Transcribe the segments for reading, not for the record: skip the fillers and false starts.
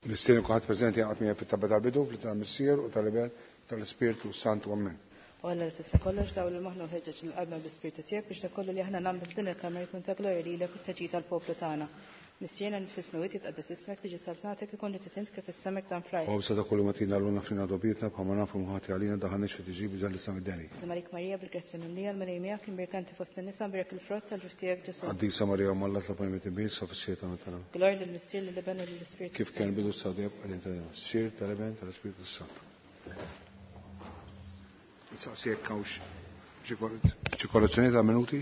Nistieden kulħadd preżenti jingħaqad miegħi fit-talba tal-bidu fl-isem tal-Missier u tal-Iben u tal-Ispirtu Santu. Amen. O Alla li tista' kollox, dawwal il-moħħna u ħeġġeġ lil qalbna bl-Ispirtu tiegħek biex dak kollu li aħna nagħmlu f'din il-kamra jkun ta' glorja lilek u ta' ġid għall-poplu tagħna. Missierna li int fis-smewwiet jitqaddes ismek, tiġi saltnatek, ikun li trid int kif fis-sema hekk dan fl-art. Ħobżna ta' kuljum agħtina llum aħfrilna dnubietna bħalma naħfru lil min ħati għalina ddaħħalniex fi tiġrib iżda ħlisna mid-deni. Sliem għalik Marija, bil-grazzja mimlija, l-Mulej miegħek, imbierka inti fost in-nisa, mbierek il-frott tal-ġuf tiegħek Ġesù. Qaddisa Marija Omm Alla itlob għalina midinbin issa u fis-siegħa ta' mewtna. Glorja lill-Missier, lill-Iben u lill-Ispirtu Kif kien bidu issa u dejjem għal dejjem. Missier, tal-Iben, tal-Ispirtu s-Santu. Nsaqsi jekk hawnx xi korrezzjonijiet għal minuti.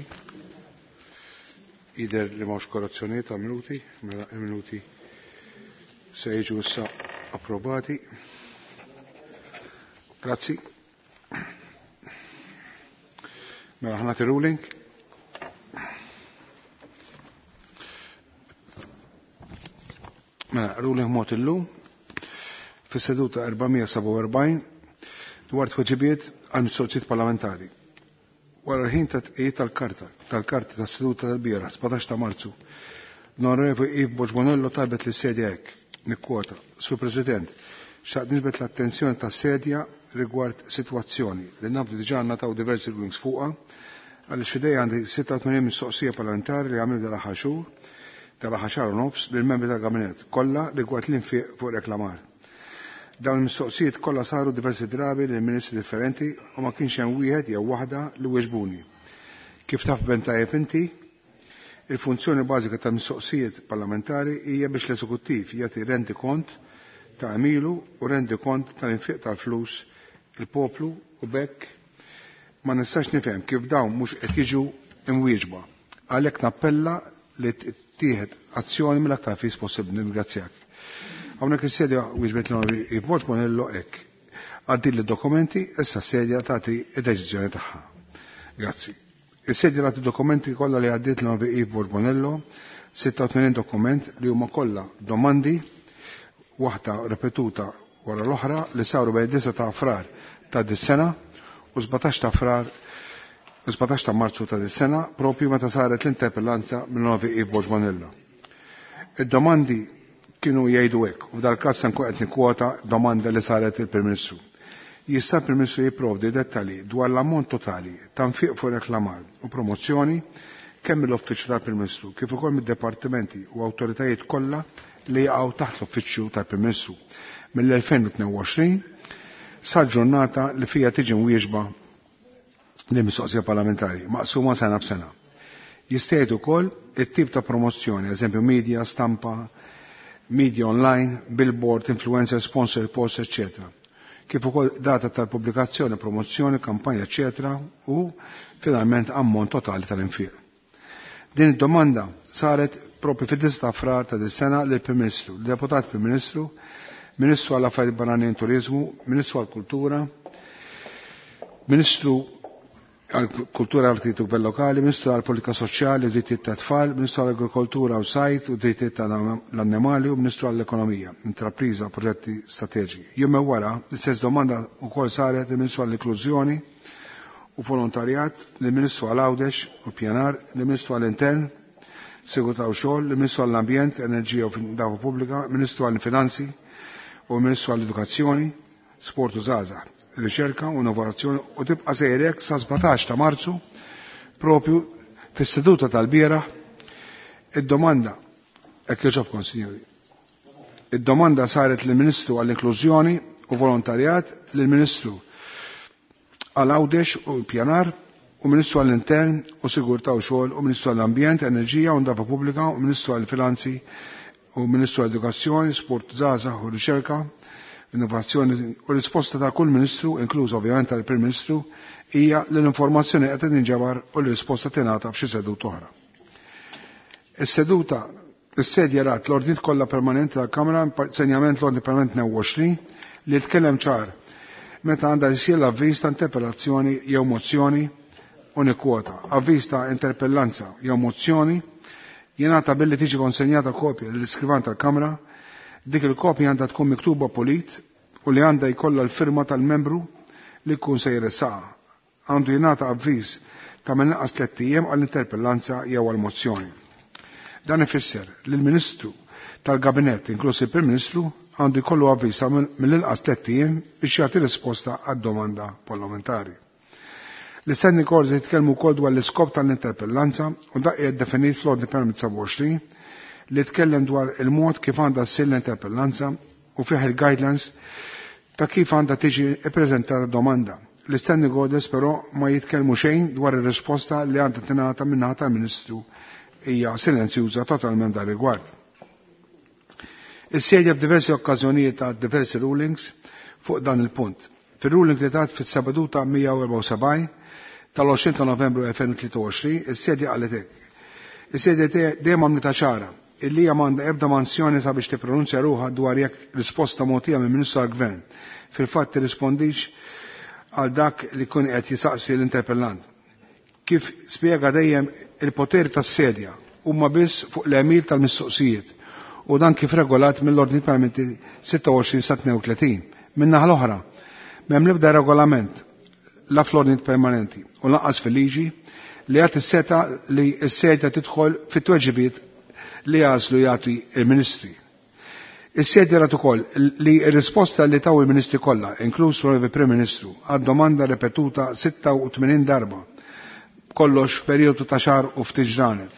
Jidher li m'hawnx korrezzjonijiet għal minuti, mela il-minuti se jiġu issa approvati. Grazzi. Mela ħa nagħti ruling. Mela, ruling mogħti illum fis-seduta 447 dwar tweġibiet għal mistoqsijiet parlamentari. Wara l-ħin ta' tqiegħid tal-karta tal-karti tas-seduta tal-bieraħ 17 ta' Marzu, l-Onorevoli Yves Borg Bonello talbet lis-sedja hekk, nikkwota, Sur President, xtaqt niġbed l-attenzjoni tas-sedja rigward sitwazzjoni li naf li diġà ngħataw diversi rulings fuqha għaliex f'idejja għandi 86 mistoqsija parlamentari li għamilt dal-aħħar xhur, tal-aħħar xahar u nofs lill-membri tal-Gabinett kollha rigward l-infiq fuq reklamar. Dawn il-mistoqsijiet kollha saru diversi drabi lil ministri differenti u ma kienx hemm wieħed jew waħda li weġbuni. Kif taf ben tajjeb inti, il-funzjoni bażika ta' mistoqsijiet parlamentari hija biex l-eżekuttiv jagħti rendikont ta' għemilu u rendikont tal-infiq tal-flus il-poplu u b'hekk ma nistax nifhem kif dawn mhux qed jiġu imwieġba. Għalhekk nappella li tittieħed azzjoni mill-aktar fis possibbli. Nirringrazzjak. Hawnhekk is-sedja wieġbet l-Onorevoli Yves Borg Bonello hekk. Għaddieli d-dokumenti, issa s-sedja tagħti d-deċiżjoni tagħha. Grazzi. Is-sedja tagħti dokumenti kollha li għaddiet l-Onorevoli Yves Borg Bonello, 86 dokument li huma kollha domandi waħda ripetuta wara l-oħra li saru bejn 9 ta' Frar ta' dis-sena u 17 ta' Frar 17 ta' Marzu ta' dis-sena propju meta saret l-interpellanza mill-Onorevoli Yves Borg Bonello. Id-domandi kienu jgħidu hekk, u f'dal-każ se nkun qed nikkwota domanda li saret il-Prim Ministru. Jista' l-Prim Ministru jipprovdi dettalji dwar l-ammont totali ta' nfiq fuq reklamar u promozzjoni kemm mill-Uffiċċju tal-Prim Ministru kif ukoll mid-dipartimenti u awtoritajiet kollha li jaqgħu taħt l-Uffiċċju tal-Prim Ministru mill-2022 sal-ġurnata li fija tiġi mwieġba l-mistoqsija parlamentari, maqsuma sena b'sena. Jista' jgħid ukoll it-tip ta' promozzjoni, eżempju media, stampa, media online, billboard, influencer, sponsor post, etc. Kif ukoll data tal-pubblikazzjoni, promozzjoni, kampanja, etc. u finalment ammont totali tal-infiq. Din id-domanda saret propju fid-9 ta' Frar ta' dis-sena lill-Prim Ministru, l-Deputat Prim Ministru, Ministru għall Affarijiet Barranin Turiżmu, Ministru għall-Kultura, Ministru għall-Kultura Artijiet u Gvern Lokali, Ministru għall-Politika Soċjali u Drittijiet tat-Tfal, Ministru għall-Agrikoltura u Sajd u Drittijiet tal-Annimali u Ministru għall-Ekonomija, Intrapriża u Proġetti Strateġiċi. Jum wara, l-istess domanda wkoll saret lill-Ministru għall-Inklużjoni u Volontarjat, lill-Ministru għal Għawdex u Pjanar, lill-Ministru għall-Intern, Sigurtà u Xogħol, lill-Ministru għall-Ambjent, Enerġija u Ndafa Pubblika, Ministru għall-Finanzi u Ministru għall-Edukazzjoni, Sport u Żgħażagħ, Riċerka u Innovazzjoni u tibqa' sejrek sa 17 ta' Marzu propju fis-seduta tal-bieraħ id-domanda hekk jogħġobkom sinjuri. Id-domanda saret lill-Ministru għall-Inklużjoni u Volontarjat, lill-Ministru għal Għawdex u Pjanar u Ministru għall-Intern u Sigurtà u Xogħol u Ministru għall-Ambjent, Enerġija u Ndafa Pubblika u Ministru għall-Finanzi u Ministru għall-Edukazzjoni, Sport Żgħażagħ u Riċerka, Innovazzjoni u risposta ta' kull Ministru, inkluż ovvjament tal-Prim Ministru, hija li l-informazzjoni qed tinġabar u l-risposta tingħata f'xi seduta oħra. Is-seduta is-sedja rat l-ordnijiet kollha permanenti tal-Kamra, senjament l-ordni permanenti 22 li tkellem ċar meta għandha jsir l-avviż ta' interpellazzjoni jew mozzjoni u nikkwota. Avviż ta' interpellanza jew mozzjoni jingħata billi tiġi konsenjata kopja lill-iskrivan tal-Kamra. Dik il-kopja għandha tkun miktuba pulit u li għandha jkollha l-firma tal-membru li jkun se jressaqha. Għandu jingħata avviż ta' mill-inqas tlett ijiem għall-interpellanza jew għall-mozzjoni. Dan ifisser li l-Ministru tal-Gabinett, inkluż il-Prim Ministru, għandu jkollu avvisa mill-inqas 3 ijiem biex jagħti risposta għad-domanda parlamentari. L-Standing Orders jitkellmu wkoll dwar l-iskop tal-interpellanza u dak qiegħed definit fl-Ordni Permanenti 27 li tkellem dwar il-mod kif għandha ssir l-interpellanza u fih il-guidelines ta' kif għandha tiġi ippreżentata domanda. L-Standing Orders però ma jitkellmu xejn dwar ir-risposta li għandha tingħata min-naħa tal-Ministru, hija silenzjuża totalment dan rigward. Is-sedja f'diversi okkażjonijiet ta' diversi rulings fuq dan il-punt. Fil-ruling li tat fis-seduta 174 tal-20 ta' Novembru 2023, is-sedja qalet hekk. Is-sedja dejjem għamlitha ċara illi hija m'għandha ebda mansjoni sabiex tippronunzja ruħha dwar jekk risposta mogħtija minn Ministru tal-Gvern fil-fatt tirrispondix għal dak li kun qed jisaqsi l-interpellant. Kif spjega dejjem, il-poter tas-sedja huma biss fuq l-għemil tal-mistoqsijiet u dan kif regolat mill-Ordni Permanenti 26 sa 32. Min-naħa l-oħra, m'hemm l-ebda regolament la fl-ordni permanenti u lanqas fil-liġi li jagħti s-setgħa li s-sedja tidħol fit-tweġibiet li jagħżlu jagħti il-ministri. Is-sedja rat ukoll li r-risposta li taw il-ministri kollha, inkluż l Prim Ministru, għad domanda repetuta 86 darba, kollox f'perjodu ta' xahar u ftit ġranet,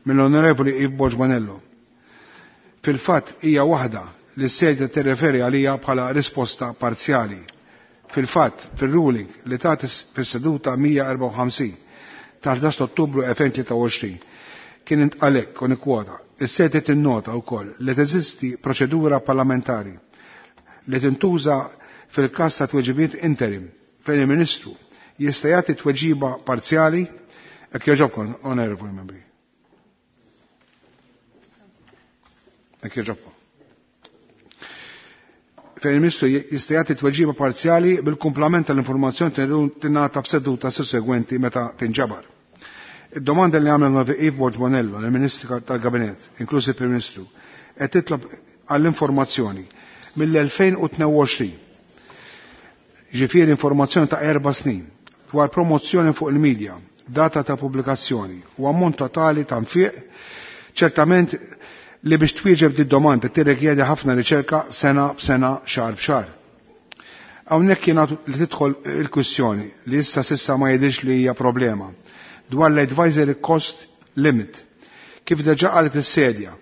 mill-Onorevoli Eve Borg Bonello. Fil-fatt hija waħda li s-sedja tirreferi għalija bħala risposta parzjali. Fil-fatt, fil-ruling li tat fis-seduta 154 tal-11 Ottubru 2023 kien intqal hekk, u nikkwota: "Is-sedja tinnota wkoll li teżisti proċedura parlamentari li tintuża fil-każ ta' tweġibiet interim fejn il-Ministru jista' jagħti tweġiba parzjali." Jekk jogħġobkom, onorevoli membri. Jekk jogħġobkom. Fejn il-Ministru jista' jagħti tweġiba parzjali bil-kumplament tal-informazzjoni tingħata f'seduta sussegwenti meta tinġabar. Id-domanda li għamel Novi Eve Borg Bonello, il-Ministru tal-Gabinet, inkluż il-Prim Ministru, qed titlob għall-informazzjoni mill-2022. Ġifieri informazzjoni ta' 4 snin dwar promozzjoni fuq il-medja, data ta' pubblikazzjoni u ammont totali ta' nfiq, ċertament li biex twieġeb di domanda tirrikjedi ħafna riċerka, sena b'sena, xahar b'xahar. Hawnhekk jingħatu li tidħol il-kwistjoni li issa sissa ma jidhirx li hija problema dwar l-advisory cost limit. Kif deġa qalet is-sedja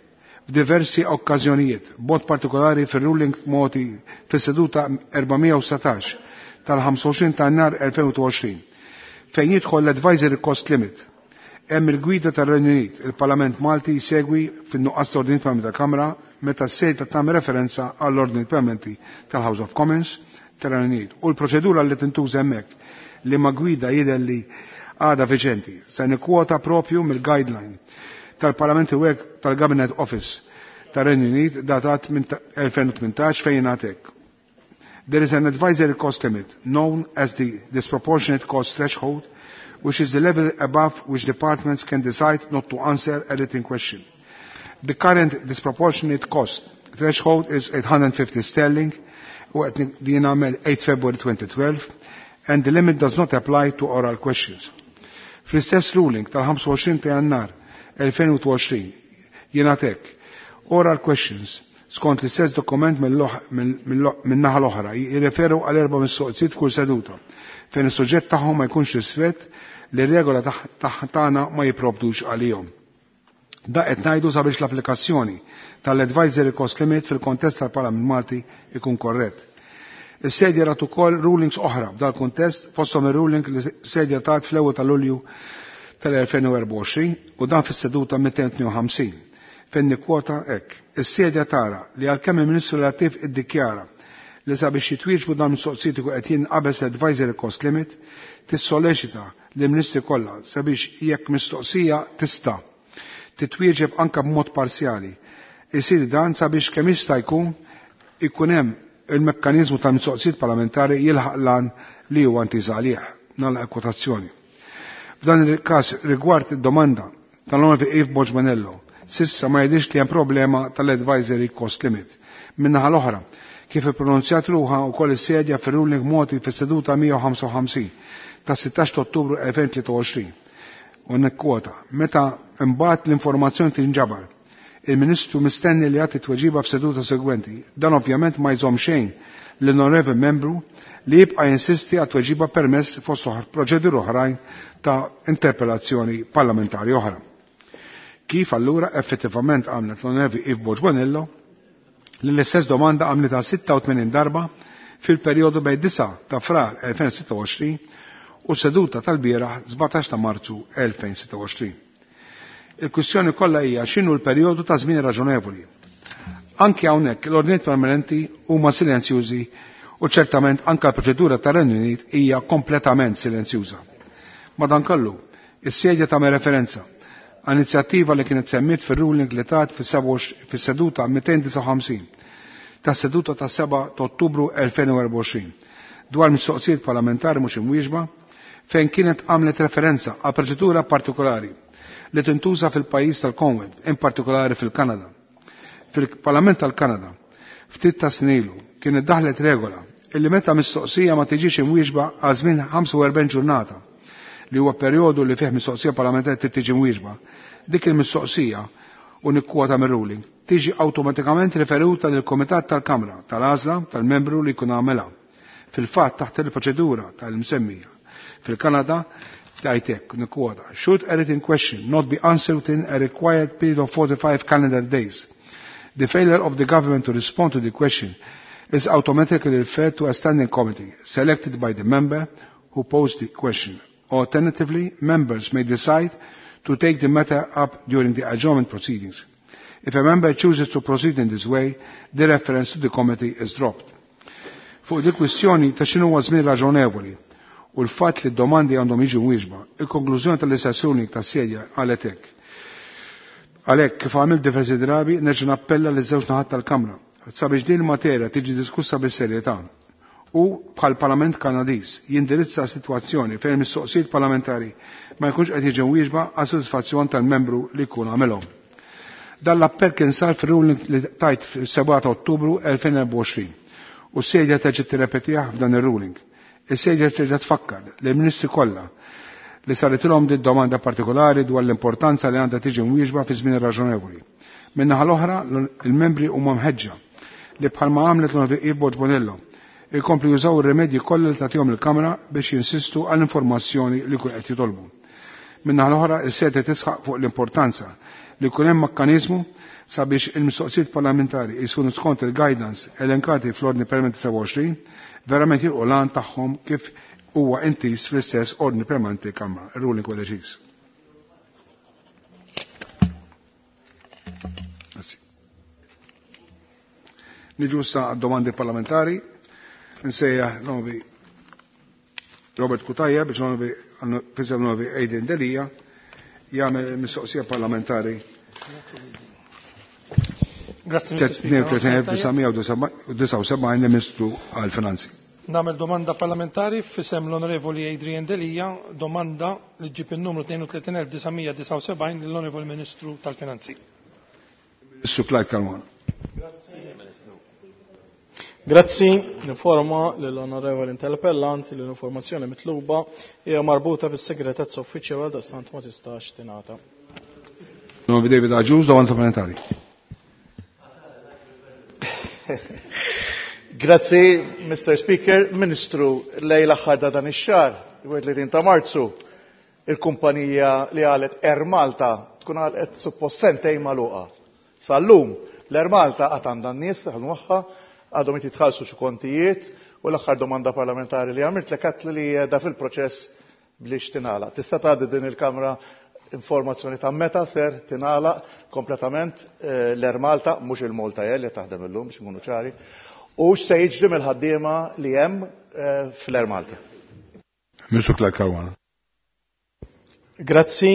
f'diversi okkażjonijiet, b'mod partikolari fir-ruling mogħti fis-seduta 417 tal-25 ta' Jannar 2020, fejn jidħol l-advisory cost limit, hemm il-gwida tar-Renju Unit, il-Parlament Malti jsegwi fin-nuqqas ta' ordni permanenti tal-Kamra meta s-sedja tagħmel referenza għall-ordni permanenti tal-House of Commons tar-Renju Unit u l-proċedura li tintuża hemmhekk, li ma gwida jidher li għada viġenti. Se nikkwota propju mill-guideline tal-Parlament Work tal-Cabinet Office tar-Renju Unit datat minn 2018 fejn għatek: "There is an advisory cost limit known as the disproportionate cost threshold, which is the level above which departments can decide not to answer a written question. The current disproportionate cost threshold is 850 sterling," u qed din għamel 8 February 2012, "and the limit does not apply to oral questions." Fl-istess ruling tal-25 ta' Jannar 2020 jingħad hekk: "Oral questions skont l-istess dokument min-naħa l-oħra jirreferu għal erba' mistoqsijiet f'kull seduta fejn is-suġġett tagħhom ma jkunx ristrett li r-regola tagħna ma jipprovdux għalihom. Da qed ngħidu sabiex l-applikazzjoni tal-advisory cost limit fil-kontest tal-Parlament Malti ikun korrett. Is-sedja rat ukoll rulings oħra f'dal kuntest, fosthom ir-ruling li sedja tat fl-ewwel ta' Lulju tal-2024 u dan fis-seduta 252 fejn nikkwota hekk: "Is-sedja tara li għalkemm il-Ministru relattiv iddikjara li sabiex jitwieġbu dan mistoqsijiet ikun qed jinqabeż advisory cost limit, tissoleċita li ministri kollha sabiex jekk mistoqsija tista' titwieġeb anka b'mod parzjali, isir dan sabiex kemm jista' jkun ikun hemm il-mekkaniżmu tal-mistoqsijiet parlamentari jilħaq lan li huwa intiż għalih." Nagħlaq kwotazzjoni. F'dan il-każ, rigward id-domanda tal-Onorevoli Eve Borg Bonello, sissa ma jidhirx li hemm problema tal-advisory cost limit. Min-naħa l-oħra, kif ippronunzjat ruħha wkoll is-sedja fir-ruling mogħti fis-seduta 155 ta' 16 Ottubru 2023, u nikkwota: "Meta imbagħad l-informazzjoni tinġabar, Il-Ministru mistenni li jagħti tweġiba f'seduta segwenti. Dan ovvjament ma jżomm xejn l-onorevoli membru li jibqa' jinsisti għat tweġiba permess fost proċeduri oħrajn ta' interpellazzjoni parlamentari oħra. Kif allura effettivament għamlet l-onorevoli Yves Borg Bonello li l-istess domanda għamlet 86 darba fil-perjodu bejn 9 ta' frar 2026 u seduta tal-bieraħ 17 ta' Marzu 2026. Il-kwistjoni kollha hija x'inhu l-perjodu ta' żmien raġonevoli. Anki hawnhekk l-ordnijiet permanenti huma silenzjużi u ċertament anke l-proċedura tar-Renju Unit hija kompletament silenzjuża. Madankollu, is-sedja tagħmel referenza għal inizjattiva li kienet semmiet fir-ruling li tat fis-seduta 259 ta' seduta ta' 7 ta' Ottubru 2024 dwar mistoqsijiet parlamentari mhux imwieġba fejn kienet għamlet referenza għal proċedura partikolari li tintuża fil-pajjiż tal-Commonwealth, in partikolari fil-Kanada. Fil-Parlament tal-Kanada, ftit ta' snilu, kienet daħlet regola illi meta mistoqsija ma tiġix imwieġba għal żmien 45 ġurnata li huwa perjodu li fih mistoqsija parlamentari trid tiġi mwieġba. Dik il-mistoqsija u nikkwota mir-ruling tiġi awtomatikament riferuta lil komitat tal-Kamra tal-għażla tal-membru li jkun għamela. Fil-fatt taħt il-proċedura tal-msemmija fil-Kanada tajtek nikkwota should a written question not be answered within a required period of 45 calendar days, the failure of the government to respond to the question is automatically referred to a standing committee selected by the member who posed the question. Alternatively, members may decide to take the matter up during the adjournment proceedings. If a member chooses to proceed in this way, the reference to the committee is dropped. Fuq di kwistjoni ta' x'inhu huwa żmien raġonevoli u l-fatt li d-domandi għandhom jiġu mwieġba, il-konklużjoni tal-istazzjoni tas-sedja qalet hekk. Għalhekk kif għamilt diversi drabi nerġa' nappella liż żewġ naħat tal-Kamra sabiex din il-materja tiġi diskussa bis-serjetà u bħal Parlament Kanadiż jindirizza sitwazzjoni fejn mistoqsijiet parlamentari ma jkunx qed jiġu wieġba għas sodisfazzjon tal-membru li jkun għamilhom. Dan l-appell kien sar fir-ruling li tajt fis-7 ta' Ottubru 2024 u s-sedja terġa' tirrepetih f'dan ir-ruling. Is-sedja terġa' tfakkar li l-Ministri kollha li saritilhom din domanda partikolari dwar l-importanza li għandha tiġi mwieġba fi żmien raġonevoli. Min-naħa l-oħra, il-membri huma mħeġġa li bħalma għamlet l-Onorevoli Borg Bonello ikomplu jużaw ir-remedji kollha li tagħtihom il-Kamra biex jinsistu għall-informazzjoni li jkun qed jitolbu. Min-naħa l-oħra, is-sede tisħaq fuq l-importanza li jkun hemm mekkaniżmu sabiex il-mistoqsijiet parlamentari jsunu skont il-guidance elenkati fl-Ordni Permanenti 27 verament jilqu l-għan tagħhom kif huwa intiż fl-istess Ordni Permanenti Kamra. Ir-ruling huwa deċiż. Grazzi. Niġu issa għad-domandi parlamentari. Nsejjaħ novi Robert Cutajar biex novi fisem novi Adrian Delia jagħmel mistoqsija parlamentari Grazzi, Mr. Speaker. 3979 Ministru għal-Finanzi. Nagħmel domanda parlamentari f'isem l-Onorevoli Adrian Delia, domanda li ġib il-numru 32979 lill-Onorevoli Ministru tal-Finanzi. Ministru Clyde Caruana. Grazzi, ninforma lill-Onorevoli Interpellant li l-informazzjoni mitluba hija marbuta bis-segretezza uffiċjali għal daqstant ma tistax tingħata. Novi David Agius, domanda supplementari. Grazzi, Mr. Speaker. Ministru, lejn l-aħħar ta' dan ix-xahar, 31 ta' Marzu, il-kumpanija li għalet Air Malta tkun għalet suppost sentejn magħluqa. Sal-lum, l-Air Malta għad għandha n-nies taħdmu magħha, għadhom qed jitħallsu xi kontijiet u l-aħħar domanda parlamentari li għamilt lek għedt li qiegħda fil-proċess biex tingħalaq. Tista' tgħaddi din il-Kamra informazzjoni ta' meta ser tingħalaq kompletament l-Air Malta, mhux il-Malta Air li taħdem illum biex nkunu ċari, u x'se jiġri mill-ħaddiema li hemm fl-Air Malta. Ministru Clyde Caruana. Grazzi.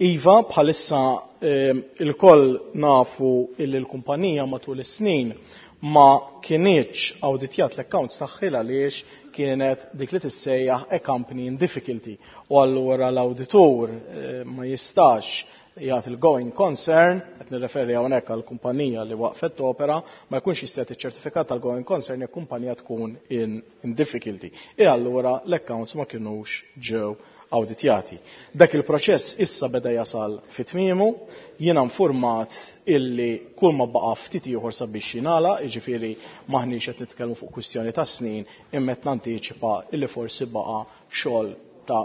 Iva, bħalissa il-koll nafu illi l-kumpanija matul is-snin ma kienieċ awditjat l-accounts tagħha għaliex kienet dik li tissejjaħ a company in difficulty. U allura l-awditur ma jistax jagħti il-going concern, qed nirreferi hawnhekk għal kumpanija li waqfet opera, ma jkunx jista' jagħti ċertifikat tal-going concern jekk kumpanija tkun in difficulty. E allura l-accounts ma kinux ġew awditjati. Dak il-proċess issa beda jasal fi tmiemu, jiena nfurmat illi kull ma baqa' ftit ieħor sabiex jingħalaq, jiġifieri m'aħniex qed nitkellmu fuq kwistjoni ta' snin, imma qed nantiċipa illi forsi baqa' xogħol ta'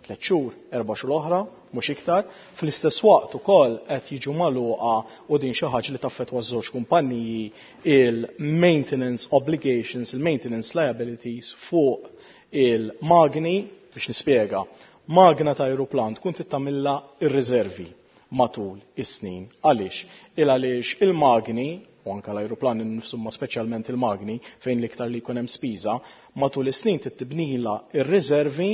3 xhur, 4 xhur oħra, mhux iktar. Fl-istess waqt ukoll qed jiġu magħluqa, u din xi ħaġa li taffettwa ż-żewġ kumpanniji, il-maintenance obligations, il-maintenance liabilities fuq il-magni. Biex nispjega, magna ta' aeroplan tkun tittamilla ir-riservi matul is-snin. Għaliex? Il għaliex il-magni, u anka l-aeroplan innifsu, ma speċjalment il-magni fejn l-iktar li jkun hemm spiża, matul is-snin tibnila ir-riservi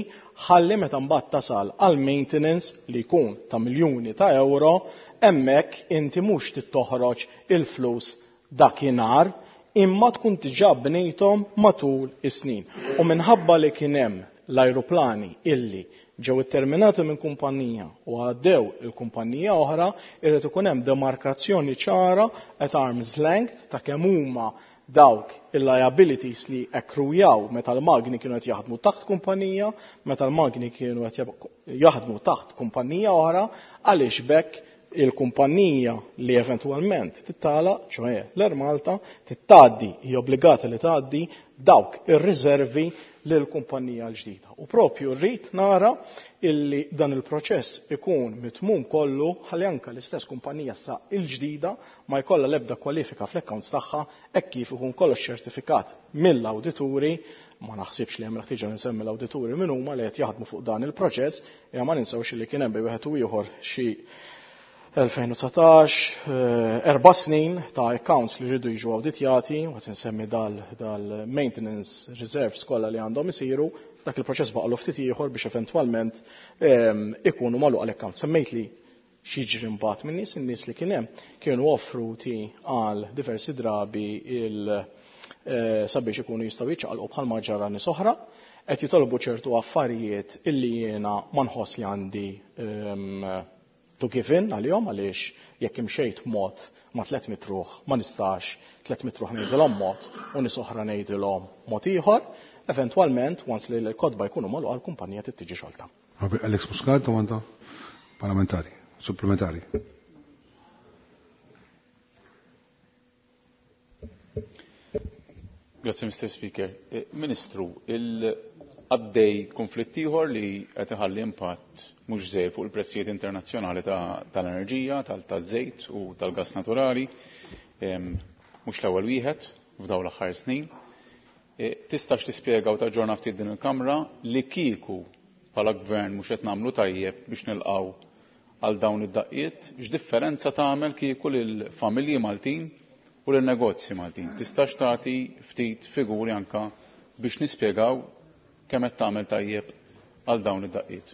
ħalli meta mbagħad tasal għal maintenance li jkun ta' miljuni ta' euro, hemmhekk inti mhux tittoħroġ il-flus dakinhar, imma tkun diġà bnejthom matul is-snin. U minħabba li kien hemm l-ajruplani illi ġew itterminati minn kumpanija u għaddew il-kumpanija oħra, irrid ikun hemm demarkazzjoni ċara at arm's length ta' kemm huma dawk il-liabilities li ekkrujaw meta l-magni kienu qed jaħdmu taħt kumpanija, meta l-magni kienu qed jaħdmu taħt kumpanija oħra, għaliex bekk il-kumpanija li eventwalment tittala, ċoħe l-Air Malta, tittaddi, hija obbligata li tgħaddi dawk ir-riservi lill-kumpanija l-ġdida. U propju rrid nara illi dan il-proċess ikun mitmum kollu ħalli anke l-istess kumpanija sa il-ġdida ma jkollha l-ebda kwalifika fl-accounts tagħha hekk kif ikun kollox ċertifikat mill-awdituri. Ma naħsibx li hemm ħtiġa nsemmi l-awdituri min huma li qed jaħdmu fuq dan il-proċess, imma ma ninsewx li kien hemm bejn wieħed u ieħor xi 2019, 4 snin ta' accounts li rridu jiġu awditjati, u qed insemmi dal-maintenance reserves kollha li għandhom isiru, dak il-proċess baqgħu ftit ieħor biex eventwalment ikunu magħluq l-account. Semmejt li x'jiġri mbagħad minn nies, in-nies li kien hemm kienu offruti għal diversi drabi sabiex ikunu jistgħu jiċċaqalqu bħalma ġara nies oħra, qed jitolbu ċertu affarijiet illi jiena ma nħoss li għandi to give in għalihom, għaliex jekk imxejt mod ma' 300 ruħ ma nistax 300 ruħ ngħidilhom mod u nies oħra ngħidilhom mod ieħor, eventwalment once li l-kotba jkunu magħluqa l-kumpanija trid tiġi xolta. Alex Muscat, domanda parlamentari, supplementari. Grazie, Mr. Speaker. Ministru, għaddej konflitt ieħor li qed iħalli impatt mhux żejr fuq il-prezzijiet internazzjonali tal-enerġija, taż-żejt u tal-gas naturali, mhux l-ewwel wieħed f'dawn l-aħħar snin. Tistax tispjega u taġġorna ftit din il-Kamra li kieku bħala gvern mhux qed nagħmlu tajjeb biex nilqgħu għal dawn id-daqqiet, x'differenza tagħmel kieku lill-familji Maltin u lin-negozji Maltin? Tistax tagħti ftit figuri anka biex nispjegaw kemm qed tagħmel tajjeb għal dawn id-daqqiet.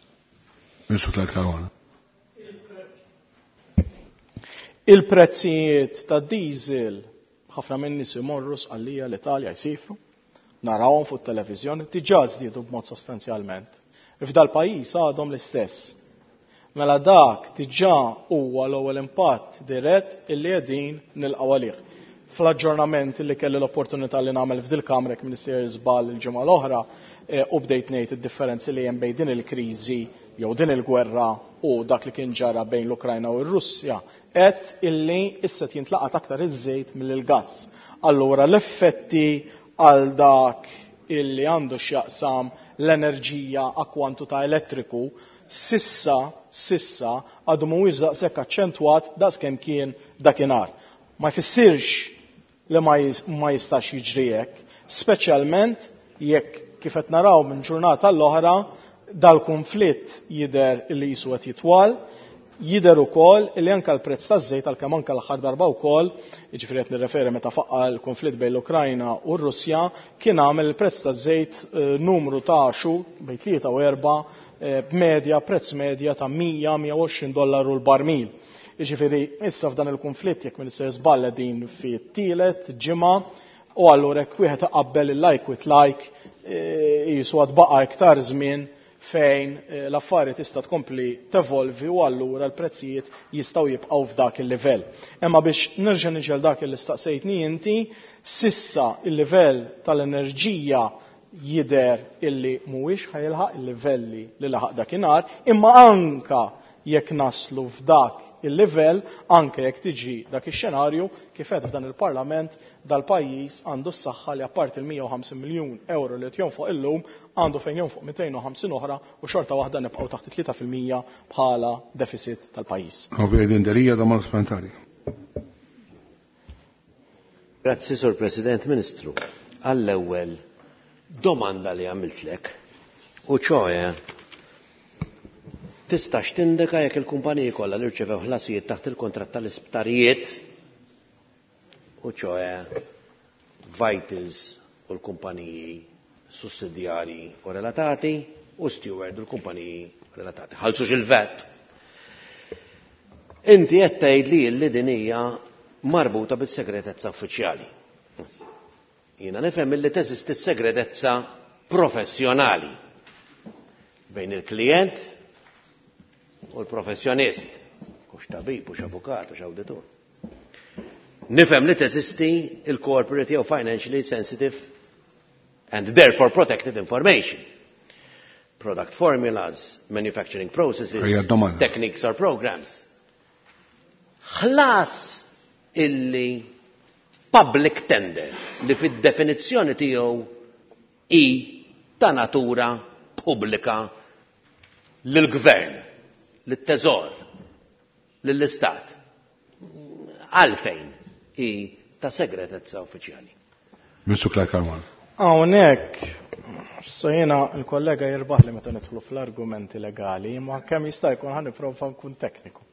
Ministru Clyde Caruana. Il-prezzijiet ta' diesel ħafna minn nies imorru Sqallija, l-Italja jsifru, narawhom fuq it-televiżjoni, diġà żdiedu b'mod sostanzjalment. F'dal pajjiż għadhom l-istess. Mela dak diġà huwa l-ewwel impatt dirett illi qegħdin nilqgħu għalih. Fl-aġġornament li kelli l-opportunità li nagħmel f'dil-Kamra jekk Minister żball il-ġimgħa l-oħra, u bdejt ngħid id-differenzi li hemm bejn din il-kriżi jew din il-gwerra u dak li kien ġara bejn l-Ukrajna u r-Russja, qed illi issa jintlaqat aktar iż-żejt mill-gass. Allura l-effetti għal dak illi għandu x'jaqsam l-enerġija akkwantu ta' elettriku sissa għadu mhuwiex daqshekk aċċentwat daqskemm kien dakinhar. Ma jfissirx li ma jistax jiġri hekk, speċjalment jekk kif qed naraw minn ġurnata l-oħra dal-konflitt jidher li jisu qed jitwal, jidher ukoll li anke l-prezz taż-żejt għalkemm anke l-aħħar darba wkoll, jiġifieri qed nirreferi meta faqqa l-konflitt bejn l-Ukrajna u r-Russja, kien għamel il-prezz taż-żejt numru ta' xhur bejn 3 u 4 b'medja, prezz medja ta' mija, mija u għoxrin dollaru l-barmil. Jiġifieri issa f'dan il-konflitt jekk Minister żball din fi tielet ġimgħa, u allura jekk wieħed iqabbel il-like with like, jisu għad baqa' iktar żmien fejn l-affari tista' tkompli tevolvi u allura l-prezzijiet jistgħu jibqgħu f'dak il-livell. Imma biex nerġa' niġi għal dak li staqsejtni inti, sissa il-livell tal-enerġija Jidher illi mhuwiex ħa jilħaq il-livelli li laħaq dakinhar, imma anka jekk naslu f'dak il-livell, anke jekk tiġi dak ix-xenarju, kif qed f'dan il-Parlament, dal-pajjiż għandu s-saħħa li apparti il-150 miljun euro li qed jonfoq illum, għandu fejn jonfoq 250 oħra u xorta waħda nibqgħu taħt 3% bħala deficit tal-pajjiż. Adrian Delia, domanda supplementari. Grazzi, Sur President. Ministru, għall-ewwel domanda li għamiltlek, u ċoe, tistax tindika jekk il-kumpaniji kollha li rċevew ħlasijiet taħt il-kontratt tal-isptarijiet, u ċoe Vitals u l-kumpaniji sussidjarji u relatati, u Steward u l-kumpaniji relatati. Ħallsux il-VAT. Inti qed tgħid li li din hija marbuta bis-segretezza uffiċjali. Jiena nifhem li teżisti segretezza professjonali bejn il-klient u l-professjonist, hux tabib, hux avukat, hux awditur. Nifhem li teżisti il-corporate jew financially sensitive and therefore protected information. Product formulas, manufacturing processes, techniques or programs. Ħlas illi public tender li fid-definizzjoni tiegħu i ta' natura pubblika lill-gvern, lit-teżor, lill-istat. Għalfejn i ta' segretezza uffiċjali. Mr. Clyde Caruana. Hawnhekk, so jiena l-kollega jirbaħ li meta nidħlu fl-argumenti legali, ma kemm jista' jkun ħa nipprova nkun tekniku.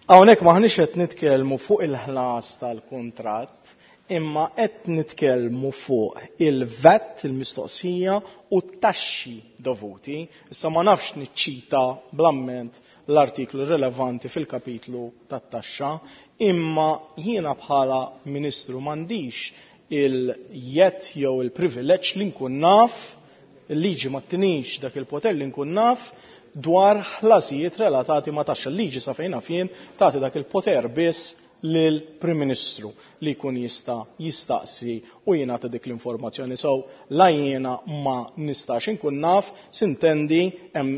Hawnhekk maħniex qed nitkellmu fuq il-ħlas tal-kuntratt, imma qed nitkellmu fuq il-VAT, il-mistoqsija u t-taxxi dovuti. Issa ma nafx niċċita bl-amment l-artiklu rilevanti fil-kapitlu tat-taxxa, imma jiena bħala ministru m'għandix il-jett jew il-privileġġ li nkun naf, il-liġi ma tinix dak il-poter li nkun naf dwar ħlasijiet relatati ma' taxxa. Il-liġi sa fejn naf jien tagħti dak il-poter biss lill-Prim Ministru li jkun jista' jistaqsi u jingħata dik l-informazzjoni. So la jiena ma nistax inkun naf, sintendi hemm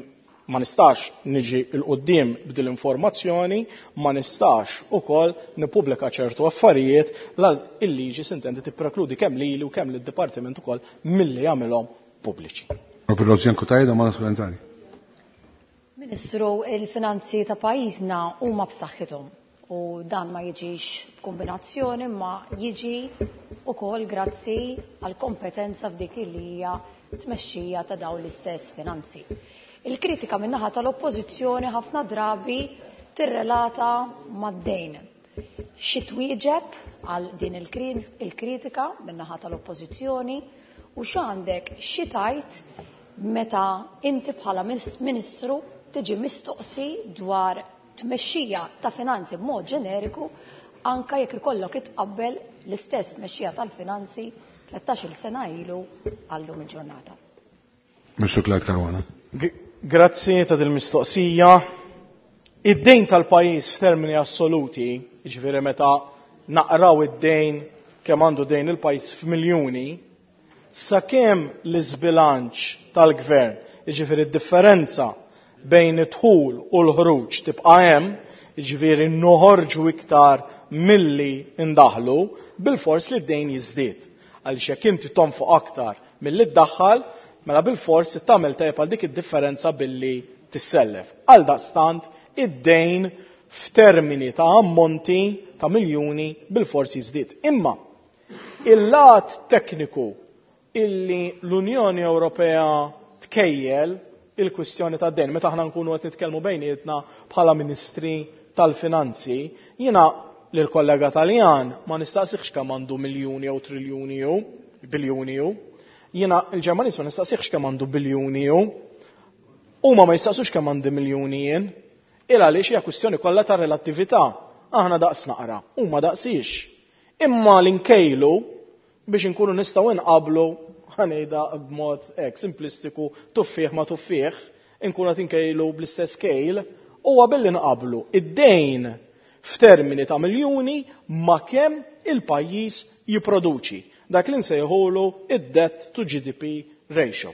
ma nistax niġi l-qoddim b'dil informazzjoni, ma nistax ukoll nippubblika ċertu affarijiet la il-liġi sintendi tipprekludi kemm lili u kemm lid-dipartiment ukoll milli jagħmilhom pubbliċi. Professor Cutajar, domanda supplementari. Ministru, il-finanzi ta' pajjiżna huma b'saħħithom u dan ma jiġix b'kombinazzjoni ma jiġi ukoll grazzi għal kompetenza f'dik li hija tmexxija ta' dawn l-istess finanzi. Il-kritika min-naħa tal-oppożizzjoni ħafna drabi tirrelata mad-dejn. Xi twieġeb għal din il-kritika min-naħa tal-oppożizzjoni u x'għandek xi tajt meta inti bħala ministru tiġi mistoqsi dwar tmexxija ta' finanzi b'mod ġeneriku anka jekk ikollok itqabbel l-istess tmexxija tal-finanzi 13-il sena ilu għallum il-ġurnata. Mr. Clyde Caruana. Grazzi ta' dil-mistoqsija. Id-dejn tal-pajjiż f'termini assoluti, jiġifieri meta naqraw id-dejn kemm għandu dejn il-pajjiż f'miljuni, sakemm l-iżbilanċ tal-gvern, jiġifieri d-differenza bejn id-dħul u l-ħruġ tibqa' hemm, jiġifieri noħorġu iktar milli ndaħlu, bil-fors li d-dejn jiżdied. Għaliex jekk inti tonfoq aktar milli ddaħħal, mela bil-fors tagħmel tajjeb għal dik id-differenza billi tissellef. Għal daqstant id-dejn f'termini ta' ammonti ta' miljuni bil-fors jiżdied. Imma il-lat tekniku illi l-Unjoni Ewropea tkejjel il-kwistjoni ta' dejn, meta aħna nkunu qed nitkellmu bejnietna bħala ministri tal-finanzi, jiena lill-kollega Taljan ma nistaqsiħx kemm għandu miljuni jew triljuni jew biljuni jew. Jiena il-Ġermaniż ma nistaqsiħx kemm għandu biljuni jew. Huma ma jistaqsux kemm għandi miljuni jien. Il għaliex hija kwistjoni kollha ta' relattività. Aħna daqs naqra, huma daqsix. Imma l-inkejlu biex inkunu nistgħu inqablu ħanejda b'mod hekk simplistiku tuffieħ ma tuffieħ, inkunu qed inkejlu bl-istess kejl, huwa billi nqablu id-dejn f'termini ta' miljuni ma' kemm il-pajjiż jipproduċi. Dak li nsejħulu id-debt to GDP ratio.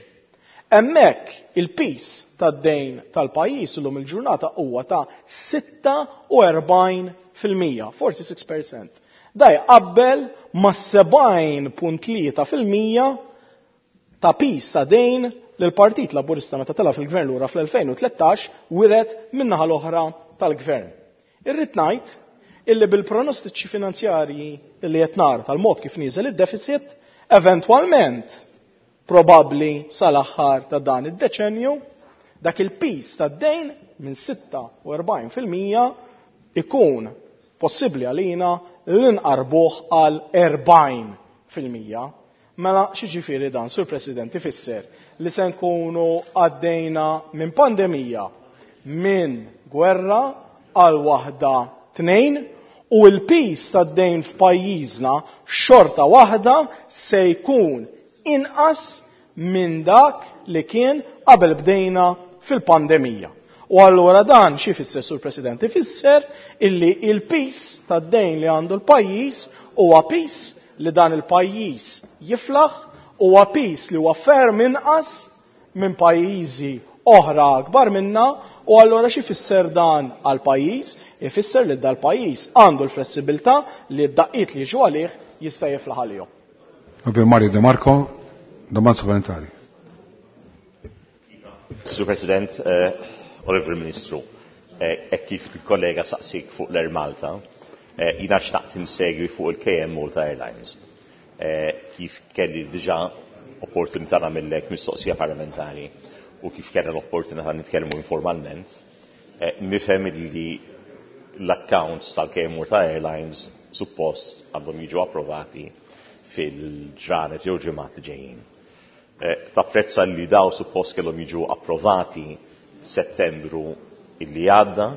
Hemmhekk il-piż tad-dejn tal-pajjiż illum il-ġurnata huwa ta' 46%, 46%. Da jqabbel ma' 70.3% ta' piż ta' dejn li l-Partit Laburista meta tela' fil-gvern lura fl-2013 wiret min-naħa l-oħra tal-gvern. Irrid ngħid illi bil-pronostiċi finanzjarji li qed nara tal-mod kif nieżel id-deficit, eventwalment probabbli sal-aħħar ta' dan id-deċenju, dak il-piż tad-dejn minn 46% ikun possibbli għalina li nqarbuh għal 40%. Mela x'jiġifieri dan, Sur President, ifisser li se nkunu għaddejna minn pandemija, minn gwerra għal waħda tnejn, u l-piż tad-dejn f'pajjiżna xorta waħda se jkun inqas minn dak li kien qabel bdejna fil-pandemija. U allura dan xi jfisser, Sur President? Ifisser illi il-piż tad-dejn li għandu l-pajjiż huwa piż li dan il-pajjiż jiflaħ, huwa piż li huwa ferm inqas minn pajjiżi oħra akbar minna, u allura xi jfisser dan għal pajjiż? Ifisser li dal-pajjiż għandu l-flessibilità li d-daqqiet li jiġu għalih jista' jiflaħ għalihom. Onorevole Mario De Marco, domanda supplementari. Sur President, Onorevole Ministru, e kif il-kollega saqsik fuq l-Air Malta, jina xtaqt insegwi fuq il-KM Malta Airlines. Kif kelli diġa opportunità nagħmellek mistoqsija parlamentari u kif kellna l-opportunità nitkellmu informalment, nifhem li l-accounts tal-KM Malta Airlines suppost għandhom jiġu approvati fil-ġranet jew ġimgħat li ġejjin. Tapprezza li daw suppost kellhom jiġu approvati Settembru illi għadda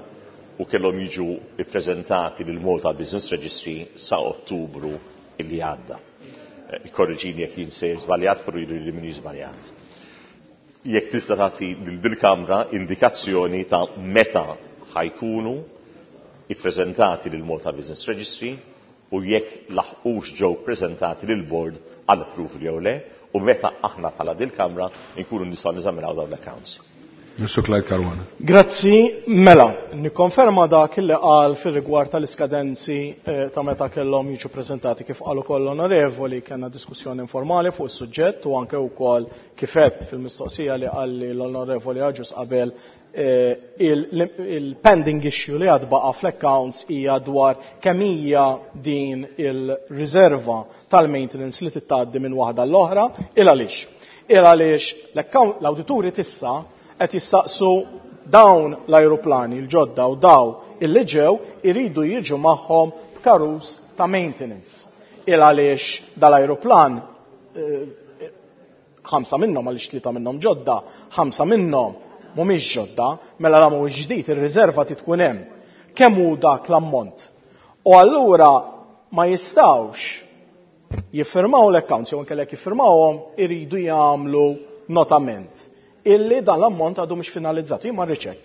u kellhom jiġu ippreżentati lil Malta Business Registry sa Ottubru illi għadda. Ikkorreġini jekk jien sejjer żbaljat, però jidhirli li minni żbaljat. Jekk tista' tagħti lil dil-Kamra indikazzjoni ta' meta ħajkunu ippreżentati lil Malta Business Registry u jekk laħqux ġew preżentati lil board għal approval jew le, u meta aħna bħala dil-Kamra nkunu nistgħu neżaminaw dawn l-accounts. Mr. Clyde Caruana. Grazzi, mela, nikkonferma dak li qal fir-rigward tal-iskadenzi ta' meta kellhom jiġu preżentati kif qalu koll onorevoli, kellna diskussjoni informali fuq is-suġġett u anke wkoll kif għedt fil-mistoqsija li qalli l-onorevoli Agius qabel il-pending issue li għad baqa fl-accounts hija dwar kemm hija din il-riserva tal-maintenance li tittgħaddi minn waħda l-oħra, il għaliex. Il għaliex l-awdituri tissa qed jistaqsu dawn l-ajruplani l-ġodda u daw illi ġew iridu jiġu magħhom b'karus ta' maintenance. Il għaliex dal-ajruplan 5 minnhom għaliex 3 minnhom ġodda, 5 minnhom mhumiex ġodda, mela la mhuwiex ġdid ir-riserva trid tkun hemm. Kemm hu dak l-ammont? U allura ma jistgħux jiffirmaw l-accounts jew inkella jekk jiffirmawhom iridu jagħmlu notament illi dan l-ammont għadu mhux finalizzat, jien ma rridx hekk.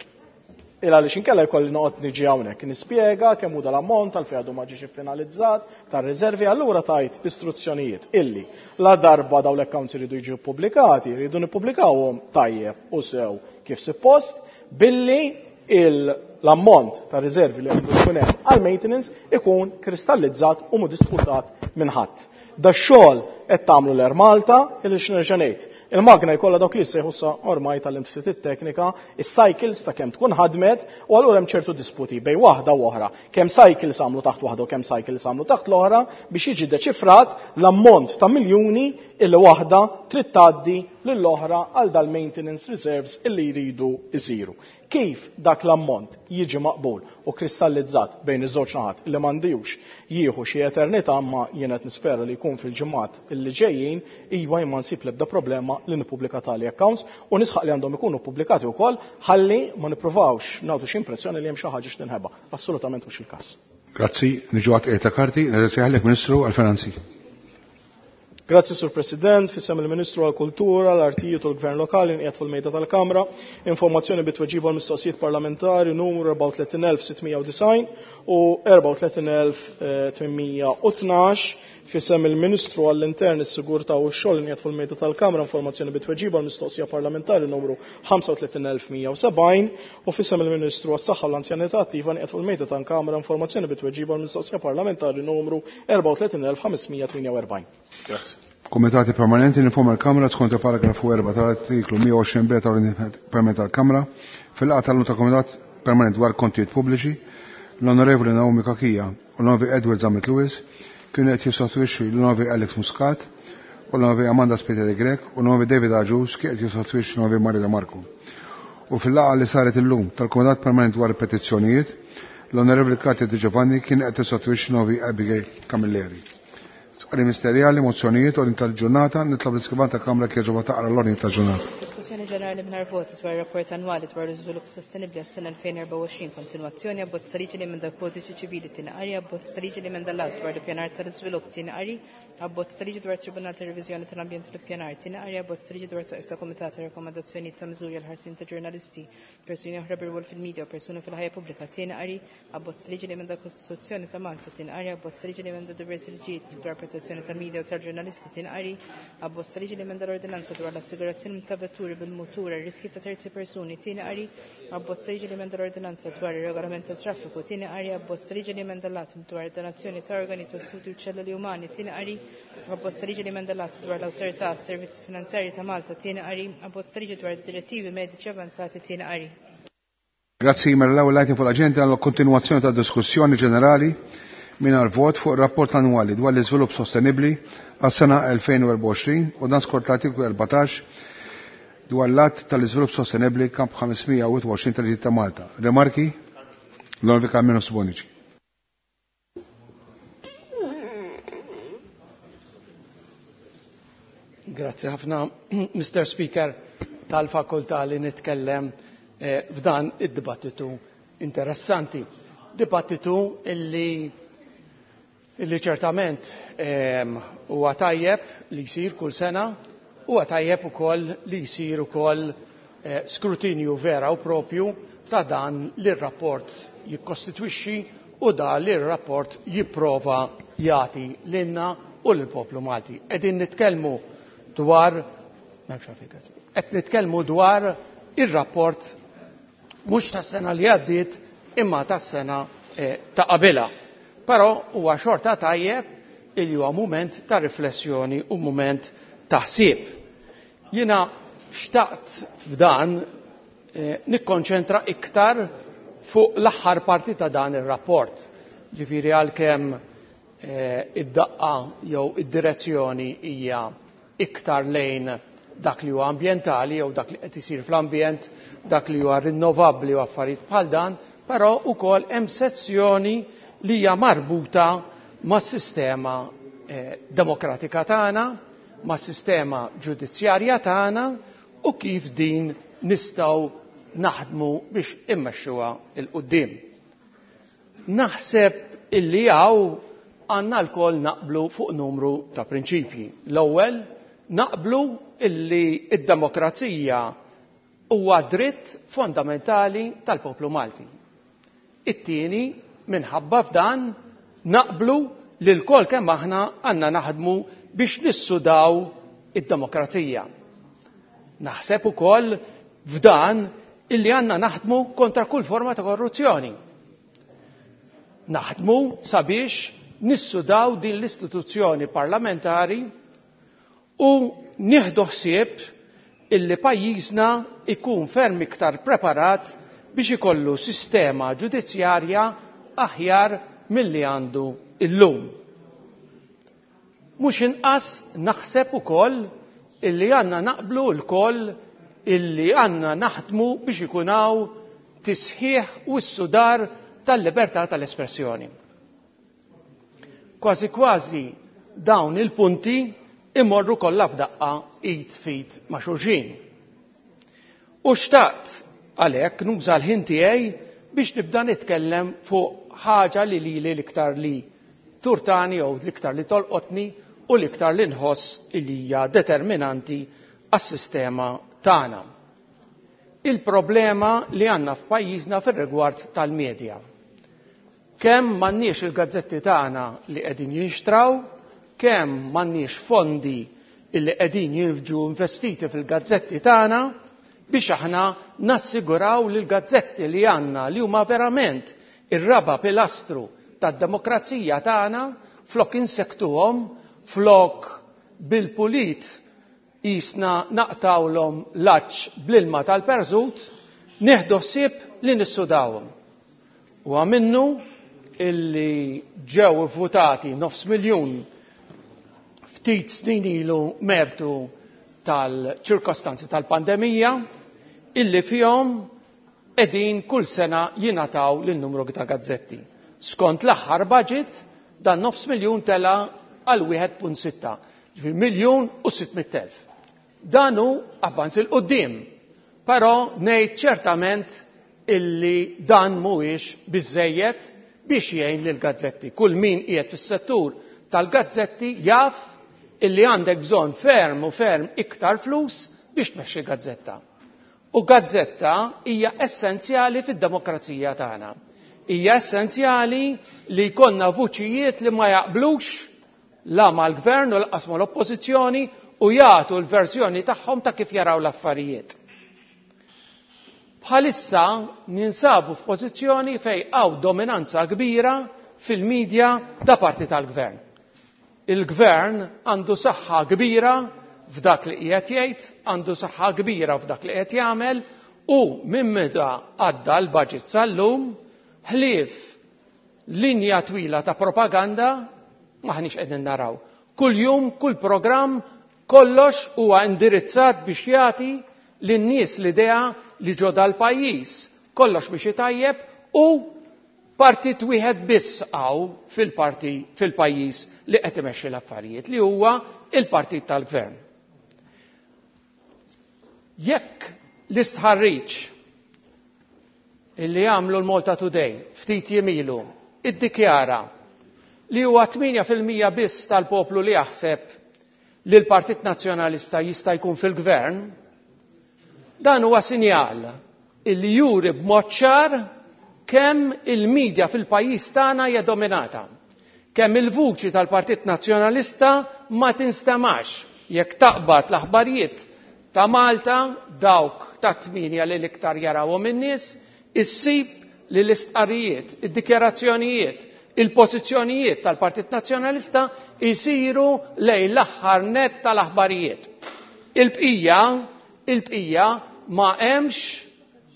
Il għaliex inkella jkolli noqgħod niġi hawnhekk nispjega kemm hu dal-ammont għalfejn għadu ma ġiex iffinalizzat tar-riservi, allura tajt istruzzjonijiet illi la darba dawn l-accounts iridu jiġu ppubblikati, iridu nippubblikawhom tajjeb u sew kif suppost billi l-ammont ta' riservi li għandu jkun hemm għal-maintenance ikun kristallizzat u mhu disputat minn ħadd. Da xogħol qed tagħmlu l-Air Malta, illi x'nerġa' ngħid. Il-magna jkollha dawk li jsejħu sa ormai tal-imsiet it-teknika, is-cycles ta' kemm tkun ħadmet, u allura hemm ċertu disputi bejn waħda u oħra. Kemm cycles għamlu taħt waħda u kemm cycles għamlu taħt l-oħra biex jiġi deċifrat l-ammont ta' miljuni illi waħda trid tgħaddi lill-oħra għal dal-maintenance reserves illi jridu jsiru. Kif dak l-ammont jiġi maqbul u kristallizzat bejn iż-żewġ naħat li m'għandux jieħu xi eternità, ma jien qed nispera li jkun fil-ġimgħat illi ġejjin, iva jien ma nsib l-ebda problema li nippubblika tali accounts u nisħaq li għandhom ikunu pubblikati wkoll ħalli ma nippruvawx nagħtu xi impressjoni li hemm xi ħaġa x'tinħeba. Assolutament mhux il-każ. Grazzi, niġu għat qiegħed ta' karti, nirringrazzjahlek Ministru għall-Finanzi. Grazzi, Sur President, fissem il-Ministru għal-Kultura, l-Artijiet u l-Gvern Lokali nqiegħed fil-mejda tal-Kamra, informazzjoni bit-tweġiba għal mistoqsijiet parlamentari numru 34690 u 34812 F'isem il-Ministru għall-Intern, is-Sigurtà u x-Xogħol inqiegħed fuq il-mejda tal-Kamra informazzjoni bi tweġiba għall-mistoqsija parlamentari numru 35170 u f'isem il-Ministru għas-Saħħa u l-Anzjanità Attiva nqiegħed fuq il-mejda tal-Kamra informazzjoni bi tweġiba għall-mistoqsija parlamentari numru 34548. Grazzi. Komitati Permanenti ninforma l-Kamra skont il-paragrafu 4 tal-artiklu 120 b tal-Ordni Permanenti tal-Kamra fil-laqgħa tal-lum tal-Komitat Permanent dwar Kontijiet Pubbliċi l-Onorevoli Naomi Cachia u l-Onorevoli Edward Zammit Lewis kienu qed jissostitwixxu l-Onorevoli Alex Muscat u l-Onorevoli Amanda Spiteri Grech u l-Onorevoli David Agius kien qed jissostitwixxi l-Onorevoli Mario De Marco. U fil-laqgħa li saret illum tal-Kumitat Permanent dwar il-Petizzjonijiet, l-Onorevoli Katia Di Giovanni kien qed tissostitwixxi l-Onorevoli Abigail Camilleri. Sqari Ministerjali, mozzjonijiet, ordni tal-ġurnata, nitlob l-iskrivan tal-Kamra kieġoba taqra l-ordni tal-ġurnata. Diskussjoni ġenerali mingħajr voti dwar rapport annwali dwar l-iżvilupp sostenibbli għas-sena 2024, kontinwazzjoni, abbozz ta' liġi li emenda l-Kodiċi Ċivili tieni qari, abbozz ta' liġi li emenda l-Att dwar l-ippjanar tal-iżvilupp tieni qari, abbozz ta' liġi dwar Tribunal ta' Reviżjoni tal-Ambjent u l-Ippjanar tieni qari, abbozz ta' liġi dwar twaqif ta' Kumitat ta' Rakkomandazzjonijiet ta' Miżuri għall-ħarsien ta' ġurnalisti, persuni oħra bir-rwol fil-medja u persuni fil-ħajja pubblika tieni qari, abbozz ta' liġi li emenda l-Kostituzzjoni ta' Malta tieni qari, abbozz ta' liġi li emenda diversi liġijiet dwar protezzjoni tal-medja u tal-ġurnalisti tieni qari, abbozz ta' liġi li emenda l-Ordinanza dwar l-assigurazzjoni ta' vetturi bil-mutur għal riski ta' terzi persuni tieni qari, abbozz ta' liġi li emenda l-Ordinanza dwar ir-regolament tat-traffiku tieni qari, abbozz ta' liġi li emenda l-Att dwar id-donazzjoni ta' organi, tessuti u ċelluli umani tieni qari, abbozz ta' liġi li emenda l-Att dwar l-Awtorità għas-Servizzi Finanzjarji ta' Malta tieni qari, abbozz ta' liġi dwar id-direttivi mediċi avanzati tieni qari. Grazzi, mela l-ewwel item fuq l-aġenda għal kontinwazzjoni ta' diskussjoni ġenerali mingħajr vot fuq ir-rapport annwali dwar l-iżvilupp sostenibbli għas-sena 2024 u dan skont l-artiklu 14 dwar l-att tal-iżvilupp sostenibbli kamp 521 tal-Liġi ta' Malta. Remarki? L-Onorevoli Carmelo Bonici. Grazzi ħafna, Mr. Speaker, tal-fakultà li nitkellem f'dan id-dibattitu interessanti. Dibattitu illi ċertament huwa tajjeb li jsir kull sena, huwa tajjeb ukoll li jsir ukoll skrutinju vera u propju ta' dan li r-rapport jikkostitwixxi u da li r-rapport jipprova jagħti lilna u lill-poplu Malti. Qegħdin nitkellmu dwar qed nitkellmu dwar ir-rapport mhux tas-sena li għaddiet imma tas-sena ta' qabilha. Però huwa xorta tajjeb illi huwa mument ta' riflessjoni u mument ta' ħsieb. Jiena xtaqt f'dan nikkonċentra iktar fuq l-aħħar parti ta' dan ir-rapport. Ġifieri għalkemm id-daqqa jew id-direzzjoni hija iktar lejn dak li huwa ambjentali jew dak li qed isir fl-ambjent, dak li huwa rinnovabbli u affarijiet bħal dan, però wkoll hemm sezzjoni li hija marbuta mas-sistema demokratika tagħna, mas-sistema ġudizzjarja tagħna u kif din nistgħu naħdmu biex immexxuha il quddiem. Naħseb illi hawn għandna lkoll naqblu fuq numru ta' prinċipji. L-ewwel naqblu illi id-demokrazija huwa dritt fondamentali tal-poplu Malti. It-tieni, minħabba f'dan, naqblu li lkoll kemm aħna għandna naħdmu biex nissudaw id-demokrazija. Naħseb ukoll f'dan illi għandna naħdmu kontra kull forma ta' korruzzjoni. Naħdmu sabiex nissudaw din l-istituzzjoni parlamentari u nieħdu ħsieb illi pajjiżna ikun ferm iktar preparat biex ikollu sistema ġudizzjarja aħjar milli għandu illum. Mhux inqas naħseb ukoll illi għandna naqblu lkoll illi għandna naħdmu biex ikun hawn tisħiħ u s-sudar tal-libertà tal-espressjoni. Kważi kważi dawn il-punti imorru kollha f'daqqa id fit ma' xulxin. U xtaqt għalhekk nuża l-ħin tiegħi biex nibda nitkellem fuq ħaġa li lili l-iktar li turtani jew l-iktar li tolqotni u l-iktar li nħoss li hija determinanti għas-sistema tagħna. Il-problema li għandna f'pajjiżna fir-rigward tal-medja. Kemm m'għandniex il-gazzetti tagħna li qegħdin jinxtraw, kemm m'għandniex fondi illi qegħdin jiġu investiti fil-gazzetti tagħna biex aħna nassiguraw li l-gazzetti li għandna li huma verament ir-raba' pilastru tad-demokrazija tagħna flok insektuhom, flok bil-pulit qisna naqtgħulhom l-għatx bl-ilma tal-perżut, nieħdu ħsieb li nissudawhom. Huwa minnu illi ġew ivvutati nofs miljun ftit snin ilu mertu tal-ċirkostanzi tal-pandemija illi fihom qegħdin kull sena jingħataw lil numru ta' gazzetti. Skont l-aħħar budget dan nofs miljun tela għal 1.6, ġifieri 1,600,000. Dan hu avvanz 'il quddiem, però ngħid ċertament illi dan mhuwiex biżżejjed biex jgħin lill-gazzetti. Kull min qiegħed fis-settur tal-gazzetti jaf illi għandek bżonn ferm u ferm iktar flus biex tmexxi gazzetta. U gazzetta hija essenzjali fid-demokrazija tagħna. Hija essenzjali li jkollna vuċijiet li ma jaqblux la mal-gvern u lanqas mal-oppożizzjoni u jagħtu l-verżjoni tagħhom ta' kif jaraw l-affarijiet. Bħalissa ninsabu f'pożizzjoni fejn hawn dominanza kbira fil-medja da parti tal-gvern. Il-gvern għandu saħħa kbira f'dak li qiegħed jgħid, għandu saħħa kbira f'dak li qiegħed jagħmel u minn meta għadda l-budget sal-lum ħlief linja twila ta' propaganda maħniex qegħdin naraw. Kull jum, kull programm, kollox huwa indirizzat biex jagħti lin-nies l-idea li ġo dal-pajjiż kollox biex itajjeb u partit wieħed biss hawn fil-parti fil-pajjiż li qed imexxi l-affarijiet li huwa il-partit tal-gvern. Jekk l-istħarriġ illi għamlu l-Malta Today ftit jiem ilu iddikjara li huwa 8% biss tal-poplu li jaħseb li l-Partit Nazzjonalista jista' jkun fil-gvern, dan huwa sinjal illi juri b'mod ċar kemm il-medja fil-pajjiż tagħna hija dominata. Kemm il-vuċi tal-Partit Nazzjonalista ma tinstemax jekk taqbad l-aħbarijiet ta' Malta dawk ta' 8 li l-iktar jarawhom in-nies, issib li l-istqarrijiet, id-dikjarazzjonijiet, il-pożizzjonijiet tal-Partit Nazzjonalista jsiru lejn l-aħħar nett tal-aħbarijiet. Il-bqija, il-bqija ma hemmx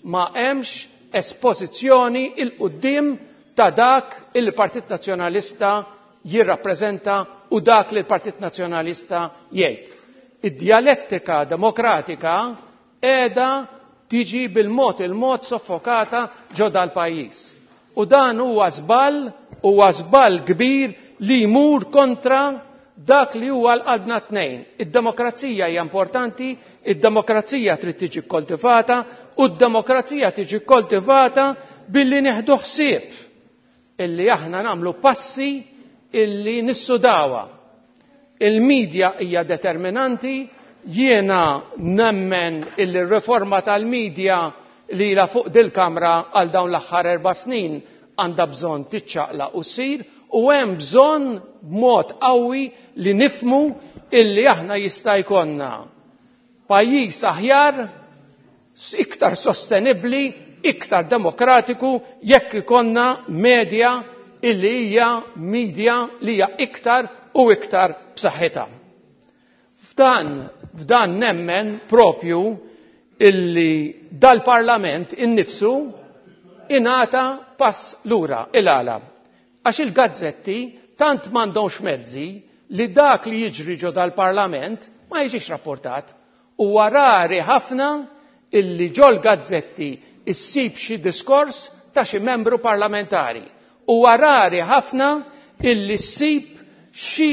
ma hemmx espożizzjoni 'il quddiem ta' dak li l-Partit Nazzjonalista jirrappreżenta u dak li l-Partit Nazzjonalista jgħid. Id-djalettika demokratika qiegħda tiġi bil-mod il-mod soffokata ġo dal-pajjiż. U dan huwa żball, huwa żball kbir li jmur kontra dak li huwa l-qalbna tnejn. Id-demokrazija hija importanti, id-demokrazija trid tiġi kkoltivata u d-demokrazija tiġi kkoltivata billi nieħdu ħsieb illi aħna nagħmlu passi illi nissudawha. Il-medja hija determinanti, jiena nemmen illi r-riforma tal-medja li ilha fuq dil-Kamra għal dawn l-aħħar 4 snin għandha bżonn tiċċaqlaq u ssir u hemm bżonn b'mod qawwi li nifhmu illi aħna jista' jkollna pajjiż aħjar, iktar sostenibbli, iktar demokratiku jekk ikollna media illi hija media li hija iktar u iktar b'saħħitha. F'dan, f'dan nemmen propju illi dal-Parlament innifsu ingħata pass lura. Il-għala? Għax il-gazzetti tant m'għandhomx mezzi li dak li jiġri ġo dal-Parlament ma jiġix rapportat. Huwa rari ħafna illi ġol-gazzetti issib xi diskors ta' xi membru parlamentari. Huwa rari ħafna illi ssib xi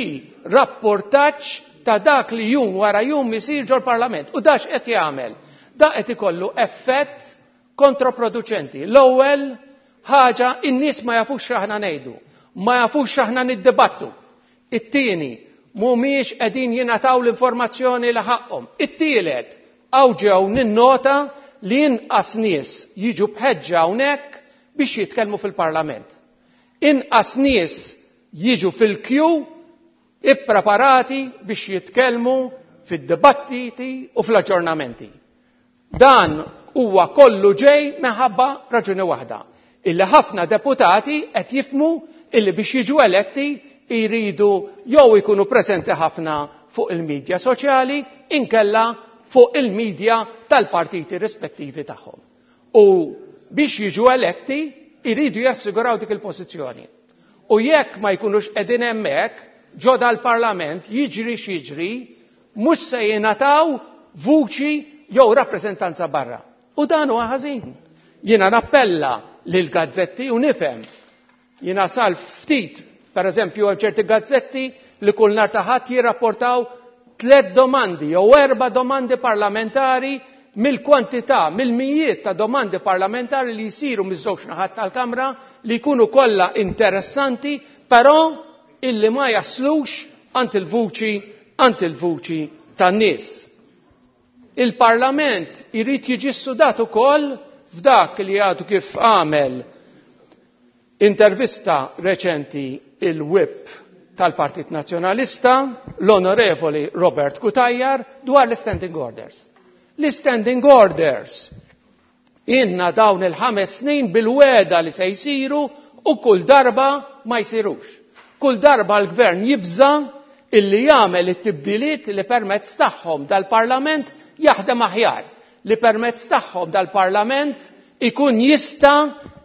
rapportaġġ ta' dak li jum wara jum isir ġol-Parlament. U dax qed jagħmel? Da qed ikollu effett kontraproduċenti. L-ewwel ħaġa, in-nies ma jafux x'aħna ngħidu, ma jafux x'aħna niddibattu. It-tieni, mhumiex qegħdin jingħataw l-informazzjoni li ħaqhom. It-tielet, hawn ġew ninnota li inqas nies jiġu b'ħeġġa hawnhekk biex jitkellmu fil-Parlament. Inqas nies jiġu fil-kju Ippreparati biex jitkellmu fid-dibattiti u fl-aġġornamenti. Dan huwa kollu ġej minħabba raġuni waħda, illi ħafna deputati qed jifhmu illi biex jiġu eletti jridu jew ikunu preżenti ħafna fuq il-medja soċjali inkella fuq il-medja tal-partiti rispettivi tagħhom. U biex jiġu eletti jridu jassiguraw dik il-pożizzjoni. U jekk ma jkunux qegħdin hemmhekk ġo dal-Parlament jiġri x'jiġri, mhux se jingħataw vuċi jew rappreżentanza barra. U dan huwa ħażin. Jiena nappella lil gazzetti u nifhem. Jiena sal ftit, per eżempju, hemm ċerti gazzetti li kull nhar ta' Ħadd jirrapportaw 3 domandi jew 4 domandi parlamentari mill-kwantità, mill-mijiet ta' domandi parlamentari li jsiru miż-żewġ naħat tal-Kamra li jkunu kollha interessanti, però illi ma jaslux għand il-vuċi, għand il-vuċi tan-nies. Il-Parlament irid jiġi ssudat ukoll f'dak li għadu kif għamel intervista reċenti il-whip tal-Partit Nazzjonalista, l-Onorevoli Robert Cutajar, dwar l-standing orders. L-standing orders inna dawn il-5 snin bil-weda li se jsiru u kull darba ma jsirux. Kull darba l-gvern jibża illi jagħmel it-tibdiliet li permezz tagħhom dal-Parlament jaħdem aħjar, li permezz tagħhom dal-Parlament ikun jista'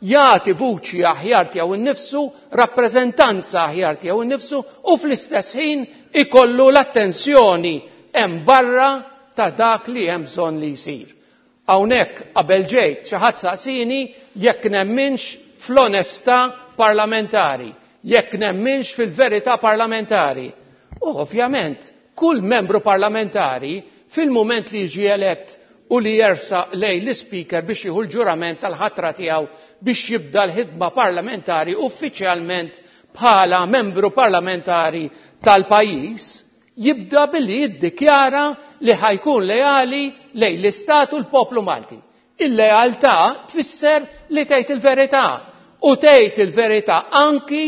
jagħti vuċi aħjar tiegħu nnifsu, rappreżentanza aħjar tiegħu nnifsu u fl-istess ħin ikollu l-attenzjoni hemm barra ta' dak li hemm bżonn li jsir. Hawnhekk qabel ġejt xi ħadd saqsini jekk nemminx fl-onestà parlamentari, jekk nemminx fil-verità parlamentari. U ovvjament, kull membru parlamentari fil-mument li jiġi elett u li jersa lej l-speaker biex jieħu l-ġurament tal-ħatra tiegħu biex jibda l-ħidma parlamentari uffiċjalment bħala membru parlamentari tal-pajjiż, jibda billi jiddikjara li ħajkun leali lejn l-Istat u l-poplu Malti. Il-lealtà tfisser li tgħid il-verità u tgħid il-verità anki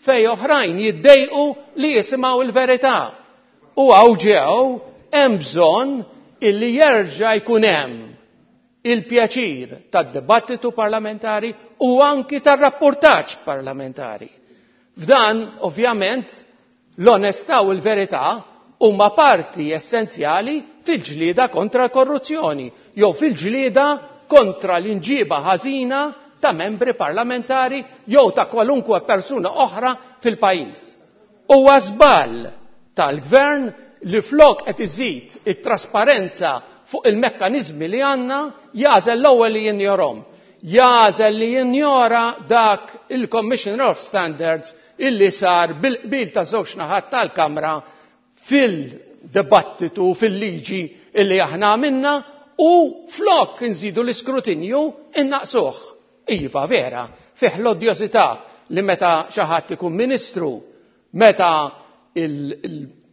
fej oħrajn jiddejqu li jisimgħu il-verità. U hawn ġew hemm bżonn illi jerġa' jkun hemm il-pjaċir tad-dibattitu parlamentari u anki tar-rapportaġġ parlamentari. F'dan, ovvjament, l-onestà u l-verità huma parti essenzjali fil-ġlieda kontra l-korruzzjoni jew fil-ġlieda kontra l-inġiba ħażina ta' membri parlamentari jew ta' kwalunkwe persuna oħra fil-pajjiż. Huwa żball tal-gvern li flok qed iżid it-trasparenza fuq il-mekkaniżmi li għandna, jażel l-ewwel li jinjorhom. Jażel li jinjora dak il-Commissioner of Standards illi sar bil-qbil ta' żewġ naħat tal-Kamra fil-dibattitu, fil-liġi illi aħna għamilna u flok nżidu l-iskrutinju innaqsuh. Iva, vera, fih l-odjosità li meta xi ħadd ikun ministru, meta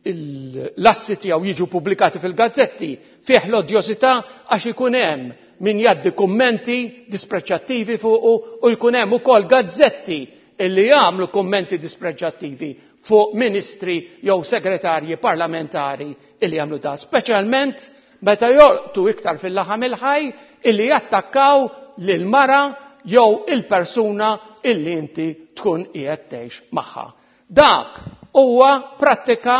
l-assi tiegħu jiġu pubblikati fil-gazzetti, fih l-odjosità għax ikun hemm min jgħaddi kummenti dispreċjattivi fuqu u jkun hemm ukoll gazzetti illi jagħmlu kummenti dispreġjattivi fuq ministri jew segretarji parlamentari illi jagħmlu da, speċjalment meta jolqtu iktar fil-laħam il-ħaj illi jattakkaw lil mara jew il-persuna illi inti tkun qiegħed tgħix magħha. Dak huwa prattika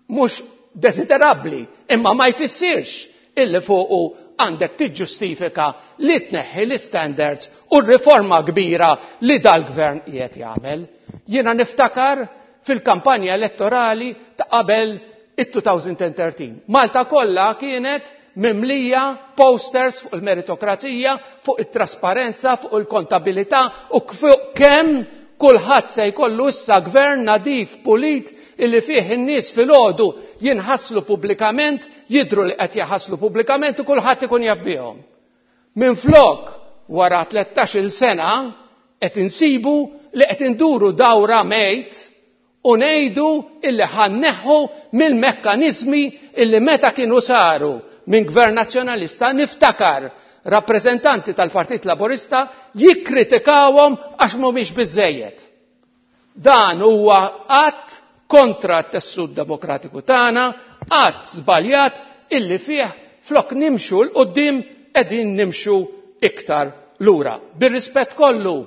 mhux desiderabbli, imma ma jfissirx illi fuqu għandek tiġġustifika li tneħħi l-standards u r-riforma kbira li dal-gvern qiegħed jagħmel. Jiena niftakar fil-kampanja elettorali ta' qabel it-2013. Malta kollha kienet mimlija posters fuq il-meritokrazija, fuq it-trasparenza, fuq il-kontabilità u fuq kemm kulħadd se jkollu issa gvern nadif pulit illi fih in-nies filgħodu jinħaslu pubblikament, jidhru li qed jaħaslu pubblikament u kulħadd ikun jaf bihom. Minflok wara tlettax-il sena qed insibu li qed induru dawra mejt u ngħidu illi ħanneħħu mill-mekkaniżmi illi meta kienu saru minn gvern nazzjonalista niftakar rappreżentanti tal-Partit Laburista jikkritikawhom għax mhumiex biżejjed. Dan huwa att kontra t-tessut demokratiku tagħna, att żbaljat illi fih flok nimxu 'l quddiem qegħdin nimxu iktar lura. Bir-rispett kollu,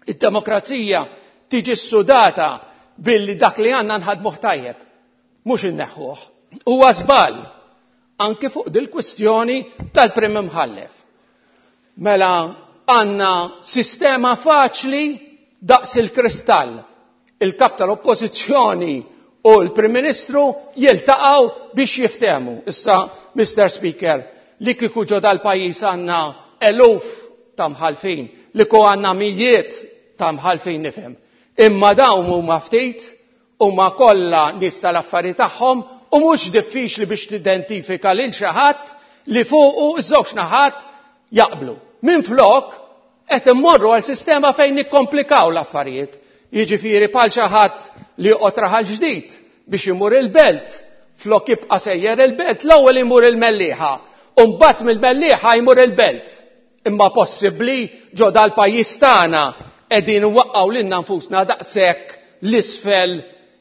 id-demokrazija tiġi ssudata billi dak li għandna nħaddmuh tajjeb, mhux inneħħuh. Huwa żball anke fuq dil-kwistjoni tal-Prim Imħallef. Mela għandna sistema faċli daqs il-kristall. Il-kap tal-Oppożizzjoni u l-Prim Ministru jiltaqgħu biex jiftehmu. Issa, Mr. Speaker, li kieku ġo dal-pajjiż għandna eluf ta' mħallfin, li kieku għandna mijiet ta' mħallfin nifhem. Imma dawn huma ftit, huma kollha nies tal-affari tagħhom u mhux diffiċli biex tidentifika lil xi ħadd li fuqu ż-żewġ naħat jaqblu. Minflok qed immorru għal sistema fejn nikkomplikaw l-affarijiet. Jiġifieri bħal xi ħadd li joqgħod raħal ġdid biex imur il-belt, flok jibqa' sejjer il-belt, l-ewwel imur il-Mellieħa, u mbagħad mill-Mellieħa jmur il-belt. Imma possibbli ġo dal-pajjiż tagħna qegħdin nwaqqgħu lilna nfusna daqshekk l-isfel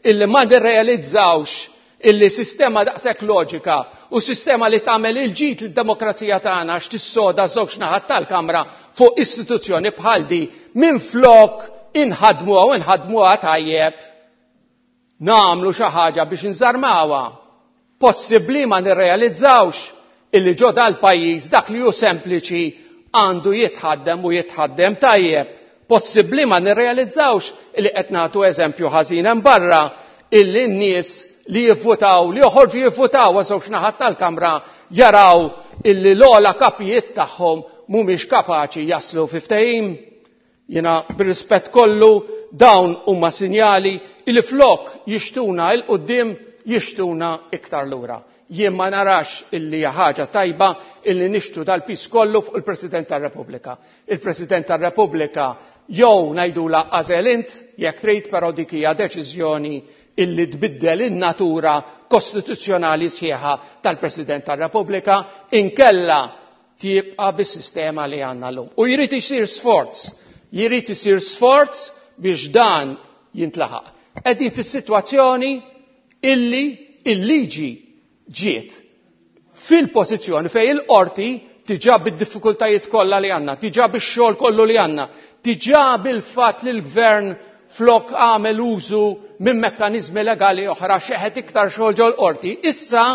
illi ma nirrealizzawx illi sistema daqshekk loġika u sistema li tagħmel il-ġid lid-demokrazija tagħna għax tissoda żewġ naħat tal-Kamra fuq istituzzjoni bħal di minflok inħadmuha u nħadmuha tajjeb nagħmlu xi ħaġa biex nżarmawha. Possibbli ma nirrealizzawx illi ġo dal-pajjiż dak li hu sempliċi għandu jitħaddem u jitħaddem tajjeb. Possibbli ma nirrealizzawx illi qed nagħtu eżempju ħażin hemm barra illi n-nies li jivvutaw, li joħorġu jivvutaw għaż-żewġ naħat tal-Kamra jaraw illi l-ogħla kapijiet tagħhom mhumiex kapaċi jaslu fi ftehim. Jiena bir-rispett kollu dawn huma sinjali illi flok jixtuna 'l quddiem jixtuna iktar lura. Jien ma narax illi hija ħaġa tajba illi nixtru dal-piż kollu fuq il-President tar-Repubblika. Il-President tar-Repubblika jew ngħidulha għażel int jekk trid, però dik hija deċiżjoni illi tbiddel in-natura kostituzzjonali sħiħa tal-President tar-Repubblika, inkella tibqa' bis-sistema li għandna llum. U jrid isir sforz, jrid isir sforz biex dan jintlaħaq. Qegħdin fis-sitwazzjoni illi il-liġi ġiet fil-pożizzjoni fejn il-qorti diġà bid-diffikultajiet kollha li għandna, diġà bix-xogħol kollu li għandna, diġà bil-fatt li l-gvern flok għamel użu minn mekkaniżmi legali oħra xeħet iktar xogħol ġol-qorti. Issa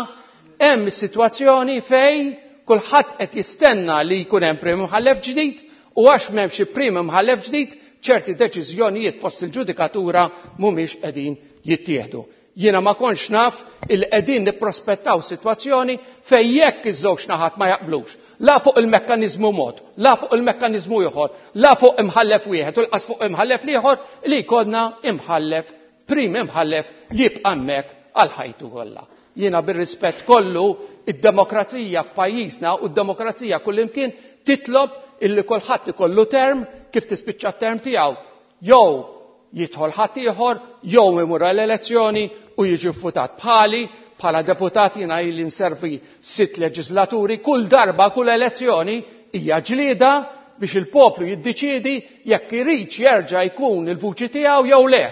hemm is-sitwazzjoni fejn kulħadd qed jistenna li jkun hemm prim imħallef ġdid u għax m'hemmx prim imħallef ġdid ċerti deċiżjonijiet fost il-ġudikatura mhumiex qegħdin jittieħdu. Jiena ma kontx naf il qegħdin nipprospettaw sitwazzjoni fejn jekk iż-żewġ naħat ma jaqblux, la fuq il-mekkaniżmu mod, la fuq il-mekkaniżmu ieħor, la fuq imħallef wieħed u lqas fuq imħallef l-ieħor, li jkollna imħallef, prim imħallef li jibqa' hemmhekk għal ħajtu kollha. Jiena bir-rispett kollu, id-demokrazija f'pajjiżna u d-demokrazija kullimkien titlob illi kulħadd ikollu term kif tispiċċa t-term tiegħu. Jew jidħol ħaddieħor, jew imur għall-elezzjoni u jiġi vvutat. Bħali, bħala deputat jiena ili nservi 6 leġislaturi, kull darba, kull elezzjoni hija ġlieda biex il-poplu jiddeċiedi jekk iridx jerġa' jkun il-vuċi tiegħu jew le.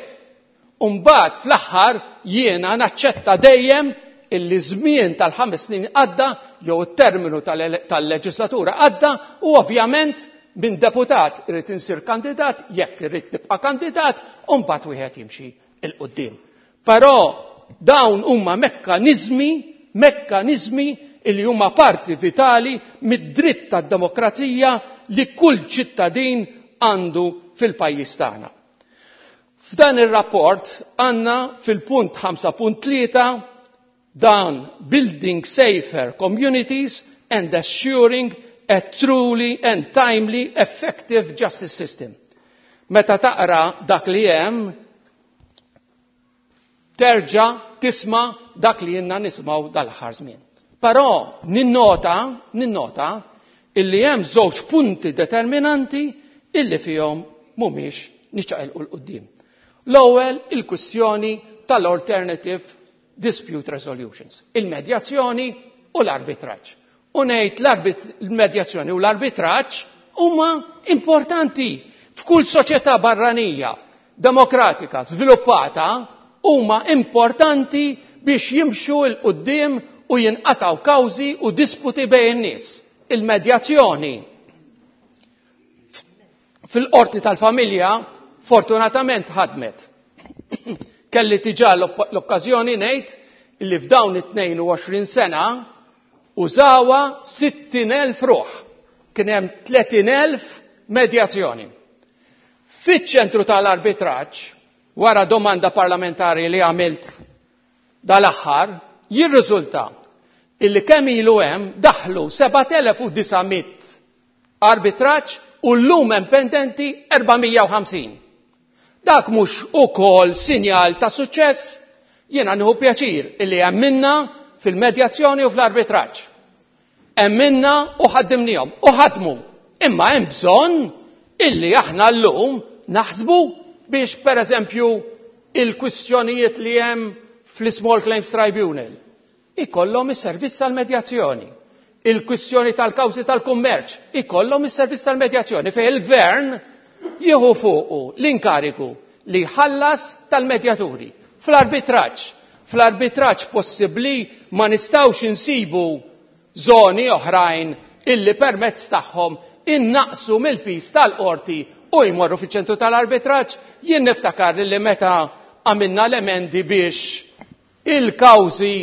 U mbagħad fl-aħħar jiena naċċetta dejjem illi żmien tal-5 snin għadda jew it-terminu tal-leġislatura għadda u ovvjament minn deputat irid insir kandidat jekk irid nibqa' kandidat u mbagħad wieħed jimxi 'l quddiem. Però dawn huma mekkaniżmi illi huma parti vitali mid-dritt tad-demokrazija li kull ċittadin għandu fil-pajjiż tagħna. F'dan ir-rapport għandna fil-punt 5.3 dan Building Safer Communities and Assuring a Truly and Timely Effective Justice System. Meta taqra dak li hemm, terġa' tisma' dak li jenna nismaw dal-aħħar żmien. Però ninnota illi hemm żewġ punti determinanti illi fihom mhumiex niċċaqilqu 'l quddiem. L-ewwel il-kwistjoni tal-alternative dispute resolutions, il-medjazzjoni u l-arbitraġġ. U ngħid l-medjazzjoni u l-arbitraġġ huma importanti f'kull soċjetà barranija, demokratika, sviluppata, huma importanti biex jimxu 'l quddiem u jinqatgħu kawżi u disputi bejn in-nies. Il-medjazzjoni fil-qorti tal-familja fortunatament ħadmet. Kelli diġà l-okkażjoni ngħid li f'dawn it-22 sena użawha 60,000 ruħ. Kien hemm 30,000 medjazzjoni. Fiċ-ċentru tal-arbitraġġ, wara domanda parlamentari li għamilt dal-aħħar, jirriżulta illi kemm ilu hemm daħlu 7900 arbitraġġ u llum hemm pendenti 450. Dak mhux ukoll sinjal ta' suċċess? Jiena nieħu pjaċir illi hemm minna fil-medjazzjoni u fl-arbitraġġ. Hemm minna u ħaddimnihom u ħadmu. Imma hemm bżonn illi aħna llum naħsbu biex pereżempju il-kwistjonijiet li hemm fl-Small Claims Tribunal ikollhom is-servizz tal-medjazzjoni. Il-kwistjoni tal-kawżi tal-kummerċ ikollhom is-servizz tal-medjazzjoni fejn il-gvern jieħu fuqu l-inkarigu li jħallas tal-medjaturi. Fl-arbitraġġ, fl-arbitraġġ possibbli ma nistgħux insibu żoni oħrajn illi permezz tagħhom innaqsu mill-piż tal-qorti u jmorru fiċ-ċentru tal-arbitraġġ. Jien niftakar li meta għamilna l-emendi biex il-kawżi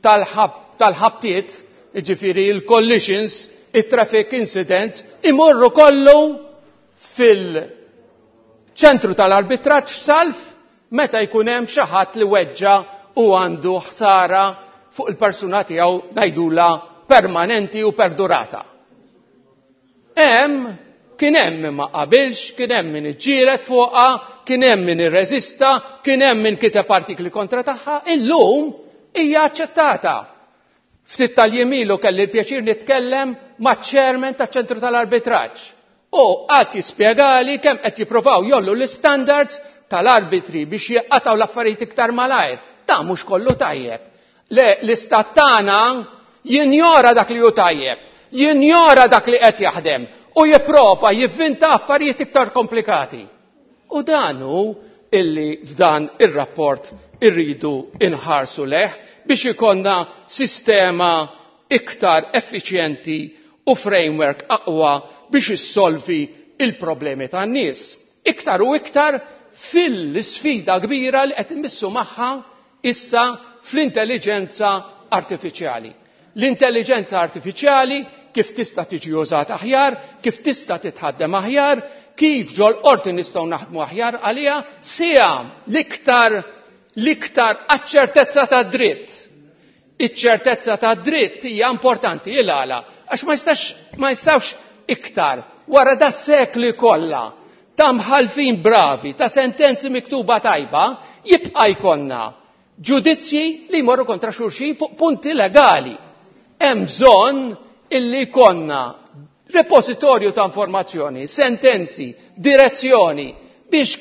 tal-ħabtiet, jiġifieri il-collisions, it-traffic incidents, imorru kollu fil-ċentru tal-arbitraġġ salf meta jkun hemm xi ħadd li weġġa' u għandu ħsara fuq il-persuna tiegħu ngħidulha permanenti u perdurata. Hemm kien hemm min ma qabilx, kien hemm min iġġieled fuqha, kien hemm min irreżista, kien hemm min kiteb artikli kontra tagħha, illum hija aċċettata. Ftit tal-jiem ilu kelli l-pjaċir nitkellem maċ-chairman taċ-ċentru tal-arbitraġġ u qagħad jispjegali kemm qed jippruvaw jgħollu l-istandards tal-arbitri biex jinqatgħu l-affarijiet iktar malajr. Dan mhux kollu tajjeb. Le, l-istat tagħna jinjora dak li hu tajjeb, jinjora dak li qed jaħdem u jipprova jivvinta affarijiet iktar komplikati. U dan hu illi f'dan ir-rapport irridu inħarsu leh biex ikollna sistema iktar effiċjenti u framework aqwa biex issolvi il-problemi tan-nies. Iktar u iktar fil-sfida kbira li qed immissu magħha issa fl-intelliġenza artifiċjali. L-intelliġenza artifiċjali kif tista' tiġi użata aħjar, kif tista' titħaddem aħjar, kif ġol-qorti nistgħu naħdmu aħjar għaliha, sija l-iktar l-iktar għaċ-ċertezza tad-dritt. Iċ-ċertezza tad-dritt hija importanti il għala għax ma jistax ma jistgħux iktar wara da sekli kollha ta' mħallfin bravi, ta' sentenzi miktuba tajba, jibqa' jkollna ġudizzji li jmorru kontra xulxin fuq punti legali. Hemm bżonn illi jkollna repożitorju ta' informazzjoni, sentenzi, direzzjoni biex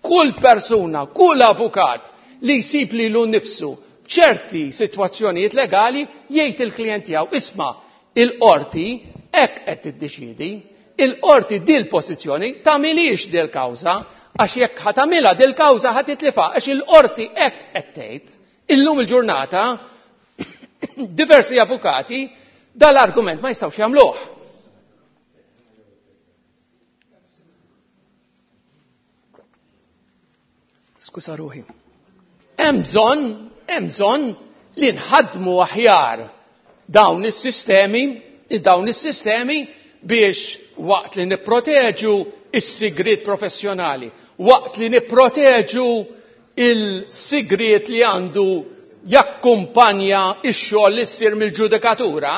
kull persuna, kull avukat li jsib lilu nnifsu f'ċerti sitwazzjonijiet legali jgħid il-klijent tiegħu isma' il-qorti hekk qed tiddeċiedi, il-qorti dil-pożizzjoni tagħmilhiex dil-kawża għax jekk ħa tagħmilha dil-kawża ħa titlifha għax il-qorti hekk qed tgħid. Illum il-ġurnata diversi avukati dal-argument ma jistgħux jagħmluh. Skuża ruħi. Hemm bżonn, hemm bżonn li nħaddmu aħjar dawn is-sistemi, dawn is-sistemi biex waqt li nipproteġu is-sigriet professjonali, waqt li nipproteġu il-sigriet li għandu jakkumpanja x-xogħol li ssir mill-ġudikatura,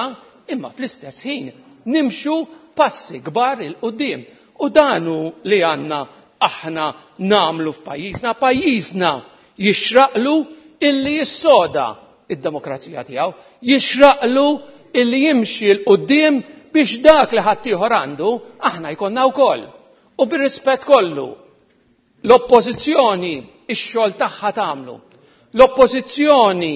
imma fl-istess ħin nimxu passi kbar 'il quddiem. U dan hu li għandna aħna nagħmlu f'pajjiżna. Pajjiżna jixraqlu illi jissoda id-demokrazija tiegħu, jixraqlu illi jimxi 'l quddiem biex dak li ħaddieħor għandu aħna jkollna wkoll. U bir-rispett kollu, l-Oppożizzjoni x-xogħol tagħha tagħmlu. L-Oppożizzjoni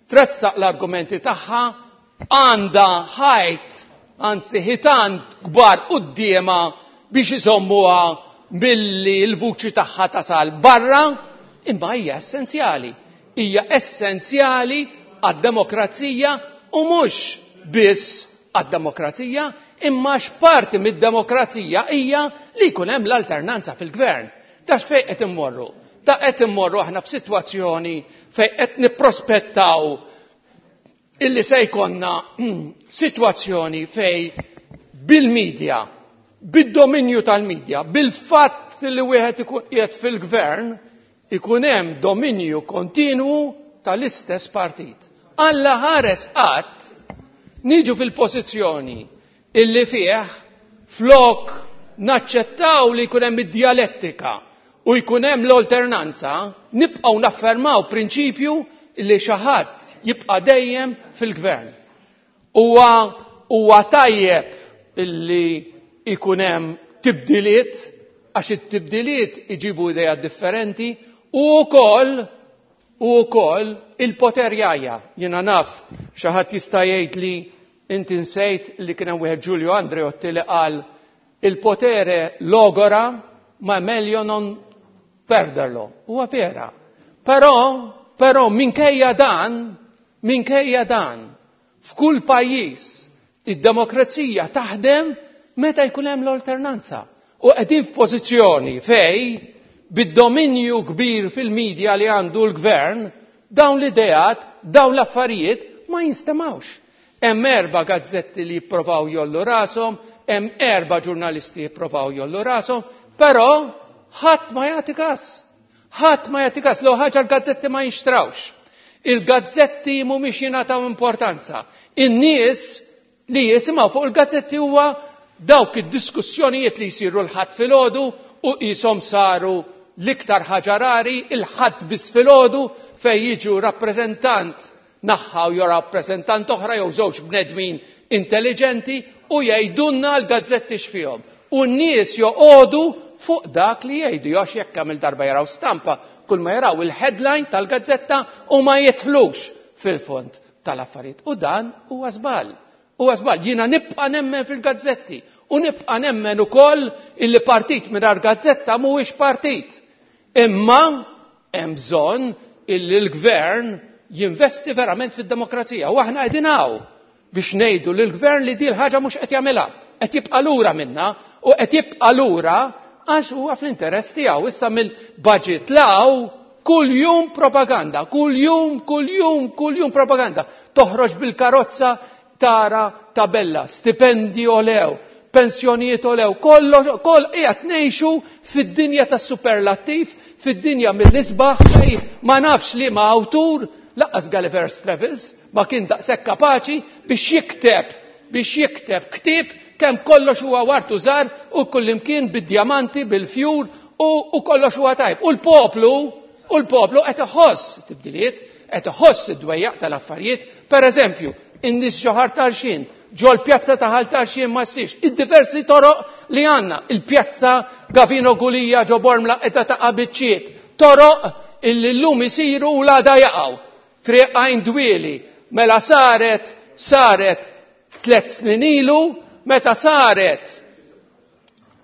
tressaq l-argumenti tagħha, għandha ħajt, anzi ħitan kbar quddiemha biex iżommuha milli l-vuċi tagħha tasal barra, imma hija essenzjali. Hija essenzjali għad-demokrazija u mhux biss għad-demokrazija, imma x'parti mid-demokrazija hija li jkun hemm l-alternanza fil-gvern. Ta' x'fejn qed immorru? Ta' qed immorru aħna f'sitwazzjoni fejn qed nipprospettaw illi se jkollna sitwazzjoni fejn bil-medja, bid-dominju tal-medja, bil-fatt li wieħed ikun qiegħed fil-gvern, ikun hemm dominju kontinwu tal-istess partit. Alla ħares qatt niġu fil-pożizzjoni illi fih flok naċċettaw li jkun hemm id-djalettika u jkun hemm l-alternanza, nibqgħu naffermaw prinċipju illi xi ħadd jibqa' dejjem fil-gvern. Huwa tajjeb illi jkun hemm tibdiliet, għax it-tibdiliet iġibu idea differenti u wkoll il-poter jgħajja. Jiena naf xi ħadd jista' jgħid li inti nsejt li kien hemm wieħed Giulio Andreotti li qal il-potere logora ma meglio non perderlo. Huwa vera. Però minkejja dan, f'kull pajjiż id-demokrazija taħdem meta jkun hemm l-alternanza. U qegħdin f'pożizzjoni fej bid-dominju kbir fil-medja li għandu l-gvern, dawn l-ideat, dawn l-affarijiet ma jinstemawx. Hemm 4 gazzetti li jipprovaw jollu rashom, hemm 4 ġurnalisti jipprovaw jollu rashom, però ħadd ma jagħti każ. Ħadd ma jagħti każ, l ħaġa l-gazzetti ma jinxtrawx. Il-gazzetti mhumiex jingħataw importanza. In-nies li jisimgħu fuq il-gazzetti huwa dawk id-diskussjonijiet li jsiru l-Ħadd filgħodu u qishom saru l-iktar ħaġa rari il-Ħadd biss filgħodu fejn jiġu rappreżentant naħħa u jew rappreżentant oħra jew żewġ bnedmin intelligenti u jgħidulna l-gazzetti x'fihom. U n-nies joqogħdu fuq dak li jgħidu, għax jekk kemm il-darba jaraw stampa, kull ma jaraw il-headline tal-gazzetta u ma jidħlux fil-fond tal-affarijiet. U dan huwa żball. Huwa żball. Jiena nibqa' nemmen fil-gazzetti u nibqa' nemmen ukoll illi partit mingħajr gazzetta mhuwiex partit. Imma hemm bżonn illi l-gvern jinvesti verament fid-demokrazija. U aħna qegħdin hawn biex ngħidu lill-gvern li din l-ħaġa mhux qed jagħmilha, qed jibqa' lura minna u qed jibqa' lura għax huwa fl-interess tiegħu. Issa mill-budget law kull jum propaganda, kull jum, kull jum, kull jum propaganda. Toħroġ bil-karozza tara tabella, stipendi olew, pensjonijiet olew, kollox, koll qiegħed ngħixu fid-dinja tas-superlattiv, fid-dinja mill-isbaħ fej ma nafx li ma awtur, laqqas Gulliver's Travels ma kien daqshekk kapaċi biex jikteb ktieb kemm kollox huwa wartu żgħar u kullimkien bid-djamanti, bil-fjur u kollox huwa tajb. U l-poplu qed iħoss tibdiliet, qed iħoss id-dwejjaq tal-affarijiet. Per eżempju, in-nies ġo Ħal Tarxien, ġo l-pjazza ta' Ħal Tarxien ma ssirx, id-diversi toroq li għandna, il-pjazza Gavino Gulia ġo Bormla qiegħda taqa' biċċiet, toroq illi llum isiru u l-għada jaqgħu. Triq Għajn Dwieli, mela saret 3 snin ilu, meta saret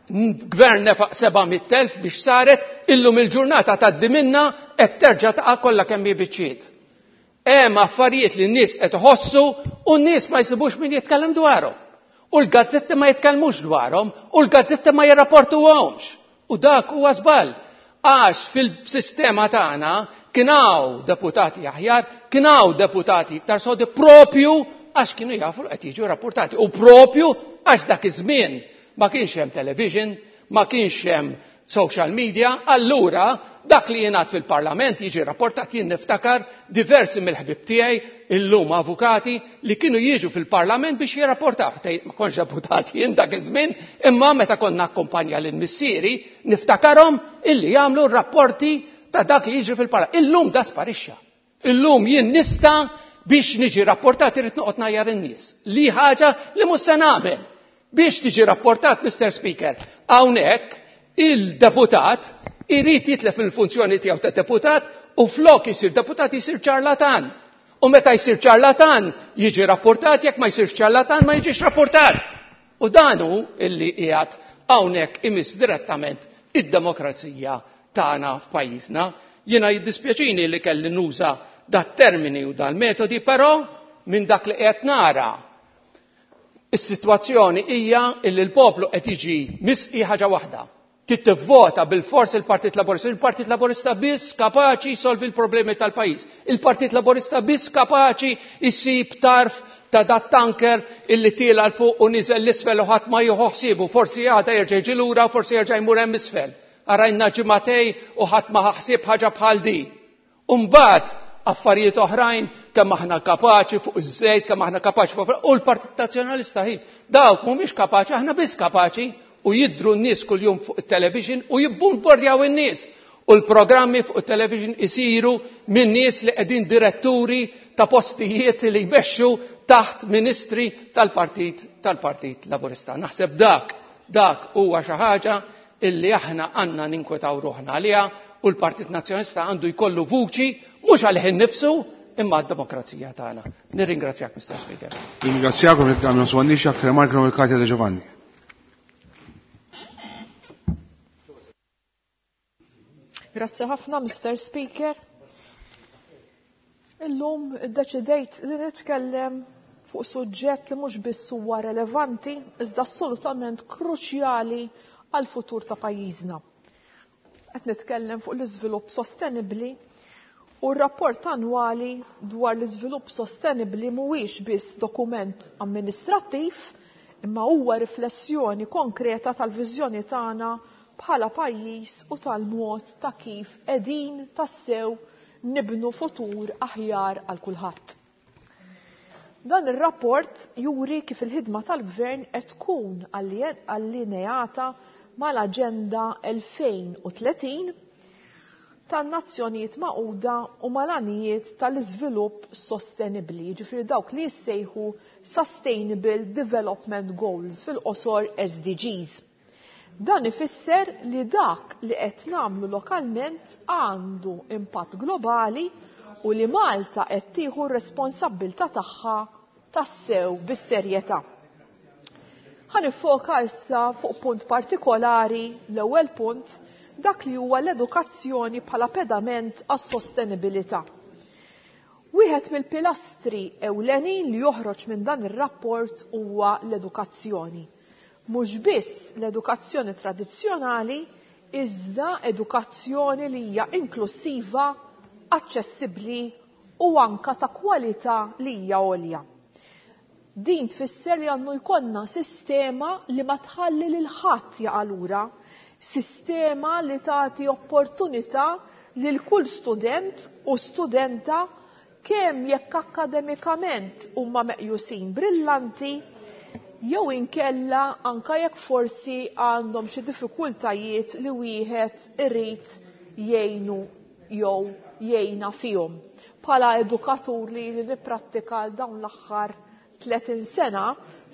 gvern nefaq 700,000 biex saret, illum il-ġurnata tgħaddi minna qed terġa' taqa' kollha kemm hi biċċiet. Hemm affarijiet li n-nies qed iħossu u n-nies ma jsibux min jitkellem dwarhom. U l-gazzetti ma jitkellmux dwarhom u l-gazzetti ma jirrapportuhomx. U dak huwa żball. Għax fil-sistema tagħna kien hawn deputati aħjar, kien hawn deputati iktar sodi propju għax kienu jafu li qed jiġu rapportati. U propju għax dak iż-żmien ma kienx hemm television, ma kienx hemm social media, allura dak li jingħad fil-parlament jiġi rapportat. Jien niftakar diversi mill-ħbib tiegħi illum avukati li kienu jiġu fil-parlament biex jirrapportaw. Tgħid ma kontx deputat jien dak iż-żmien, imma meta konna akkumpanja lil missieri niftakarhom illi jagħmlu rapporti ta' dak li jiġri fil-parlament. Illum da sparixxa. Illum jien nista' biex niġi rapportat irrid noqgħod ngħajjar in-nies. Li ħaġa li mhux se nagħmel. Biex tiġi rapportat, Mister Speaker, hawnhekk il-deputat irid jitlef il-funzjoni tiegħu ta' deputat u flok isir deputat isir ċarlatan. U meta jsir ċarlatan jiġi rapportat, jekk ma jsirx ċarlatan ma jiġix rapportat. U dan hu illi qiegħed hawnhekk imiss direttament id-demokrazija tagħna f'pajjiżna. Jiena jiddispjaċini li kelli nuża dat-termini u dal-metodi, però minn dak li qed nara is-sitwazzjoni hija li l-poplu qed jiġi misqi ħaġa waħda. Trid tivvota bilfors il-Partit Laburista. Il-Partit Laburista biss kapaċi jsolvi l-problemi tal-pajjiż. Il-Partit Laburista biss kapaċi jsib tarf ta' dat tanker illi tiela 'l fuq u niżel 'l isfel u ħadd ma jieħu ħsiebu. Forsi għada jerġa' jiġi lura u forsi jerġa' jmur hemm isfel. Arajna ġimagħtej u ħadd ma ħa ħsieb ħaġa bħal di. U mbagħad affarijiet oħrajn kemm aħna kapaċi fuq iż-żejt, kemm aħna kapaċi fuq u l-Partit Nazzjonalista ħin. Dawk mhumiex kapaċi, aħna biss kapaċi u jidhru n-nies kuljum fuq it-television u jibbombardjaw in-nies. U l-programmi fuq it-television isiru minn nies li qegħdin diretturi ta' postijiet li jmexxu taħt ministri tal-Partit tal-Partit Laburista. Naħseb dak dak huwa xi ħaġa illi aħna għandna ninkwetaw ruħna għaliha u l-Partit Nazzjonalista għandu jkollu vuċi mhux għalih innifsu imma għad-demokrazija tagħna. Nirringrazzjak, Mr. Speaker. Ringrazzjakom jekk għamlu swannix aktar remarka l Katja De Giovanni. Grazzi ħafna, Mr. Speaker. Illum iddeċidejt li nitkellem fuq suġġett li mhux biss huwa relevanti, iżda assolutament kruċjali għal futur ta' pajjiżna. Qed nitkellem fuq l-iżvilupp sostenibbli u r-rapport annwali dwar l-iżvilupp sostenibbli mhuwiex biss dokument amministrattiv, imma huwa riflessjoni konkreta tal-viżjoni tagħna bħala pajjiż u tal-mod ta' kif qegħdin tassew nibnu futur aħjar għal kulħadd. Dan ir-rapport juri kif il-ħidma tal-Gvern qed tkun allineata mal-Aġenda 2030 tan-Nazzjonijiet Magħquda u mal-għanijiet tal-iżvilupp sostenibbli, jiġifieri dawk li jissejħu Sustainable Development Goals fil-qosor SDGs. Dan ifisser li dak li qed nagħmlu lokalment għandu impatt globali u li Malta qed tieħu r-responsabbiltà tagħha tassew bis-serjetà. Ħa niffoka issa fuq punt partikolari, l-ewwel punt, dak li huwa l-edukazzjoni bħala pedament għas-sostenibilità. Wieħed mill-pilastri ewlenin li joħroġ minn dan ir-rapport huwa l-edukazzjoni. Mhux biss l-edukazzjoni tradizzjonali, iżda edukazzjoni li hija inklusiva, aċċessibbli u anka ta' kwalità li hija għolja. Din tfisser li għandu jkollna sistema li ma tħalli lil ħadd jaqa' lura, sistema li tagħti opportunità lil kull student u studenta kemm jekk akkademikament huma meqjusin brillanti jew inkella anka jekk forsi għandhom xi diffikultajiet li wieħed irid jgħinu jew jgħinha fihom. Bħala edukatur li nipprattika għal dawn l-aħħar 30 sena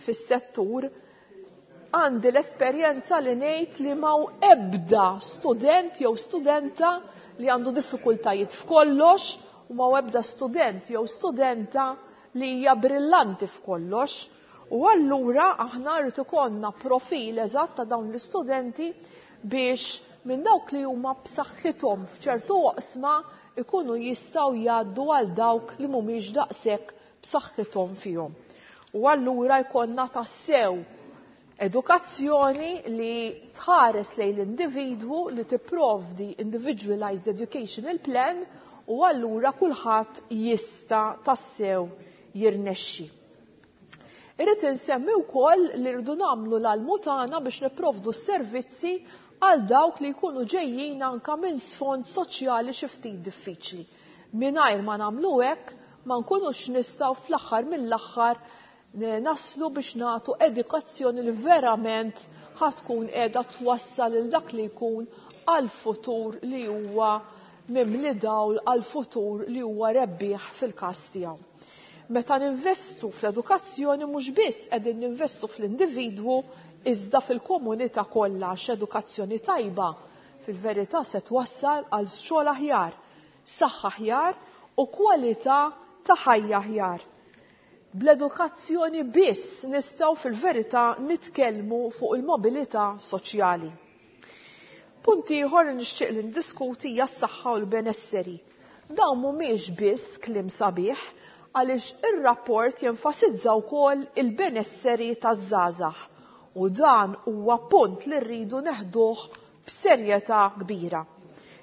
fis-settur, għandi l-esperjenza li ngħid li m'hawn ebda student jew studenta li għandu diffikultajiet f'kollox u m'hawn ebda student jew studenta li hija brillanti f'kollox. U allura aħna rrid ikollna profil eżatt ta' dawn l-istudenti biex minn dawk li huma b'saħħithom f'ċertu oqsma ikunu jistgħu jgħaddu għal dawk li mhumiex daqshekk b'saħħithom fihom. U allura jkollna tassew edukazzjoni li tħares lejn l-individwu, li tipprovdi individualized educational plan u allura kulħadd jista' tassew jirnexxi. Irrid insemmi wkoll li rridu nagħmlu l-almu tagħna biex nipprovdu s-servizzi għal dawk li jkunu ġejjin anka minn sfond soċjali xi ftit diffiċli. Mingħajr ma nagħmlu hekk ma nkunux nistgħu fl-aħħar mill-aħħar naslu biex nagħtu edukazzjoni li verament ħatkun qiegħda twassal lil dak li jkun għal futur li huwa mimli dawl, għal futur li huwa rebbieħ fil-każ tiegħu. Meta ninvestu fl-edukazzjoni mhux biss qegħdin ninvestu fl-individwu iżda fil-komunità kollha, għax edukazzjoni tajba fil-verità se twassal għal xogħol aħjar, saħħa aħjar u kwalità ta' ħajja aħjar. Bl-edukazzjoni biss nistgħu fil-verità nitkellmu fuq il-mobilità soċjali. Punt ieħor li nixtieq li ndiskuti hija s-saħħa u l-benesseri. Dawn mhumiex biss kliem sabiħ għaliex ir-rapport jenfasizza wkoll il-benesseri taż-żgħażagħ u dan huwa punt li rridu neħduh b'serjetà kbira.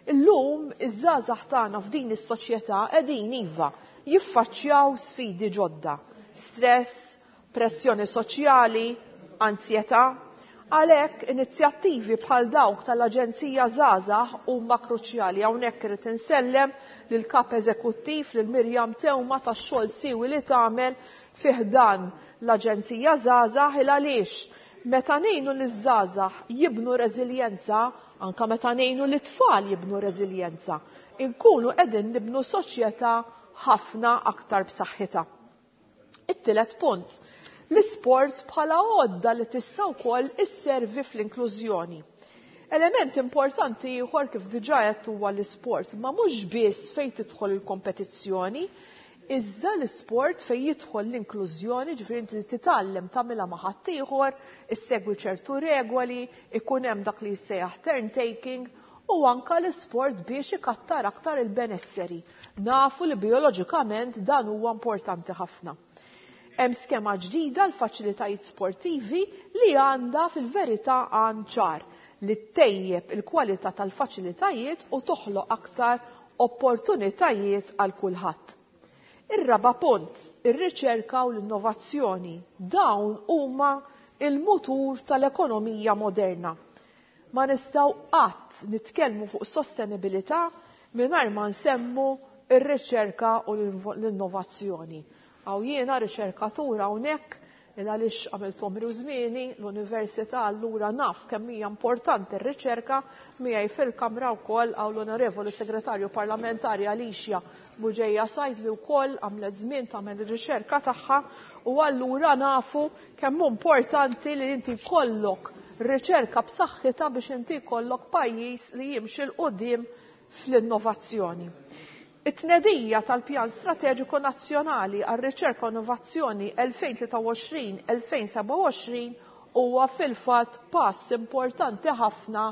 Illum iż-żgħażagħ tagħna f'din is-soċjetà qegħdin iva jiffaċċjaw sfidi ġodda, stress, pressjoni soċjali, anzjetà. Għalhekk inizjattivi bħal dawk tal-Aġenzija Żgħażagħ huma kruċjali. Hawnhekk irid insellem lil kap eżekuttiv lil Mirjam Teuma tax-xogħol siwi li tagħmel fi ħdan l-Aġenzija Żgħażagħ il għaliex meta ngħinu liż-żgħażagħ jibnu reżiljenza, anka meta ngħinu lit-tfal jibnu reżiljenza, inkunu qegħdin nibnu soċjetà ħafna aktar b'saħħitha. It-tielet punt, l-isport bħala għodda li tista' wkoll isservi fl-inklużjoni. Element importanti ieħor kif diġà qed huwa l-isport, ma mhux biss fejn tidħol il-kompetizzjoni, iżda l-isport fejn jidħol l-inklużjoni, ġifieri inti titgħallem tagħmilha ma' ħaddieħor, issegwi ċertu regoli, ikun hemm dak li jissejjaħ turn taking, u anka l-isport biex ikattar aktar il-benesseri. Nafu li bioloġikament dan huwa importanti ħafna. Hemm skema ġdida l-faċilitajiet sportivi li għandha fil-verità għan ċar li ttejjeb il-kwalità tal-faċilitajiet u toħloq aktar opportunitajiet għal kulħadd. Ir-raba' punt, ir-riċerka u l-innovazzjoni. Dawn huma il-mutur tal-ekonomija moderna. Ma nistgħu qatt nitkellmu fuq sostenibilità mingħajr ma nsemmu ir-riċerka u l-innovazzjoni. Għaw jiena riċerkatur hawnhekk il għaliex għamilt għomri u żmieni l-università allura naf kemm hija importanti r-riċerka. Miegħi fil-kamra wkoll hawn l-Onorevoli Segretarju Parlamentari Alicia Bugeja Said li wkoll għamlet żmien tagħmel ir-riċerka tagħha u allura nafu kemm hu importanti li inti jkollok riċerka b'saħħitha biex inti jkollok pajjiż li jimxi 'l quddiem fl-innovazzjoni. It-tnedija tal-Pjan Strateġiku Nazzjonali għar-Riċerka u Innovazzjoni 2023-2027 huwa fil-fatt pass importanti ħafna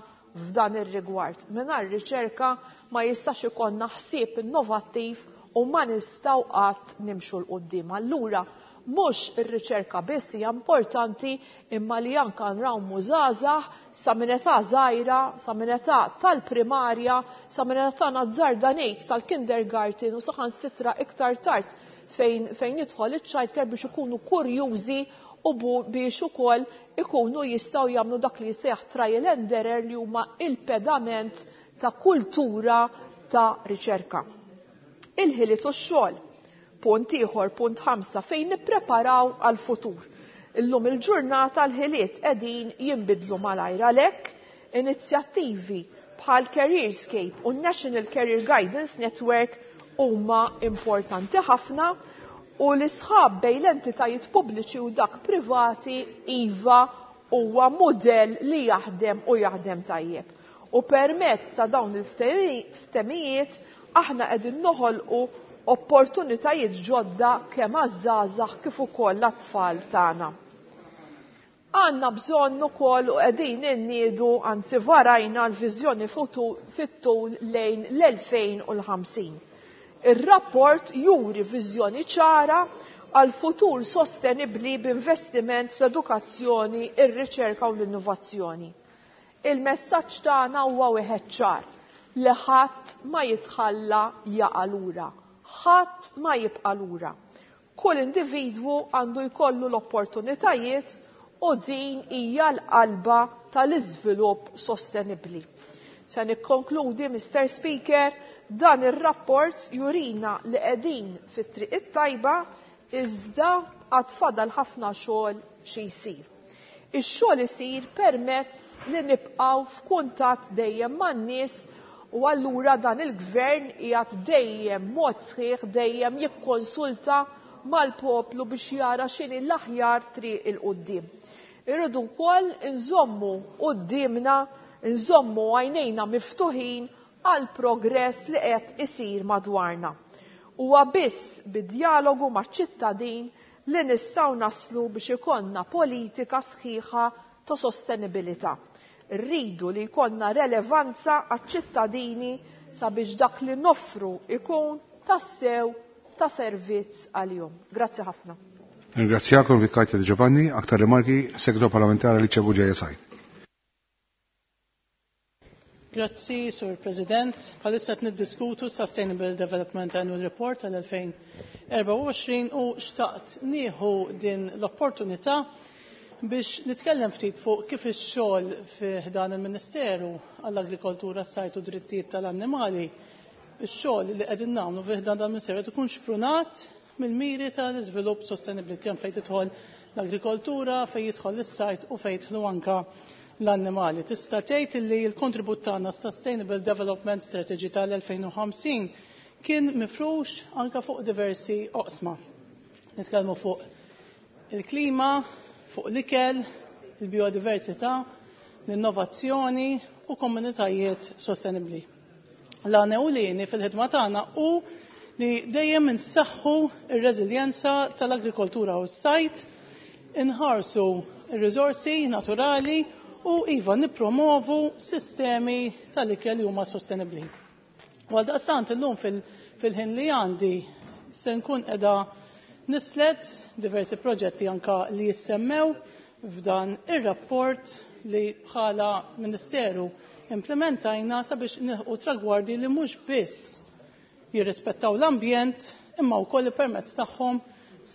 f'dan ir-rigward. Mingħajr riċerka ma jistax ikollna ħsieb innovattiv u ma nistgħu qatt nimxu 'l quddiem. Allura mhux ir-riċerka biss hija importanti imma li anka nrawmu żgħażagħ sa minn età żgħira, sa minn età tal-primarja, sa minn età nazzarda ngħid tal-kindergarten u saħansitra iktar tard fejn jidħol iċ-childcare biex ikunu kurjużi u biex ukoll ikunu jistgħu jagħmlu dak li jsejjaħ trial and error li huma il-pedament ta' kultura ta' riċerka. Il-ħiliet u x-xogħol. Punt ieħor, punt 5, fejn nippreparaw għal-futur. Illum il-ġurnata l-ħiliet qegħdin jinbidlu malajr, għalhekk inizjattivi bħal Careerscape u National Career Guidance Network huma importanti ħafna u l-isħab bejn l-entitajiet pubbliċi u dak privati iva huwa mudell li jaħdem u jaħdem tajjeb. U permezz ta' dawn il-ftehimijiet aħna qegħdin noħolqu opportunitajiet ġodda kemm għaż-żgħażagħ kif ukoll l-atfal tagħna. Għandna bżonn ukoll u qegħdin inniedu, anzi varajna l-viżjoni fit-tul lejn l-2050. Ir-rapport juri viżjoni ċara għal futur sostenibbli b'investiment fl-edukazzjoni, ir-riċerka u l-innovazzjoni. Il-messaġġ tagħna huwa wieħed ċar li ħadd ma jitħalla jaqa' lura, ħadd ma jibqa' lura. Kull individwu għandu jkollu l-opportunitajiet u din hija l-qalba tal-iżvilupp sostenibbli. Se nikkonkludi, Mr. Speaker, dan ir-rapport jurina li qegħdin fit-triq it-tajba iżda għad fadal ħafna xogħol xi jsir. Ix-xogħol isir permezz li nibqgħu f'kuntatt dejjem man-nies u allura dan il-gvern qiegħed dejjem mod sħiħ dejjem jikkonsulta mal-poplu biex jara x'inhi l-aħjar triq il quddiem. Irridu wkoll inżommu quddiemna, inżommu għajnejna miftuħin għal progress li qed isir madwarna. Huwa biss bid-dialogu maċ-ċittadin li nistgħu naslu biex ikollna politika sħiħa ta' sostenibilità. Rridu li jkollna relevanza għaċ-ċittadini sabiex dak li noffru ikun tassew ta' servizz għalihom. Grazzi ħafna. Ringrazzjakom Vikajta Di Giovanni, aktar rimarki, Segretarju Parlamentari Alicia Bugeja Said. Grazzi, Sur President. Bħalissa qed niddiskutu Sustainable Development Annual Report tal-2024 u xtaqt nieħu din l-opportunità biex nitkellem ftit fuq kif ix-xogħol fi dan il-Ministeru għall-Agrikoltura, s-Sajt u Drittijiet tal-Annimali, ix-xogħol li qegħdin nagħmlu fi dan il-Ministeru qed ikun xprunat mill-miri tal-iżvilupp sostenibbli kemm fejn tidħol l-agrikoltura, fejn jidħol is-sajt u fejn jidħlu anka l-annimali. Tista' tgħid li l-kontribut tagħna Sustainable Development Strategy tal-2050 kien mifrux anka fuq diversi oqsma. Nitkellmu fuq il-klima, fuq l-ikel, il-biodiversità, l-innovazzjoni u komunitajiet sostenibbli. L-għan ewlieni fil-ħidma tagħna hu li dejjem insaħħu r-reżiljenza tal-agrikoltura u s-sajt, inħarsu r-riżorsi naturali u iva nippromovu sistemi tal-ikel li huma sostenibbli. U għaldaqstant illum fil-ħin li għandi se nkun qiegħda nislet diversi proġetti anka li jissemmew f'dan ir-rapport li bħala Ministeru implementajna sabiex nilħqu tragwardi li mhux biss jirrispettaw l-ambjent imma wkoll permezz tagħhom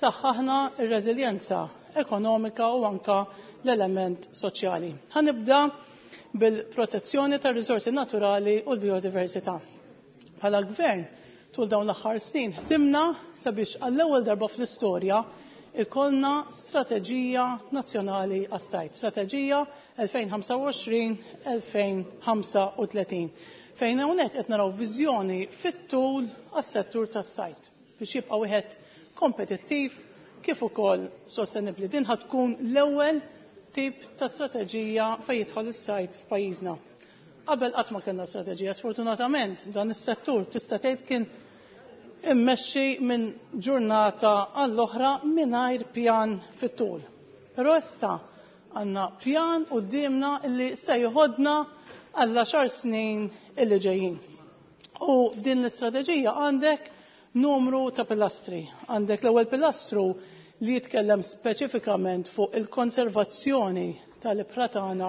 saħħaħna r-reżiljenza ekonomika u anka l-element soċjali. Ħanibda bil-protezzjoni tar-riżorsi naturali u l-biodiversità. Bħala gvern tul dawn l-aħħar snin ħdimna sabiex għall-ewwel darba fl-istorja ikollna strateġija nazzjonali għas-sajt, strateġija 2025-2035, fejn hawnhekk qed naraw viżjoni fit-tul għas-settur tas-sajt biex jibqa' wieħed kompetittiv kif ukoll sostenibbli. Din ħad tkun l-ewwel tip ta' strateġija fejn jidħol is-sajt f'pajjiżna. Qabel qatt ma kellna strateġija, sfortunatament dan is-settur tista' tgħid kien immexxi minn ġurnata għall-oħra mingħajr pjan fit-tul. Però issa għandna pjan quddiemna li se jħodna għall għaxar snin illi ġejjin. U f'din l-istrateġija għandek numru ta' pilastri. Għandek l-ewwel pilastru li jitkellem speċifikament fuq il-konservazzjoni tal-ibħra tagħna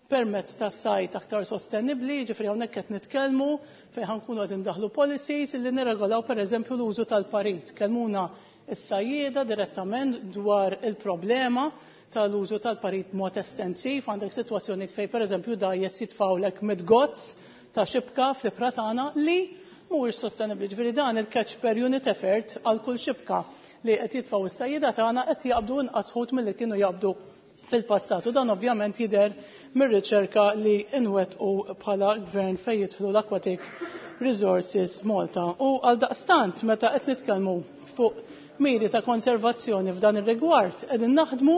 permezz ta' sajt aktar sostenibbli, ġifieri hawnhekk qed nitkellmu fejn ħankunu qed indaħlu policies li nirregolaw pereżempju l-użu tal-parit. Kellmuna s-sajjieda direttament dwar il-problema tal-użu tal-parit b'mod estensiv, għandek sitwazzjoni fejn pereżempju dgħajjes jitfgħulek mid-gozz ta' xibka fl-ibħra tagħna li mhuwiex sostenibbli. Ġifieri dan il-catch per unit effort għal kull xibka li qed jitfgħu s-sajjieda tagħna qed jaqbdu inqas ħut milli kienu jaqbdu fil-passat. U dan ovvjament jidher mir-riċerka li nwettqu bħala gvern fejn jidħlu l-Aquatic Resources Malta. U għaldaqstant meta qed nitkellmu fuq miri ta' konservazzjoni f'dan ir-rigward qegħdin naħdmu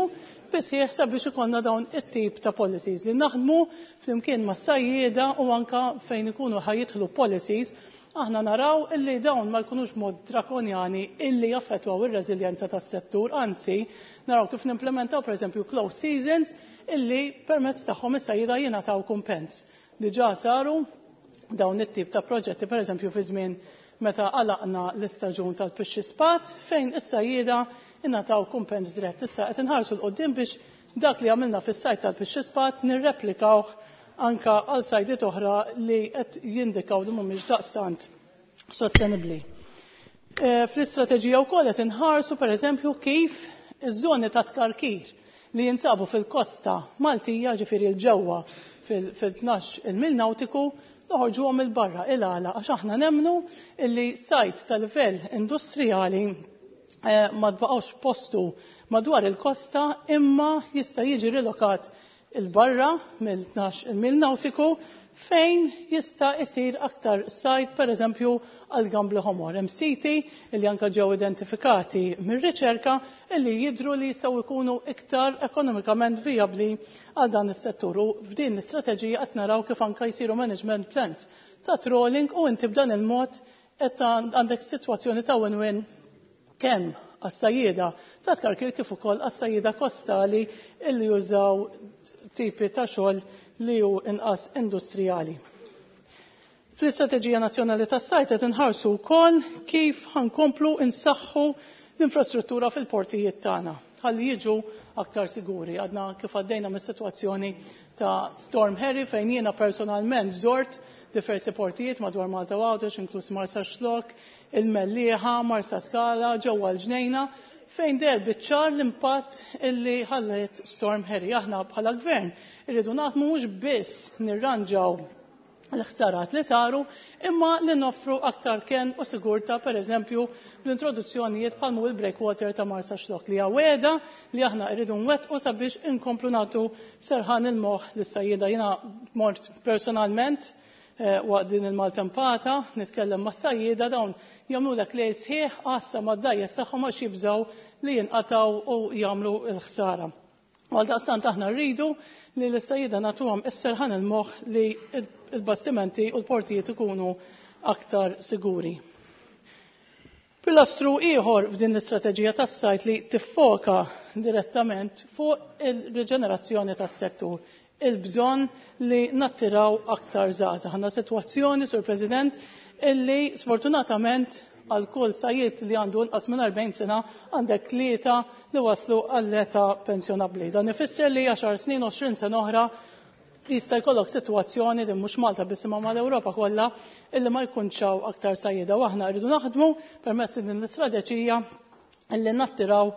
bisħieħ sabiex ikollna dawn it-tip ta' policies li naħdmu flimkien mas-sajjieda u anka fejn ikunu ħajjidħlu policies aħna naraw illi dawn ma jkunux mod drakonjani illi jaffettwaw ir-reżiljenza tas-settur, anzi naraw kif nimplementaw pereżempju closed seasons illi permezz tagħhom is-sajjieda jingħataw kumpens. Diġà saru dawn it-tip ta' proġetti pereżempju fi żmien meta għalaqna l-istaġun tal-pixxi spat fejn is-sajjieda ingħataw kumpens dirett. Issa qed inħarsu 'l quddiem biex dak li għamilna fis-sajt tal-pixxi spat nirreplikawh anka għal sajdiet oħra li qed jindikaw li mhumiex daqstant sostenibbli. Fl-istrateġija wkoll qed inħarsu pereżempju kif iż-żoni ta' tkarkir li jinsabu fil-kosta Maltija, ġifieri l-ġewwa fil-tnax il-mil nautiku, noħorġuhom il-barra il-għala għax aħna nemmnu illi sajt ta' livell industrijali ma tbaqgħux postu madwar il-kosta imma jista' jiġi rilokat il-barra mill-tnax il-mil nautiku fejn jista' isir aktar sajt pereżempju għal gambli ħomor. Hemm siti li anke ġew identifikati mir-riċerka li jidhru li jistgħu jkunu iktar ekonomikament vijabbli għal dan is-settur. U f'din l-istrateġija qed naraw kif anke jsiru management plans ta' trawling u inti b'dan il-mod qed għandek sitwazzjoni ta' win-win kemm għas-sajjieda ta' tkarkir kif ukoll għas-sajjieda kostali illi jużaw tipi ta' xogħol li hu inqas industrijali. Fl-Istrateġija Nazzjonali tas-Sajd qed inħarsu wkoll kif ħankomplu insaħħu l-infrastruttura fil-portijiet tagħna ħalli jiġu aktar siguri. Għadna kif għaddejna mis-sitwazzjoni ta' Storm Harry fejn jiena personalment żort diversi portijiet madwar Malta u Għawdex, inkluż Marsaxlokk, il-Mellieħa, Marsaskala, ġewwa l-Ġnejna, fejn deher biċ-ċar l-impatt illi ħalliet Storm Harry. Aħna bħala gvern irridu naħdmu mhux biss nirranġaw l-ħsarat li saru, imma li noffru aktar kenn u sigurtà, pereżempju bl-introduzzjonijiet bħal mhu il-breakwater ta' Marsaxlokk li hija wegħda li aħna rridu nwettqu sabiex inkomplu nagħtu serħan il-moħħ lis-sajjieda. Jiena mort personalment waqt din il-maltempata nitkellem mas-sajjieda, dawn jagħmlulek lejl sħiħ għassa mad-dgħajjes tagħhom għax jibżgħu li jinqatgħu u jagħmlu l-ħsara. U għaldaqstant aħna rridu li l-sajjieda nagħtuhom is-serħan il-moħħ li l-bastimenti u l-portijiet ikunu aktar siguri. Pilastru ieħor f'din l-istrateġija tas-sajd li tiffoka direttament fuq il-riġenerazzjoni tas-settur, il-bżonn li nattiraw aktar żgħażagħ. Għandna sitwazzjoni, Sur President, illi sfortunatament għal kull sajjied li għandu inqas minn 40 sena għandek 3 li waslu għall-età pensjonabbli. Dan ifisser li 10 snin, 20 sena oħra jista' jkollok sitwazzjoni din mhux Malta biss imma mal-Ewropa kollha illi ma jkunx hawn aktar sajjieda u aħna rridu naħdmu permezz din l-istrateġija illi nattiraw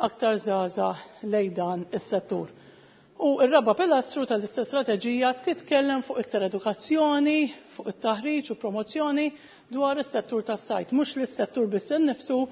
aktar żgħażagħ lejn dan is-settur. U r-raba' pilastru tal-istess strateġija titkellem fuq iktar edukazzjoni, fuq it-taħriġ u promozzjoni dwar is-settur tas-sajd, mhux lis-settur biss innifsu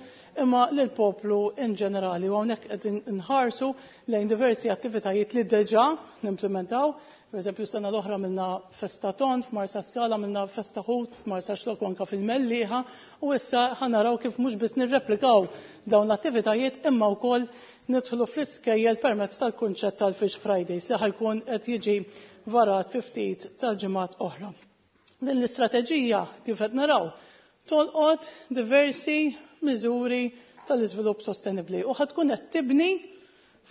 imma lill-poplu in ġenerali. U hawnhekk qed inħarsu lejn diversi attivitajiet li diġà nimplementaw. Per eżempju, sena l-oħra għamilna festa ton f'Marsaskala, għamilna festa ħut f'Marsaxlokk u anke fil-Mellieħa, u issa ħa naraw kif mhux biss nirreplikaw dawn l-attivitajiet imma wkoll nidħlu fl-iskejjel permezz tal-kunċett tal-Fish Fridays li ħajkun qed jiġi varat fi ftit tal-ġimgħat oħra. Din l-istrateġija kif qed naraw tolqot diversi miżuri tal-iżvilupp sostenibbli u ħad tkun qed tibni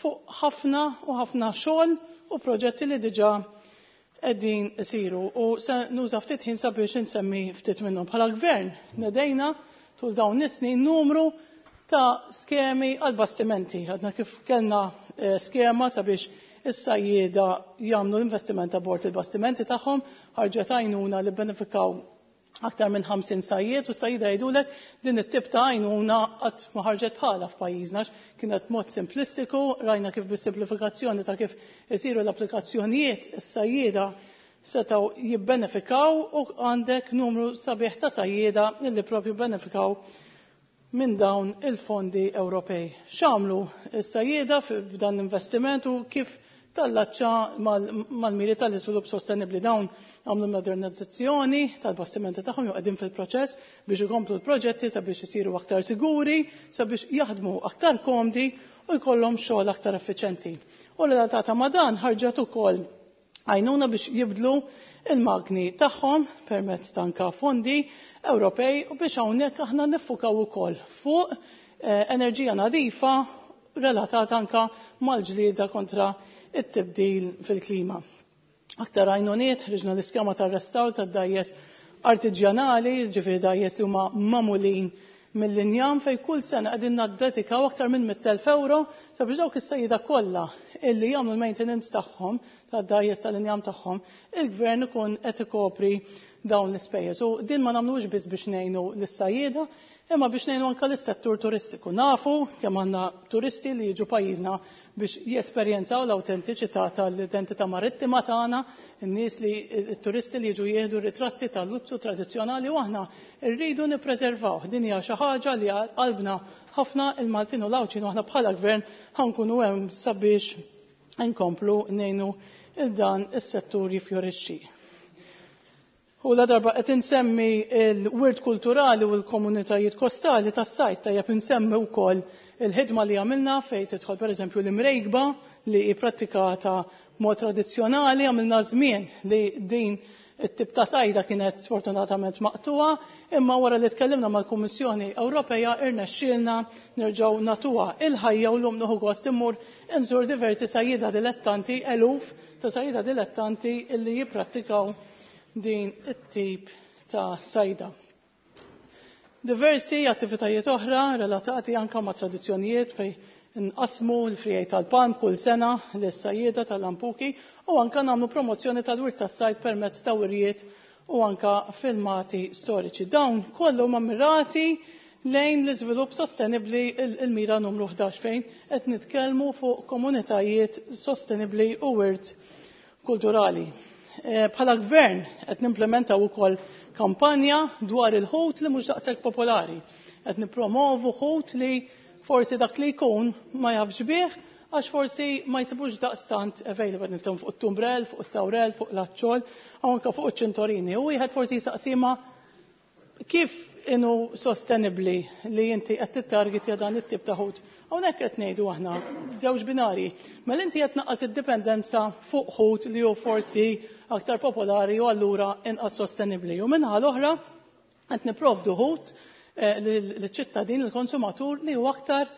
fuq ħafna u ħafna xogħol u proġetti li diġà qegħdin isiru u se nuża ftit ħin sabiex insemmi ftit minnhom. Bħala gvern nedejna tul dawn is-snin numru ta' skemi għal bastimenti. Għadna kif kellna skema sabiex is-sajjieda jagħmlu l-investiment ta' bord il-bastimenti tagħhom, ħarġet għajnuna li benefikaw aktar minn 50 sajjied u sajjieda jgħidulek din it-tip ta' għajnuna qatt ma ħarġet bħala f'pajjiżna, kienet mod simplistiku, rajna kif bis-simplifikazzjoni ta' kif isiru l-applikazzjonijiet is-sajjieda setgħu jibbenefikaw u għandek numru sabiħ ta' sajjieda li propju benefikaw minn dawn il-fondi Ewropej. X'għamlu s-sajjieda f'dan l-investiment u kif tallaċċa mal-miri tal-iżvilupp sostenibbli? Dawn għamlu modernizzazzjoni tal-bastimenti tagħhom jew qegħdin fil-proċess biex ikomplu l-proġetti sabiex isiru aktar siguri, sabiex jaħdmu aktar komdi u jkollhom xogħol aktar effiċenti. U relatata ma' dan ħarġet ukoll għajnuna biex jibdlu il-magni tagħhom permezz ta' anka fondi Ewropej u biex hawnhekk aħna niffukaw ukoll fuq enerġija nadifa relatata anka mal-ġlieda kontra it-tibdil fil-klima. Aktar għajnuniet, ħriġna l-iskema tar-restawr tad-dajjes artiġjanali, ġifieri dajjes li huma magħmulin mill-injam fej kull sena qegħdin naddedikaw aktar minn 100,000 euro sabiex dawk is-sajjieda kollha illi jagħmlu l-maintenance tagħhom tad-dajjes tal-injam tagħhom, il-gvern ikun qed ikopri dawn l-ispejjeż. U din ma nagħmlux biss biex ngħinu lis-sajjieda, imma biex ngħinu anke lis-settur turistiku. Nafu kemm għandna turisti li jiġu pajjiżna biex jesperjenzaw l-awtentiċità tal-identità marittima tagħna, in-nies li t-turisti li jiġu jieħdu ritratti tal-luzzu tradizzjonali u aħna rridu nippreservaw. Din hija xi ħaġa li qalbna ħafna il-Maltin u l-Għawdxin u aħna bħala gvern ħankunu hemm sabiex nkomplu ngħinu il dan is-settur jifjorixxi. U la darba qed insemmi l-wirt kulturali u l-komunitajiet kostali tas-sajd, tajjeb insemmi wkoll il-ħidma li għamilna fejn tidħol pereżempju l-imrejkba li hi prattikata mod tradizzjonali. Għamilna żmien li din it-tip ta' sajda kienet sfortunatament maqtuha, imma wara li tkellimna mal-Kummissjoni Ewropea irnexxielna nerġgħu nagħtuha il-ħajja u llum nieħu gost immur inżur diversi sajjieda dilettanti eluf ta' sajda dilettanti illi jipprattikaw din it-tip ta' sajda. Diversi attivitajiet oħra relatati anka ma' tradizzjonijiet fej nqasmu l-frijaj tal-palm kull sena lis-sajjieda tal-lampuki u anka nagħmlu promozzjoni tal-wirt tas-sajd permezz ta' wirjiet u anka filmati storiċi. Dawn kollu huma mirati lejn l-iżvilupp sostenibbli, il-mira numru 11, fejn qed nitkellmu fuq komunitajiet sostenibbli u wirt kulturali. Bħala gvern qed nimplementaw ukoll kampanja dwar il-ħut li mhux daqshekk popolari. Qed nippromovu ħut li forsi dak li jkun ma jafx bih għax forsi ma jsibux daqstant available. Nitkellmu fuq it-tumbrel, fuq is-sawrel, fuq l-aċċol, u anke fuq iċ-ċintorini. U wieħed forsi jisaqsima kif inhu sostenibbli li inti qed tittargetja dan it-tip ta' ħut. Hawnhekk qed ngħidu aħna żewġ binari. Mela inti qed tnaqqas id-dipendenza fuq ħut li hu forsi aktar popolari u allura inqas sostenibbli. U minħa l-oħra qed nipprovdu ħut lill-ċittadin, il-konsumatur, li huwa aktar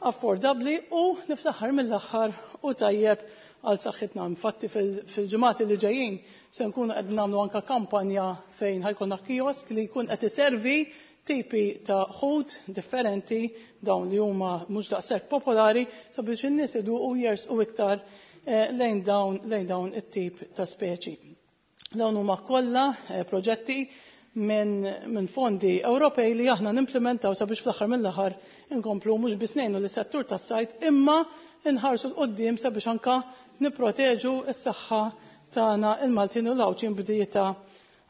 affordabbli u niftaħar mill-aħħar u tajjeb għal saħħitna. Infatti fil-ġimgħat li ġejjin se nkunu qed nagħmlu anke kampanja fejn ħajkun kiosk li jkun qed iservi tipi ta' ħut differenti, dawn li huma mhux daqshekk popolari, sabiex in-nies iduqu jersqu iktar lejn dawn it-tip ta' speċi. Dawn huma kollha proġetti minn fondi Ewropej li aħna nimplementaw sabiex fl-aħħar mill-aħħar inkomplu mhux biss ngħinu lis-settur tas-sajd, imma nħarsu 'l quddiem sabiex anka nipproteġu s-saħħa tagħna il-Maltin u l-Għawdxin b'dieta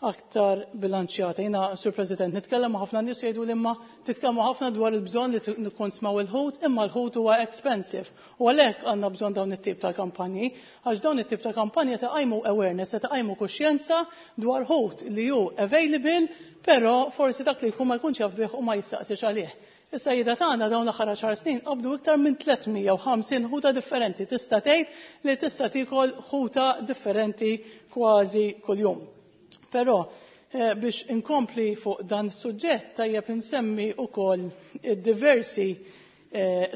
aktar bilanċjata. Jiena, Sur President, nitkellem ma' ħafna nies, jgħidu li imma titkellmu ħafna dwar il-bżonn li nikkonsmaw il-ħut, imma l-ħut huwa expensive. U għalhekk għandna bżonn dawn it-tip ta' kampanji, għax dawn it-tip ta' kampanji ta' qajmu awareness, ta' qajmu kuxjenza dwar ħut li hu available, però forsi dak li jkun ma jkunx jaf bih u ma jistaqsix għalih. Is-sajjieda tagħna dawn l-aħħar 10 snin qabdu iktar minn 350 ħuta differenti. Tista' tgħid li tista' tiekol ħuta differenti kważi kuljum. Però biex inkompli fuq dan is-suġġett, tajjeb insemmi wkoll diversi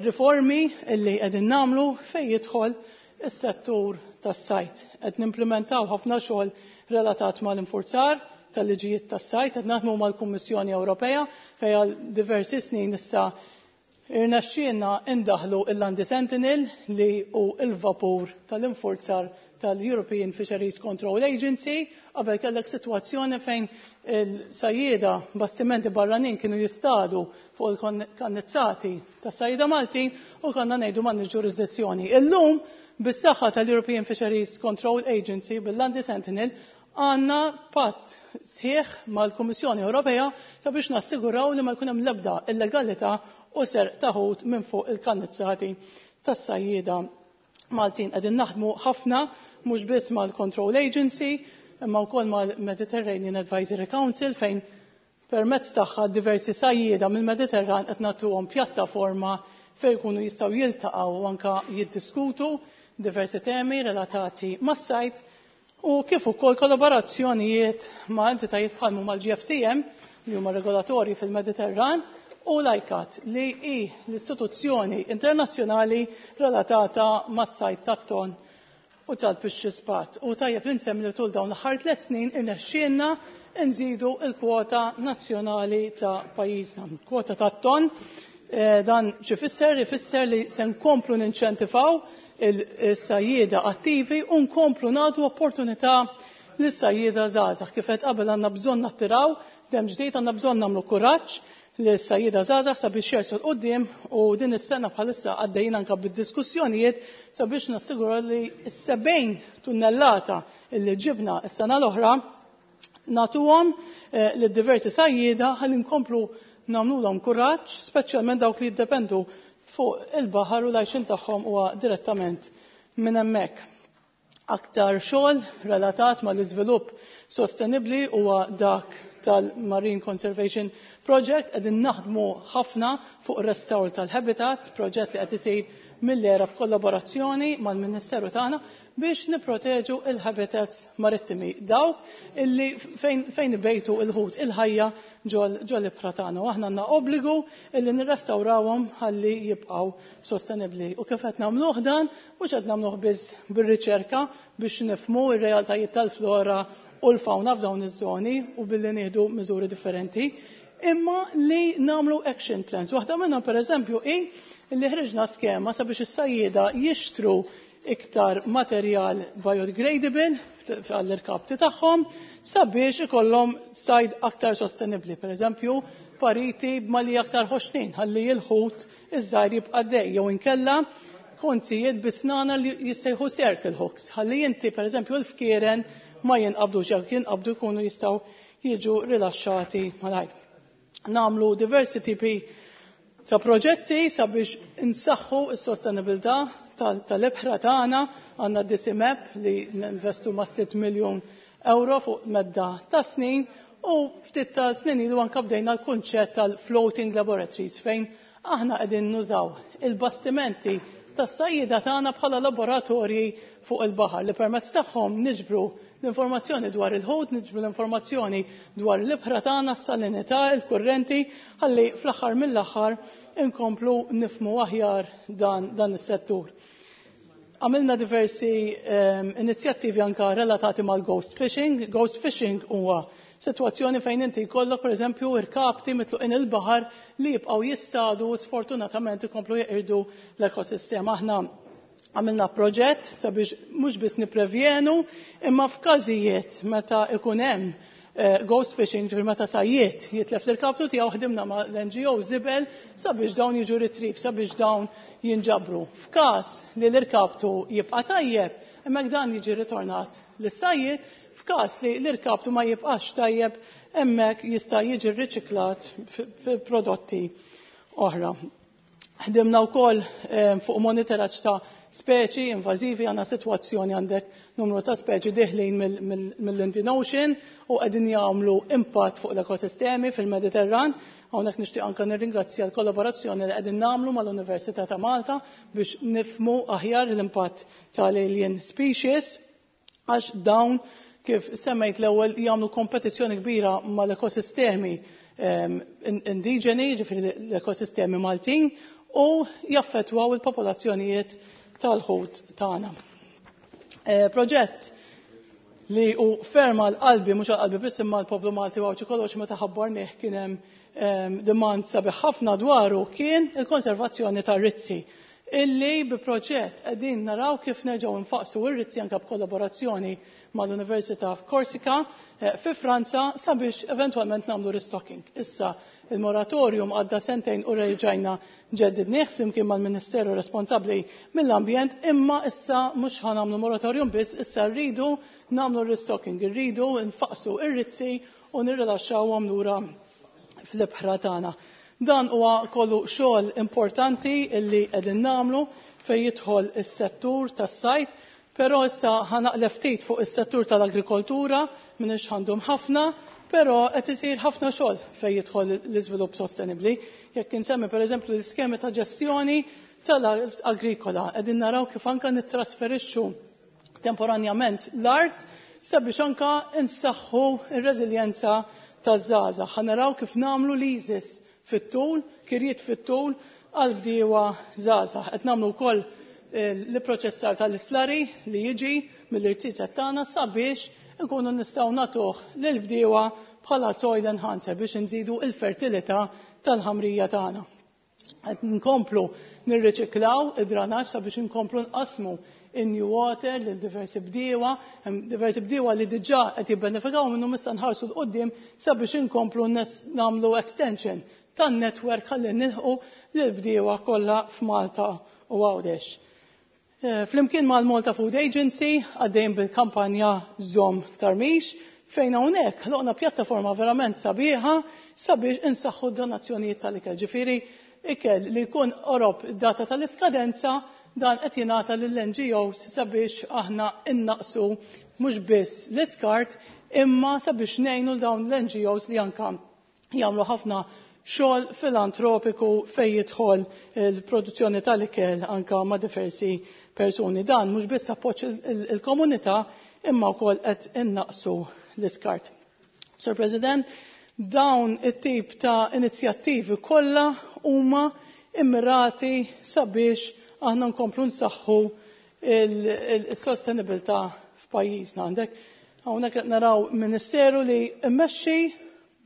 riformi li qegħdin nagħmlu fejn jidħol is-settur tas-sajd. Qed nimplementaw ħafna xogħol relatat mal-infurzar tal-liġijiet tas-sajd, qed naħdmu mal-Kummissjoni Ewropea fejn għal diversi snin issa irnexxielna indaħlu il-Landi Sentinel, li hu il-vapur tal-infurzar tal-European Fisheries Control Agency. Qabel kellek sitwazzjoni fejn il-sajjieda, bastimenti barranin, kienu jistadu fuq il-kannizzati tas-sajjieda Maltin u konna ngħidu m'għandniex ġurisdizzjoni. Illum, bis-saħħa tal-European Fisheries Control Agency, bil-Landi Sentinel, għandna patt sħiħ mal-Kummissjoni Ewropea sabiex nassiguraw li ma jkun hemm l-ebda illegalità u serq ta' ħut minn fuq il-kannizzati tas-sajjieda Maltin. Qegħdin naħdmu ħafna mhux biss mal-Control Agency imma wkoll mal-Mediterranean Advisory Council, fejn permezz tagħha diversi sajjieda mill-Mediterran qed nagħtuhom pjattaforma fejn jkunu jistgħu jiltaqgħu u anka jiddiskutu diversi temi relatati mas-sajd, u kif ukoll kollaborazzjonijiet ma' entitajiet bħal mal-GFCM, li huma regolatorji fil-Mediterran, u l-ICCAT, li hi l-istituzzjoni internazzjonali relatata mas-sajd tat-ton u tal-pixxispat. U tajjeb li nsemmi li tul dawn l-aħħar 3 snin irnexxielna nżidu il-kwota nazzjonali ta' pajjiżna. Kwota tat-ton, dan x'ifisser? Ifisser li se nkomplu ninċentivaw il-sajjieda attivi u nkomplu nagħtu opportunità lis-sajjieda żgħażagħ. Kif qed qabel, għandna bżonn nattiraw dem ġdid, għandna bżonn nagħmlu kuraġġ lis-sajjieda żgħażagħ sabiex jersqu 'l quddiem, u din is-sena bħalissa għaddejjin anke bid-diskussjonijiet sabiex nassiguraw li s-70 tunnellata li ġibna s-sena l-oħra nagħtuhom lid-diversi sajjieda ħalli nkomplu nagħmluhom kuraġġ, speċjalment dawk li jiddependu fuq il-baħar u l-għajxien tagħhom huwa direttament minn hemmhekk. Aktar xogħol relatat mal-iżvilupp sostenibbli huwa dak tal-Marine Conservation Project. Qegħdin naħdmu ħafna fuq restawr tal-habitat, proġett li qed isir. mill-ERA b'kollaborazzjoni mal-Ministeru tagħna biex nipproteġu il-habitats marittimi dawk illi fejn ibejtu il-ħut il-ħajja ġol ibħra tagħna. U aħna għandna obbligu illi nirrestawrawhom ħalli jibqgħu sostenibbli. U kif qed nagħmluh dan, mhux qed nagħmluh biss bir-riċerka biex nifhmu r-realtajiet tal-flora u l-fawna f'dawn iż-żoni u billi nieħdu miżuri differenti, imma li nagħmlu action plans. Waħda minnhom pereżempju hi li ħriġna skema sabiex is-sajjieda jixtru iktar materjal biodegradable għall-irkapti tagħhom sabiex ikollhom sajd aktar sostenibbli. Per eżempju, pariti b'mali aktar ħoxnin ħalli l-ħut iż-żgħir jibqa' dej jew inkella konzijiet bisnana li jissejħu circle hooks ħalli inti per eżempju l-fkieren ma jinqabdux jekk jinqabdu jkunu jistgħu jiġu rilaxxati malajr. Nagħmlu diversi tipi ta' proġetti sabiex insaħħu s-sostenibilità tal-ibħra tagħna. Għandna DCMAP li ninvestu ma' 6 miljun euro fuq medda ta' snin u ftit ta' snin ilu anke bdejna l-kunċett tal-floating laboratories fejn aħna qegħdin nużaw il-bastimenti tas-sajjieda tagħna bħala laboratorji fuq il-baħar li permezz tagħhom niġbru l-informazzjoni dwar il-ħut, niġbru l-informazzjoni dwar l-ibħra tagħna, s-salinità, il-kurrenti, ħalli fl-aħħar mill-aħħar inkomplu nifmu aħjar dan is-settur. Għamilna diversi inizjattivi anka relatati mal-ghost fishing. Ghost fishing huwa sitwazzjoni fejn inti jkollok pereżempju irkapti mitluqin il-baħar li jibqgħu jistadu u sfortunatament ikomplu jeqirdu l-ekosistema. Aħna għamilna proġett sabiex mhux biss nipprevjenu imma f'każijiet meta ikun hemm ghost fishing, ġifieri meta sajjiet jitlef l-irkaptu tiegħu, ħdimna ma' l-NGO Żibel sabiex dawn jiġu retrieve, sabiex dawn jinġabru. F'każ li l-irkaptu jibqa' tajjeb, hemmhekk dan jiġi ritornat lis-sajjiet, f'każ li l-irkaptu ma jibqax tajjeb, hemmhekk jista' jiġi rriċiklat fi prodotti oħra. Ħdimna wkoll fuq monitoraġġ ta' speċi invażivi, għandna sitwazzjoni għandek numru ta' speċi diħlin mill-Indian Ocean u qegħdin jagħmlu impatt fuq l-ekosistemi fil-Mediterran. Hawnhekk nixtieq anke nirringrazzja l-kollaborazzjoni li qegħdin nagħmlu mal-Università ta' Malta biex nifhmu aħjar l-impatt tal-alien species, għax dawn kif semmejt l-ewwel jagħmlu kompetizzjoni kbira mal-ekosistemi indiġeni, ġifieri l-ekosistemi Maltin, u jaffettwaw il-popolazzjonijiet tal-ħut tagħna. Proġett li hu ferm għal qalbi, mhux għal qalbi biss imma l-poplu Malti u Għawdxi kollox meta ħabbarnih kien hemm demand sabiħ ħafna dwaru, kien il-konservazzjoni tar-rizzi, illi bi proġett qegħdin naraw kif nerġgħu nfaqsu r-rizzi anke b'kollaborazzjoni mal-Università f'Korsika fi Franza sabiex eventwalment nagħmlu restocking. Issa il-moratorium għadda sentejn u reġajna ġeddidnieh flimkien mal-Ministeru responsabbli mill-ambjent, imma issa mhux ħa nagħmlu moratorium biss, issa rridu nagħmlu restocking, irridu nfaqsu r-rizzi u nirrilaxxawhom lura fl-ibħra tagħna. Dan huwa kollu xogħol importanti illi qegħdin nagħmlu fejn jidħol is-settur tas-sajt, però issa ħanaqleb ftit fuq is-settur tal-agrikoltura, m'iniex għandhom ħafna, però qed isir ħafna xogħol fejn jidħol l-iżvilupp sostenibbli. Jekk insemmi pereżempju l-iskemi ta' ġestjoni tal-agrikola, qegħdin naraw kif anke nittrasferixxu temporanjament l-art sabiex anke insaħħu r-reżiljenza taż-żgħażagħ. Ħa naraw kif nagħmlu leases fit-tul, kirjiet fit-tul għal bdiewa żgħażagħ. Qed nagħmlu wkoll l-proċessar tal-islari li jiġi mill-irtizet tagħna sabiex nkunu nistgħu nagħtuh lill-bdiewa bħala soil enhancer biex nżidu l-fertilità tal-ħamrija tagħna. Qed nkomplu nirriċiklaw id-dranaġġ sabiex inkomplu nqasmu in-new water lil diversi bdiewa, hemm diversi bdiewa li diġà qed jibbenefikaw minnhom, issa nħarsu 'l quddiem sabiex inkomplu nagħmlu extension tan-network ħalli nilħqu lil bdiewa kollha f'Malta u Għawdex. Flimkien mal-Malta Food Agency għaddejn bil-kampanja Żomm Tarmix, fejn hawnhekk ħloqna pjattaforma verament sabiħa sabiex insaħħu d-donazzjonijiet tal-ikel. Ġifieri ikel li jkun qorob data tal-iskadenza dan qed jingħata lill-N G Os sabiex aħna innaqsu mhux biss l-iskart imma sabiex ngħinu dawn l-N G Os li anka jagħmlu ħafna xogħol filantropiku fejn jidħol il-produzzjoni tal-ikel anka ma' diversi persuni. Dan mhux biss appoġġ il-komunità imma wkoll qed innaqsu l-iskart. Sir President, dawn it-tip ta' inizjattivi kollha huma immirati sabiex aħna nkomplu nsaħħu il-sostenibilità f'pajjiżna. Għandek hawnhekk qed naraw ministeru li mmexxi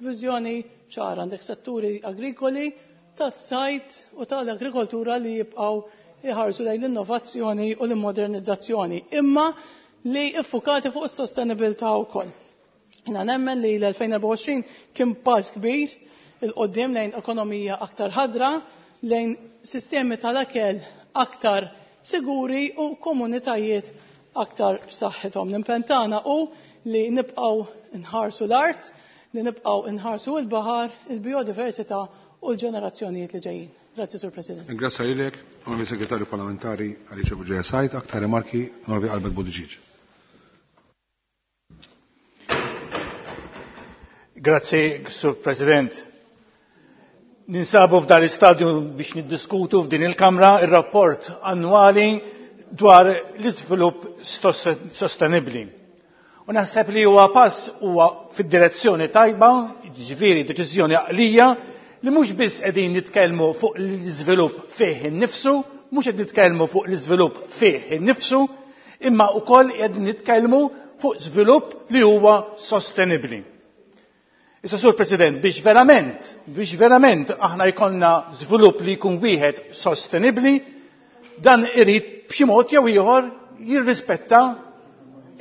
viżjoni ċara għandek setturi agrikoli tas-sajt u tal-agrikoltura li jibqgħu jħarsu lejn l-innovazzjoni u l-immodernizzazzjoni, imma li iffukati fuq is-sostenibilità wkoll. Jiena nemmen li l-2024 kien pass kbir il-qoddim lejn ekonomija aktar ħadra, lejn sistemi tal-akel aktar siguri u komunitajiet aktar b'saħħithom. L-impenn tagħna hu li nibqgħu nħarsu l-art, li nibqgħu nħarsu l-baħar, il-biodiversità u l-ġenerazzjonijiet li ġejjin. Grazzi, Sur President. Grazzi lilek, Onorevoli Segretarju Parlamentari Alicia Bugeja Said, aktar rimarki, Onorevoli Albert Buttigieg. Grazzi, Sur President. Ninsabu f'dan l-istadju biex niddiskutu f'din il-Kamra ir-rapport annwali dwar l-iżvilupp sostenibbli. U naħseb li huwa pass huwa fid-direzzjoni tajba, jiġifieri deċiżjoni għaqlija, li mhux biss qegħdin nitkellmu fuq l-iżvilupp fih innifsu, mhux qed nitkellmu fuq l-iżvilupp fih innifsu, imma wkoll qegħdin nitkellmu fuq żvilupp li huwa sostenibbli. Issa Sur President, biex verament, biex verament aħna jkollna żvilupp li jkun wieħed sostenibbli, dan irid b'xi mod jew ieħor jirrispetta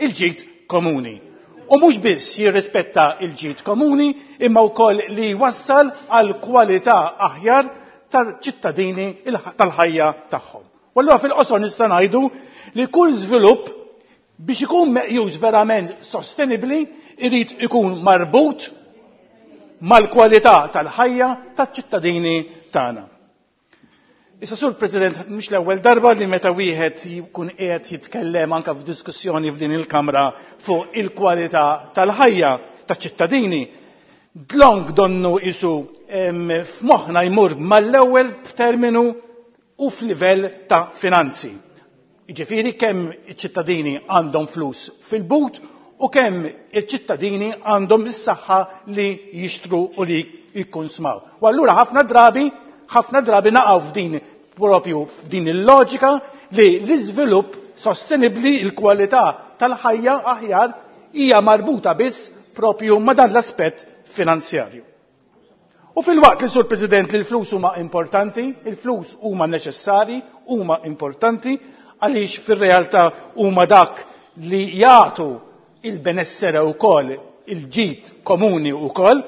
il-ġid komuni. U mhux biss jirrispetta il-ġid komuni, imma wkoll li jwassal għal kwalità aħjar tal-ċittadini tal-ħajja tagħhom. U allura fil-qosor nista' ngħidu li kull żvilupp biex ikun meqjus verament sostenibbli irid ikun marbut mal-kwalità tal-ħajja taċ-ċittadini tagħna. Issa Sur President, mhux l-ewwel darba li meta wieħed jkun qiegħed jitkellem anke f'diskussjoni f'din il-Kamra fuq il-kwalità tal-ħajja taċ-ċittadini, dlonk donnu isu f'moħħna jmur mal-ewwel b'terminu u f'livell ta' finanzi. Jiġifieri kemm iċ-ċittadini għandhom flus fil-but u kemm iċ-ċittadini għandhom is-saħħa li jixtru u li jikkunsmaw. U allura ħafna drabi, ħafna drabi naqgħu f'din propju f'din il-loġika li l-iżvilupp sostenibbli, il-kwalità tal-ħajja aħjar hija marbuta biss propju ma' dan l-aspett finanzjarju. U filwaqt li Sur President li l-flus huma importanti, il-flus huma neċessari, huma importanti, għaliex fir-realtà huma dak li jagħtu il-benessere wkoll, il-ġid komuni wkoll,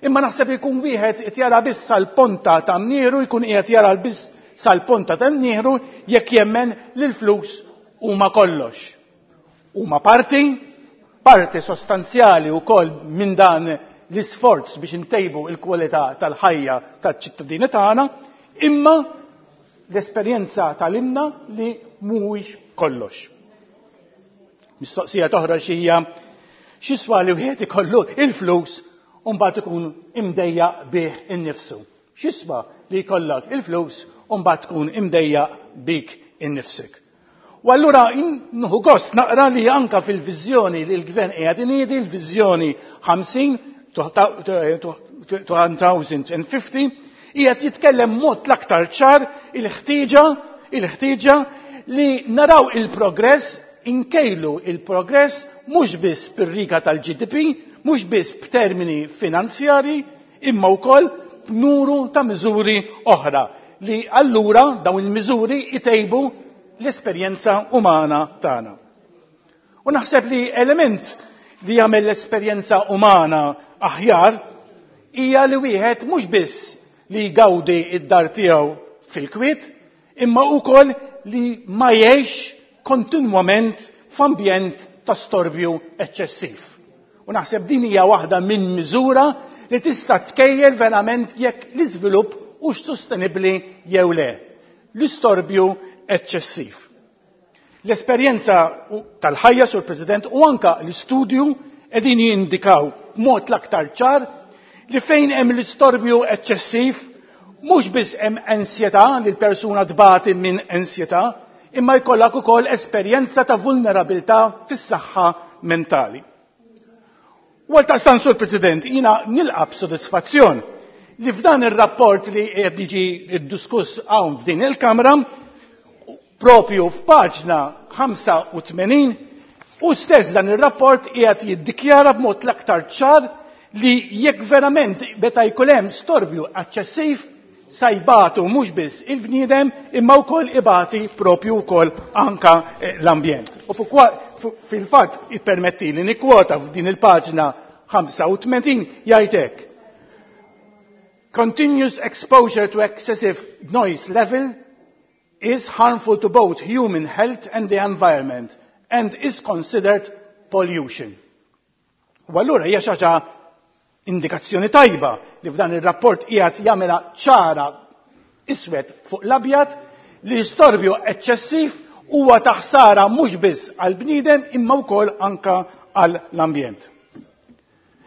imma naħseb jkun wieħed qed jara biss sal-ponta ta' mnieru, jkun qiegħed jara biss sal-ponta ta' mnieru jekk jemmen li l-flus huma kollox. Huma parti, parti sostanzjali wkoll minn dan l-isforz biex intejbu il-kwalità tal-ħajja taċ-ċittadini tagħna, imma l-esperjenza tal-imna li mhuwiex kollox. Mistoqsija toħroġ hija x'iswa li wieħed ikollu il-flus u mbagħad ikun imdejjaq bih innifsu. X'iswa li jkollok il-flus u mbagħad tkun imdejjaq bik innifsek. U allura nieħu gost naqra li anka fil-viżjoni li l-gvern qiegħed iniedi, l-viżjoni 50 2050, qiegħed jitkellem mod l-aktar ċar il-ħtieġa li naraw il-progress, inkejlu il-progress mhux biss bir-riga tal-GDP, mhux biss b'termini finanzjari, imma wkoll b'nuru ta' miżuri oħra li allura dawn il-miżuri itejbu l-esperjenza umana tagħna. U naħseb li element li jagħmel l-esperjenza umana aħjar hija li wieħed mhux biss li jgawdi id-dar tiegħu fil-kwiet, imma wkoll li ma jgħix kontinwament f'ambjent ta' storbju eċċessiv. U naħseb din hija waħda minn miżura li tista' tkejjel verament jekk l-iżvilupp hux sostenibbli jew le. L-istorbju eċċessiv. L-esperjenza tal-ħajja, Sur President, u anka l-istudju qegħdin jindikaw b'mod l-aktar ċar Li fejn hemm l-istorbju eċċessiv, mhux biss hemm ansjetà li l-persuna tbati minn ansjetà, imma jkollok ukoll esperjenza ta' vulnerabilità fis-saħħa mentali. U għaldaqstant, Sur President, jiena nilqa' b'sodisfazzjon li f'dan ir-rapport li qed jiġi diskuss hawn f'din il-Kamra, propju f'paġna 85, u stess dan ir-rapport qiegħed jiddikjara b'mod l-aktar ċar li jekk verament meta jkun hemm storbju eċċessiv sa jbatu mhux biss il-bniedem imma wkoll ibati propju wkoll anka l-ambjent. U fil-fatt ippermetti li nikkwota f'din il-paġna 85 jgħid hekk. Continuous exposure to excessive noise level is harmful to both human health and the environment and is considered pollution. U allura hija xi ħaġa indikazzjoni tajba li f'dan ir-rapport qiegħed jagħmilha ċara iswed fuq l-abjad li storbju eċċessiv huwa ta' ħsara mhux biss għall-bniedem imma wkoll anka għall-ambjent.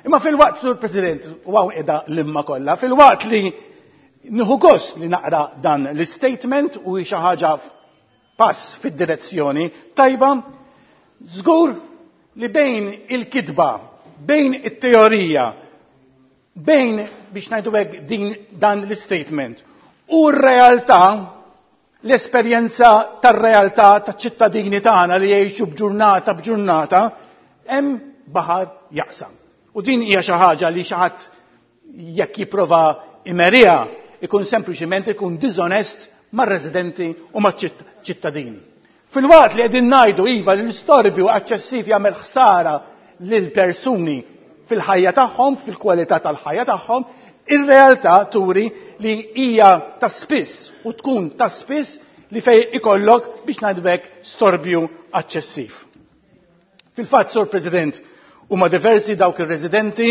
Imma fil-waqt, Sur President, u hawn qiegħda l-imma kollha, fil-waqt li nieħu gost li naqra dan l-statement u hi xi ħaġa pass fid-direzzjoni tajba, żgur li bejn il-kitba, bejn it-teorija, bejn biex ngħidu hekk din dan l-statement u r-realtà, l-esperjenza tar-realtà taċ-ċittadini tagħna li jgħixu b'ġurnata b'ġurnata, hemm baħar jaqsam. U din hija xi ħaġa li xi ħadd jekk jipprova imeriha ikun sempliċiment ikun diżonest mar-residenti u maċ-ċittadini. Fil-waqt li qegħdin ngħidu iva li l-istorbju eċċessiv jagħmel ħsara lil persuni fil-ħajja tagħhom, fil-kwalità tal-ħajja tagħhom, ir-realtà turi li hija ta' spiss u tkun ta' spiss li fej ikollok biex ngħidu storbju eċċessiv. Fil-fatt, Sur President, huma diversi dawk ir-residenti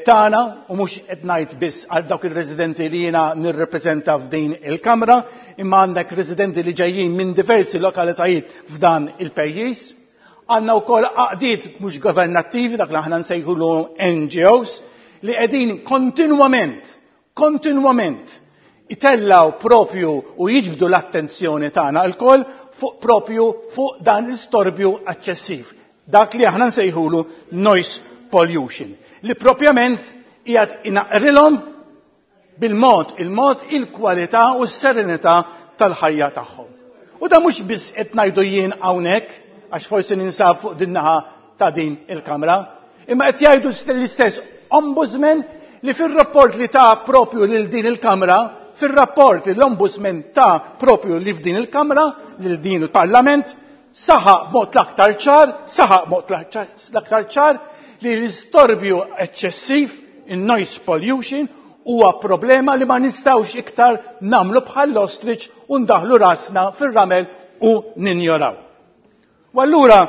tagħna u mhux qed ngħid biss għal dawk ir-residenti li jiena nirrepreżenta f'din il-Kamra, imma għandek residenti li ġejjin minn diversi lokalitajiet f'dan il-pajjiż. Għandna wkoll għaqdiet mhux governattivi, dak li aħna nsejħulu NGOs, li qegħdin kontinwament itellaw propju u jiġbdu l-attenzjoni tagħna lkoll fuq propju fuq dan l-istorbju eċċessiv. Dak li aħna nsejħulu noise pollution, li propjament qiegħed inaqrilhom bil-mod il-mod il-kwalità u s-serenità tal-ħajja tagħhom. U da mhux biss qed ngħidu jien hawnhekk, għax forsi ninsab fuq din naħa ta' din il-Kamra, imma qed jgħidu l-istess ombudsman li fir-rapport li ta' propju lil din il-Kamra, fir-rapport li l-ombudsman ta' propju li f'din il-Kamra, lil din il-Parlament, saħaq b'mod l-aktar ċar, saħaq b'mod l-aktar ċar li l-istorbju eċċessiv, in-noise pollution, huwa problema li ma nistgħux iktar nagħmlu bħall-ostrich u ndaħlu rasna fir-ramel u ninjoraw. U allura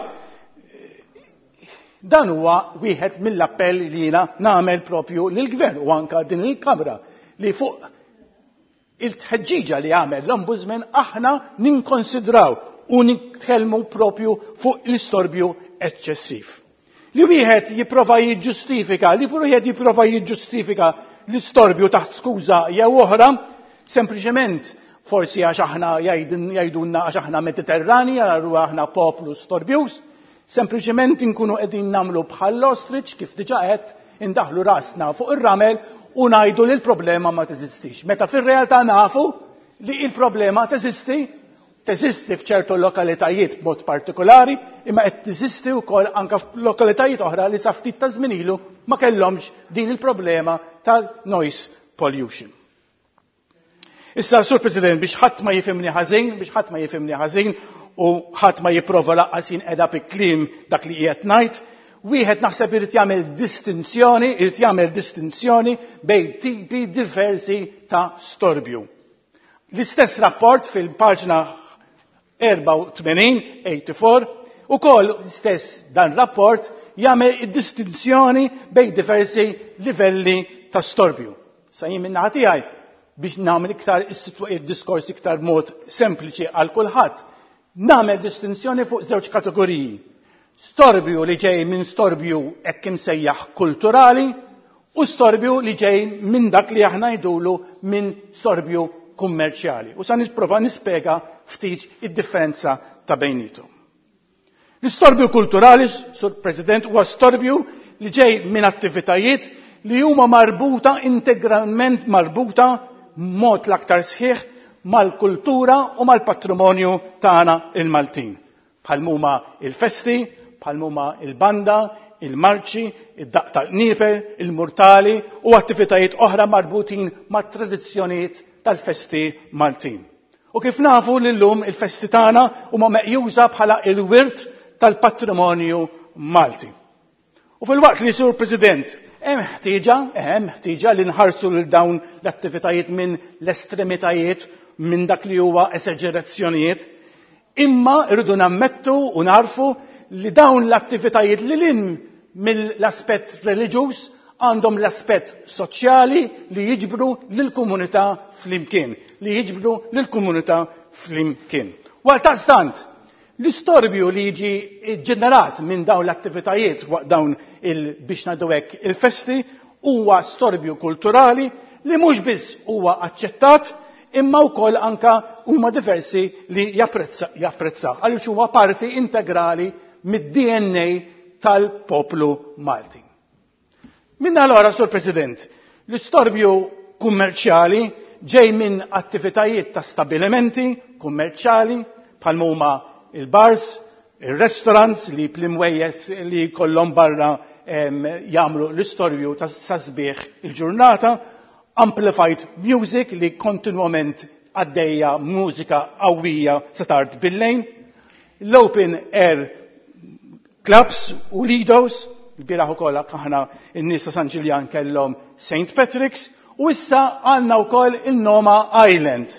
dan huwa wieħed mill-appell li jiena nagħmel propju lill-Gvern u anka din il-Kamra li fuq il-tħeġġiġa li għamel l-Ombudsman aħna ninkonsidraw u nitkellmu propju fuq l-istorbju eċċessiv. Li wieħed jipprova jiġġustifika, li wieħed jipprova jiġġustifika l-istorbju taħt skuża jew oħra, sempliċement forsi għax aħna jgħidulna għax aħna Mediterrani, allura aħna poplu storbjuż, sempliċement inkunu qegħdin nagħmlu bħall-ostrich kif diġà qed indaħlu rasna fuq ir-ramel u ngħidu li l-problema ma teżistix. Meta fir-realtà nafu li l-problema teżisti, teżisti f'ċertu lokalitajiet b'mod partikolari, imma qed teżisti wkoll anke f'lokalitajiet oħra li sa ftit ta' żmien ilu ma kellhomx din il-problema tal-noise pollution. Issa, Sur President, biex ħadd ma jifhimni ħażin, biex ħadd ma jifhimni ħażin u ħadd ma jipprova laqqas jinqeda bi kliem dak li qiegħed ngħid, wieħed naħseb irid jagħmel distinzjoni, irid jagħmel distinzjoni bejn tipi diversi ta' storbju. L-istess rapport fil-paġna 84, 84, ukoll l-istess dan rapport jagħmel id-distinzjoni bejn diversi livelli ta' storbju. Sa jien minn naħa tiegħi biex nagħmel iktar id-diskors iktar mod sempliċi għal kulħadd, nagħmel distinzjoni fuq żewġ kategoriji. Storbju li ġej minn storbju hekk imsejjaħ kulturali u storbju li ġej minn dak li aħna ngħidulu minn storbju kummerċjali. U sa nipprova nispjega ftit id-differenza ta' bejnietom. L-istorbju kulturali, Sur President, huwa storbju li ġej minn attivitajiet li huma marbuta, integralment marbuta, mod l-aktar sħiħ mal-kultura u mal-patrimonju tagħna il-Maltin. Bħal huma il-festi, bħal huma il-banda, il-marċi, id-daq tal-qniepen, il-murtali u attivitajiet oħra marbutin mat-tradizzjonijiet tal-festi Maltin. U kif nafu l-lum il-festi tagħna huma meqjusa bħala il-wirt tal-patrimonju Malti. U fil-waqt li, Sur President, hemm ħtieġa li nħarsu lil dawn l-attivitajiet minn l-estremitajiet, minn dak li huwa esaġerazzjonijiet, imma rridu nammettu u narfu li dawn l-attivitajiet li lin mill-aspett reliġjuż għandhom l-aspett soċjali li jiġbru lill-komunità flimkien, li jiġbru lill-komunità flimkien. U għaldaqstant, l-istorbju li jiġi ġenerat minn dawn l-attivitajiet waqt dawn il biex ngħidu hekk il-festi huwa storbju kulturali li mhux biss huwa aċċettat imma wkoll anka huma diversi li japprezzaw għaliex huwa parti integrali mid-DNA tal-poplu Malti. Minna allora, Sur President, l-istorbju kummerċjali ġej minn attivitajiet ta' stabilimenti kummerċjali bħal huma il-bars, il-restaurants li plimwejjed li kollhom barra jagħmlu l-istorbju ta' sasbieħ il-ġurnata, amplified music li kontinwament għaddejja mużika qawwija sa tard bil-lejl, l-open air clubs u lidos, il-bieraħ ukoll aħna n-nies ta' San Ġiljan kellhom St. Patrick's, u issa għandna wkoll il-Noma Island,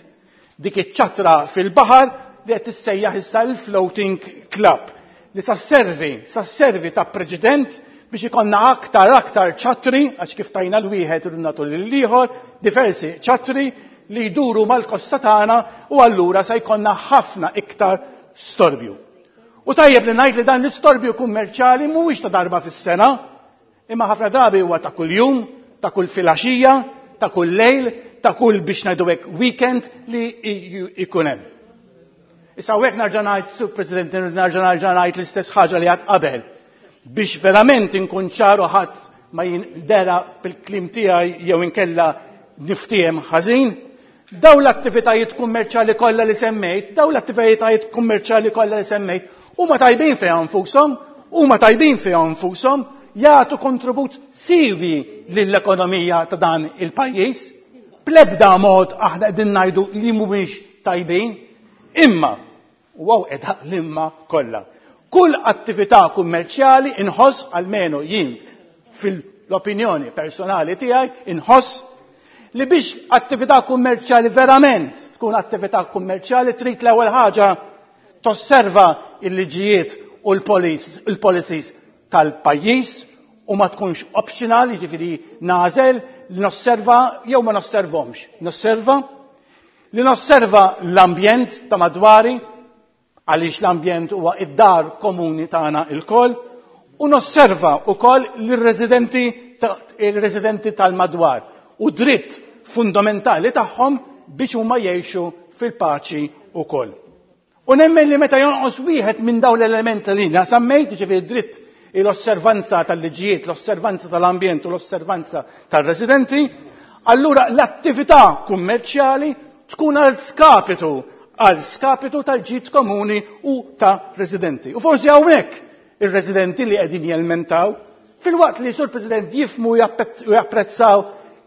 dik iċ-ċatra fil-baħar li qed tissejjaħ issa l-Floating Club, li sa servi ta' preċedent biex ikonna aktar ċatri, għax kif tajna l-wieħed u nagħtu lill-ieħor, diversi ċatri li jduru mal-kosta tagħna u allura sa jkollna ħafna iktar storbju. U tajjeb li ngħid li dan l-istorbju kummerċjali mhuwiex ta' darba fis-sena, imma ħafna drabi huwa ta' kuljum, ta' kull filgħaxija, ta' kull lejl, ta' kull biex ngħidu hekk weekend li jkun hemm. Issa hawnhekk nerġa' ngħid, Sur President, nerġa' ngħid l-istess ħaġa li għad qabel. Biex verament inkun ċaru ħadd ma jindera bil-klim tiegħi jew inkella niftiehem ħażin, daw l-attivitajiet kummerċjali kollha li semmejt, daw l-attivitajiet kummerċjali kollha li semmejt, huma tajbin fiha nfushom, huma tajbin fiha nfushom, jagħtu kontribut siwi lill-ekonomija ta' dan il-pajjiż. Bl-ebda mod aħna qegħdin ngħidu li mhumiex tajbin, imma u hawn qiegħda l-imma kollha. Kull attività kummerċjali inħoss, almenu jien fil-opinjoni personali tiegħi, inħoss li biex attività kummerċjali verament tkun attività kummerċjali trid l-ewwel ħaġa tosserva il-liġijiet u l-policies tal-pajjiż u ma tkunx optional, jiġifieri nagħżel li nosserva jew ma nosservhomx. Nosserva li nosserva l-ambjent ta' madwari, għaliex l-ambjent huwa id-dar komuni tagħna lkoll, u nosserva wkoll lir-residenti tal-madwar u dritt fundamentali tagħhom biex huma jgħixu fil-paċi wkoll. U nemmen li meta jonqos wieħed minn dawn l-elementi li jiena semmejt, jiġifieri dritt l-osservanza tal-liġijiet, l-osservanza tal-ambjent u l-osservanza tal-residenti, allura l-attività kummerċjali tkun għal skapitu tal-ġid komuni u ta' residenti. U forsi hawnhekk ir-residenti li qegħdin jelmentaw, filwaqt li Sur President jifmu u japprezzaw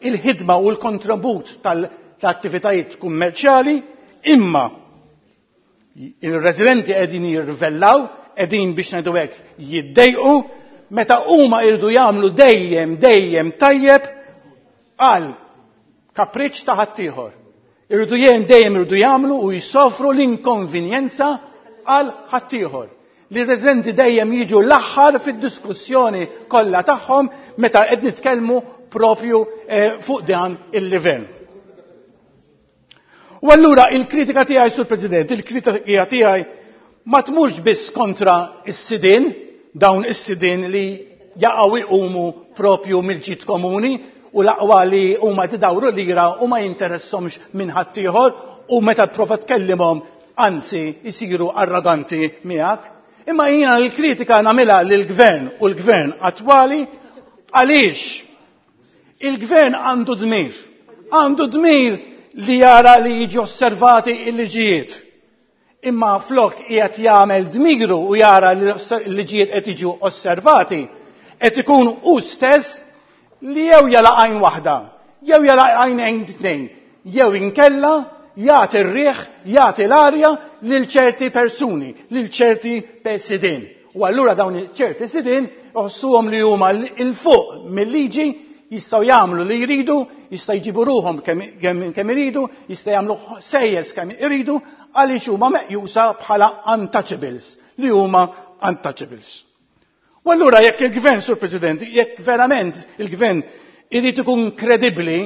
il-ħidma u l-kontribut tal-attivitajiet kummerċjali, imma il-residenti qegħdin jirrivellaw, qegħdin biex ngħidu hekk jiddejqu, meta huma jridu jagħmlu dejjem, dejjem tajjeb għal kapriċ ta' ħaddieħor. Irridu dejjem, dejjem irridu jagħmlu u jsofru l-inkonvenjenza għal ħaddieħor. Li r-residenti dejjem jiġu l-aħħar fid-diskussjoni kollha tagħhom meta qed nitkellmu propju fuq dan il-livell. U allura il-kritika tiegħi, Sur President, il-kritika tiegħi ma tmurx biss kontra s-sidien, dawn is-sidien li jaqgħu jqumu propju mill-ġid komuni u l-aqwa li huma tidawru lira u ma jinteressomx minn ħaddieħor u meta tprova tkellimhom anzi jsiru arroganti miegħek. Imma jiena l-kritika nagħmilha lill-gvern u l-gvern attwali għaliex il-gvern għandu dmir. Għandu dmir li jara li jiġu osservati il-liġijiet. Imma flok qiegħed jagħmel dmiru u jara li l-liġijiet qed jiġu osservati, qed ikun hu stess li jew jala għajn waħda, jew jala għajnejn tnejn, jew inkella jagħti r-riħ, jagħti l-arja lil ċerti persuni, lil ċerti sidien. U allura dawn ċerti sidien iħossuhom li huma 'l fuq mill-liġi, jistgħu jagħmlu li jridu, jistgħu jġibu ruħhom kemm iridu, jistgħu jagħmlu sejjes kemm iridu, għaliex huma meqjusa bħala untouchables, li huma untouchables. U allura jekk il-gvern, Sur President, jekk verament il-gvern irid ikun kredibbli,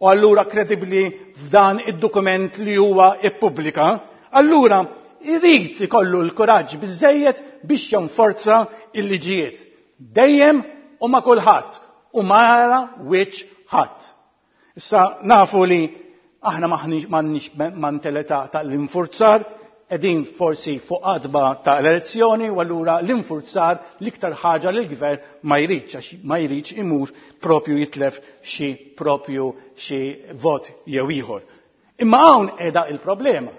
u allura kredibbli f'dan id-dokument li huwa ippubblika, allura irid ikollu l-kuraġġ biżejjed biex jonforza il-liġijiet. Dejjem u ma' kulħadd u ma jara wiċċ ħadd. Issa nafu li aħna m'għandniex mentalità tal-infurzar, qegħdin forsi fuq għatba ta' elezzjoni u allura l-infurzar l-iktar ħaġa li l-gvern ma jridx, għax ma jridx imur propju jitlef xi propju xi vot jew ieħor. Imma hawn qiegħda il-problema.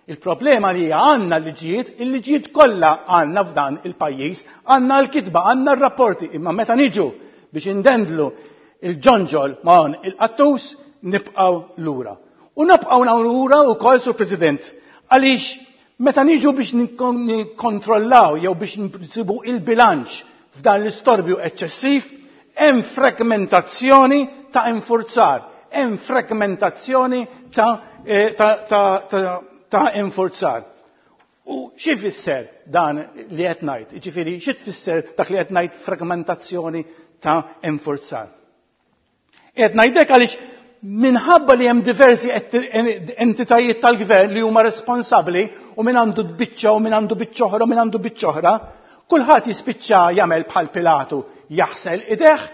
Il-problema li hija għandna l-liġijiet, il-liġijiet kollha għandna f'dan il-pajjiż, għandna l-kitba, għandna r-rapporti, imma meta niġu biex indendlu il-ġonġol ma' hawn il-qattus, nibqgħu lura. U nibqgħu lura wkoll, Sur President, għaliex meta niġu biex nikkontrollaw jew biex nsibu il-bilanċ f'dan l-istorbju eċċessiv, hemm fragmentazzjoni ta' infurzar, hemm fragmentazzjoni ta' infurzar. U xi fisser dan li qed ngħid? Jiġifieri xi tfisser dak li qed ngħid fragmentazzjoni ta' infurzar? Qed ngħidlek għaliex minħabba li hemm diversi entitajiet tal-gvern li huma responsabbli u min għandu biċċa u min għandu biċċa oħra u min għandu biċċa oħra, kulħadd jispiċċa jagħmel bħal Pilatu, jaħsel ideh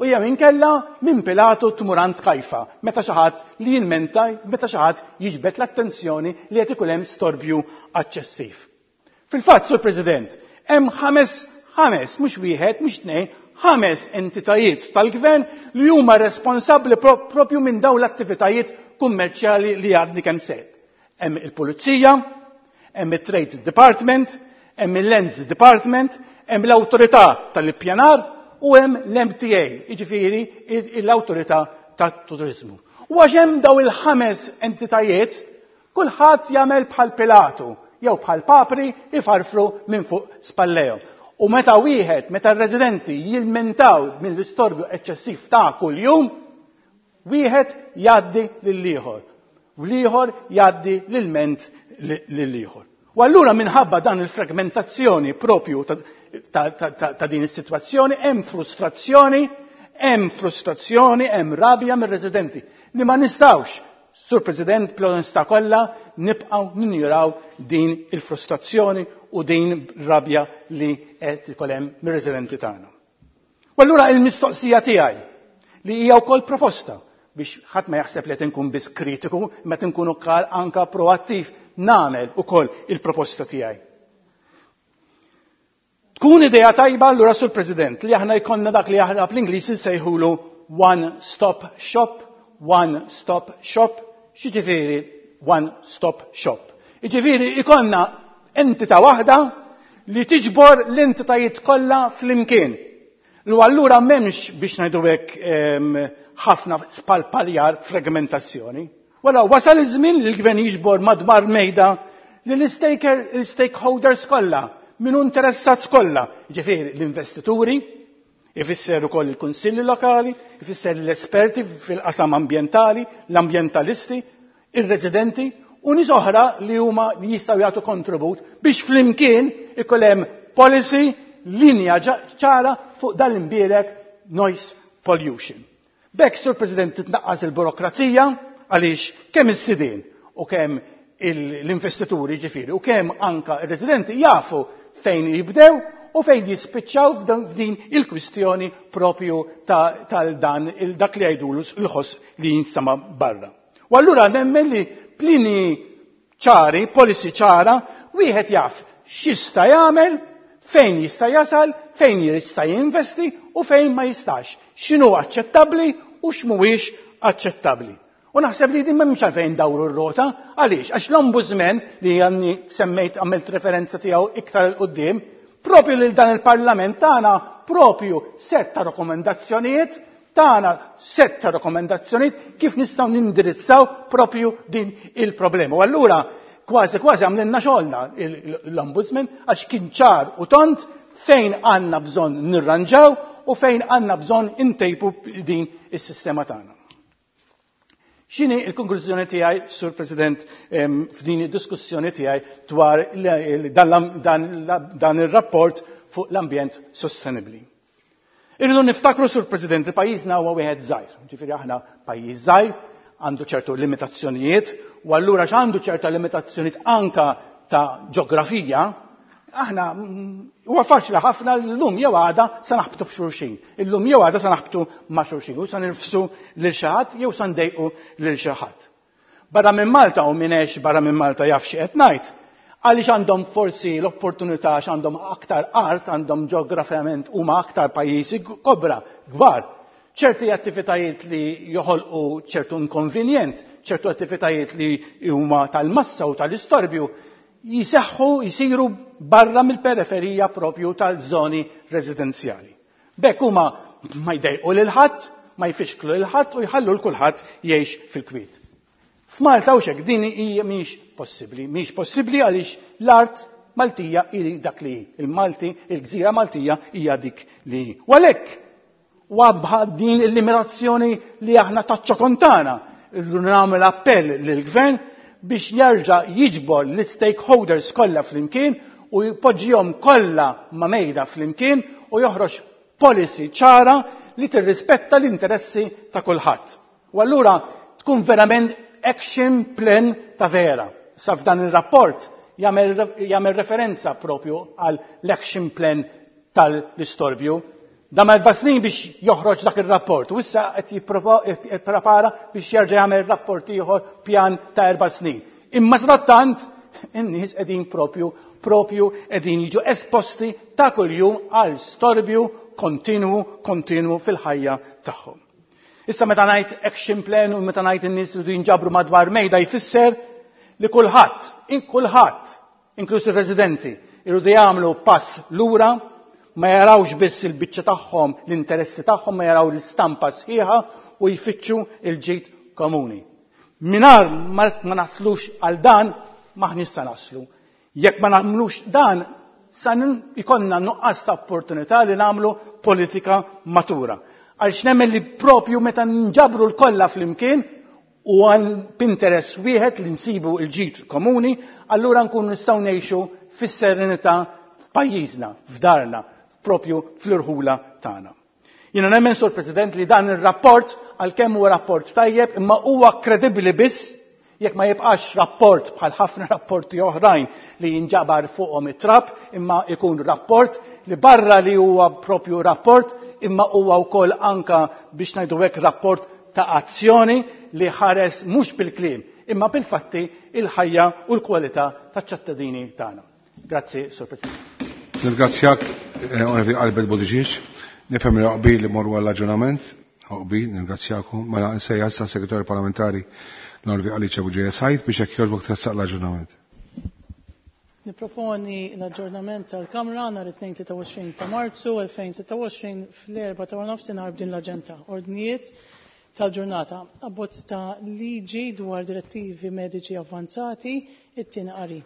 u jew inkella minn Pilatu tmur għand Kajfa, meta xi ħadd li jilmenta, meta xi ħadd jiġbed l-attenzjoni li qed ikun hemm storbju aċċessiv. Fil-fatt, Sur President, hemm ħames, mhux wieħed, mhux tnejn, 5 entitajiet tal-gvern li huma responsabbli propju minn dawn l-attivitajiet kummerċjali li għadni kemm sejt. Hemm il-Pulizija, hemm it-Trade Department, hemm il-Lands Department, hemm l-Awtorità tal-Ippjanar u hemm l-MTA, jiġifieri l-Awtorità tat-Turiżmu. U għax hemm daw il-5 entitajiet, kulħadd jagħmel bħal Pilatu jew bħal papri ifarfru minn fuq spallejhom. U meta r-residenti jilmentaw mill-istorbju eċċessiv ta' kuljum, wieħed jgħaddi lill-ieħor, u l-ieħor jgħaddi l-ilment lill-ieħor. U allura minħabba dan il-fragmentazzjoni propju ta' din is-sitwazzjoni hemm frustrazzjoni, hemm frustrazzjoni, hemm rabja mir-residenti li ma nistgħux, Sur President, bl-onestà kollha nibqgħu ninjuraw din il-frustrazzjoni u din rabja li qed ikun hemm mir-residenti tagħna. U allura il-mistoqsija tiegħi li hija wkoll proposta biex ħadd ma jaħseb li qed inkun biss kritiku, imma qed inkun ukoll anka proattiv nagħmel ukoll il-proposta tiegħi. Tkun idea tajba allura, Sur President, li aħna jkollna dak li aħna bl-Ingliż insejħulu one stop shop, one stop shop, x'jiġifieri one stop shop? Jiġifieri jkollna entità waħda li tiġbor l-entitajiet kollha flimkien. Lu allura m'hemmx biex ngħidu hekk ħafna spalpaljar fragmentazzjoni. Wara wasal iż-żmien li l-gvern jiġbor madwar mejda li l-stakeholders kollha, min hu interessat kollha, jiġifieri l-investituri, ifisser ukoll il-kunsilli lokali, ifisser l-esperti fil-qasam ambjentali, l-ambjentalisti, ir-residenti u nies oħra li huma li jistgħu jagħtu kontribut biex flimkien ikun hemm policy, linja ċara fuq dan l-imbierek noise pollution. B'hekk, Sur President, titnaqqas il-burokrazija għaliex kemm is-sidien u kemm l-investituri ġifieri u kemm anka r-residenti jafu fejn jibdew u fejn jispiċċaw f'din il-kwistjoni propju tal-dan dak li jgħidulu l-ħoss li jinsama barra. U allura nemmen li plini ċari, policy ċara, wieħed jaf x'jista' jagħmel, fejn jista' jasal, fejn jista' jinvesti u fejn ma jistax. X'inhu aċċettabbli u x'mhuwiex aċċettabbli. U naħseb li din m'hemmx għalfejn dawru r-rota, għaliex? Għax l-Ombudsman li għanni semmejt għamilt referenza tiegħu iktar 'il quddiem, propju lil dan il-Parlament tagħna propju sett ta' rakkomandazzjonijiet tagħna sett ta' rakkomandazzjonijiet kif nistgħu nindirizzaw propju din il-problema. U allura kważi kważi għamlilna xogħolna l-Ombudsman għax kien ċar u tont fejn għandna bżonn nirranġaw u fejn għandna bżonn intejbu din is-sistema tagħna. X'inhi l-konklużjoni tiegħi, Sur President, f'din id-diskussjoni tiegħi dwar dan ir-rapport fuq l-ambjent sostenibbli? Irridu niftakru, Sur President, li pajjiżna huwa wieħed żgħir. Ġifieri aħna pajjiż żgħir, għandu ċertu limitazzjonijiet, u allura x'għandu ċerta limitazzjonijiet anka ta' ġeografija, aħna huwa faċli ħafna llum jew għada se naħbtu f'xulxin. Illum jew għada se naħbtu ma' xulxin u se nirfsu lil xi ħadd jew se ndejqu lil xi ħadd. Barra minn Malta u min għex barra minn Malta jaf xi qed ngħid, għaliex għandhom forsi l-opportunità għax għandhom aktar art, għandhom ġeografjament huma aktar pajjiżi kobra, kbar. Ċerti attivitajiet li joħolqu ċertu inkonvenjent, ċertu attivitajiet li huma tal-massa u tal-istorbju, jiseħħu, jisiru barra mill-periferija propju tal-żoni residenzjali. B'hekk huma ma jdejqu lil ħadd, ma jfixklu lil ħadd u jħallu l kulħadd jgħix fil-kwiet. F'Malta u xek din hija mhix possibbli, mhix possibbli għaliex l-art Maltija hi dak li hi, il-Malti, il-gżira Maltija hija dik li hi. U għalhekk wabħa din il-limitazzjoni li aħna taċ-ċokontana, irridu nagħmel appell lill-Gvern biex jerġa' jiġbor l-stakeholders kollha flimkien u jpoġġihom kollha ma' mejda flimkien u joħroġ policy ċara li tirrispetta l-interessi ta' kulħadd. U allura tkun verament action plan ta' vera. Sa f'dan ir-rapport jagħmel referenza propju għal l-action plan tal-istorbju. Dam 4 snin biex joħroġ dak ir-rapport u issa qed jipprepara biex jerġa' jagħmel rapport ieħor pjan ta' 4 snin. Imma sadattant in-nies qegħdin propju qegħdin jiġu esposti ta' kuljum għal storbju kontinwu fil-ħajja tagħhom. Issa meta ngħid action plan u meta ngħid in-nies li jinġabru madwar mejda jfisser li kulħadd, kulħadd, inkluż ir-residenti, irridu jagħmlu pass lura, ma jarawx biss il-biċċa tagħhom, l-interessi tagħhom, ma jaraw l-istampa sħiħa u jfittxu il-ġid komuni. Mingħajr ma naslux għal dan, maħniex sa naslu. Jekk ma nagħmlux dan, sa ikonna nuqqas ta' opportunità li nagħmlu politika matura. Għaliex nemmen li propju meta nġabru l-kollha flimkien u għal interess wieħed li nsibu l-ġid komuni, allura nkunu nistgħu ngħixu fis-serenità f'pajjiżna, f'darna, propju fl-irħula tagħna. Jiena nemmen, Sur President, li dan ir-rapport għalkemm huwa rapport tajjeb, imma huwa kredibbli biss jekk ma jibqax rapport bħal ħafna rapporti oħrajn li jinġabar fuqhom it-trab, imma ikun rapport li barra li huwa propju rapport, imma huwa wkoll anka biex ngħidu hekk rapport ta' azzjoni li ħares mhux bil-kliem, imma bil-fatti il-ħajja u l-kwalità taċ-ċittadini tagħna. Grazzi, Sur President. Nirgrazzjak, Onorevoli Albert Buttigieg. Nifhem li qbil li morru għall-aġġornament. Qbil, nirgrazzjakom. Mela nsejjaħ issa Segretarju Parlamentari l-Onorevoli Alicia Bugeja Said biex jekk jogħġbok tressaq l-aġġornament. Niproponi l-aġġornament tal-Kamra nhar it-tnejn 23 ta' Marzu 2026 fl-4 ta' nofsinhar b'din l-aġenda. Ordnijiet tal-ġurnata. Abbozz ta' liġi dwar direttivi mediċi avvanzati, it-tieni qari.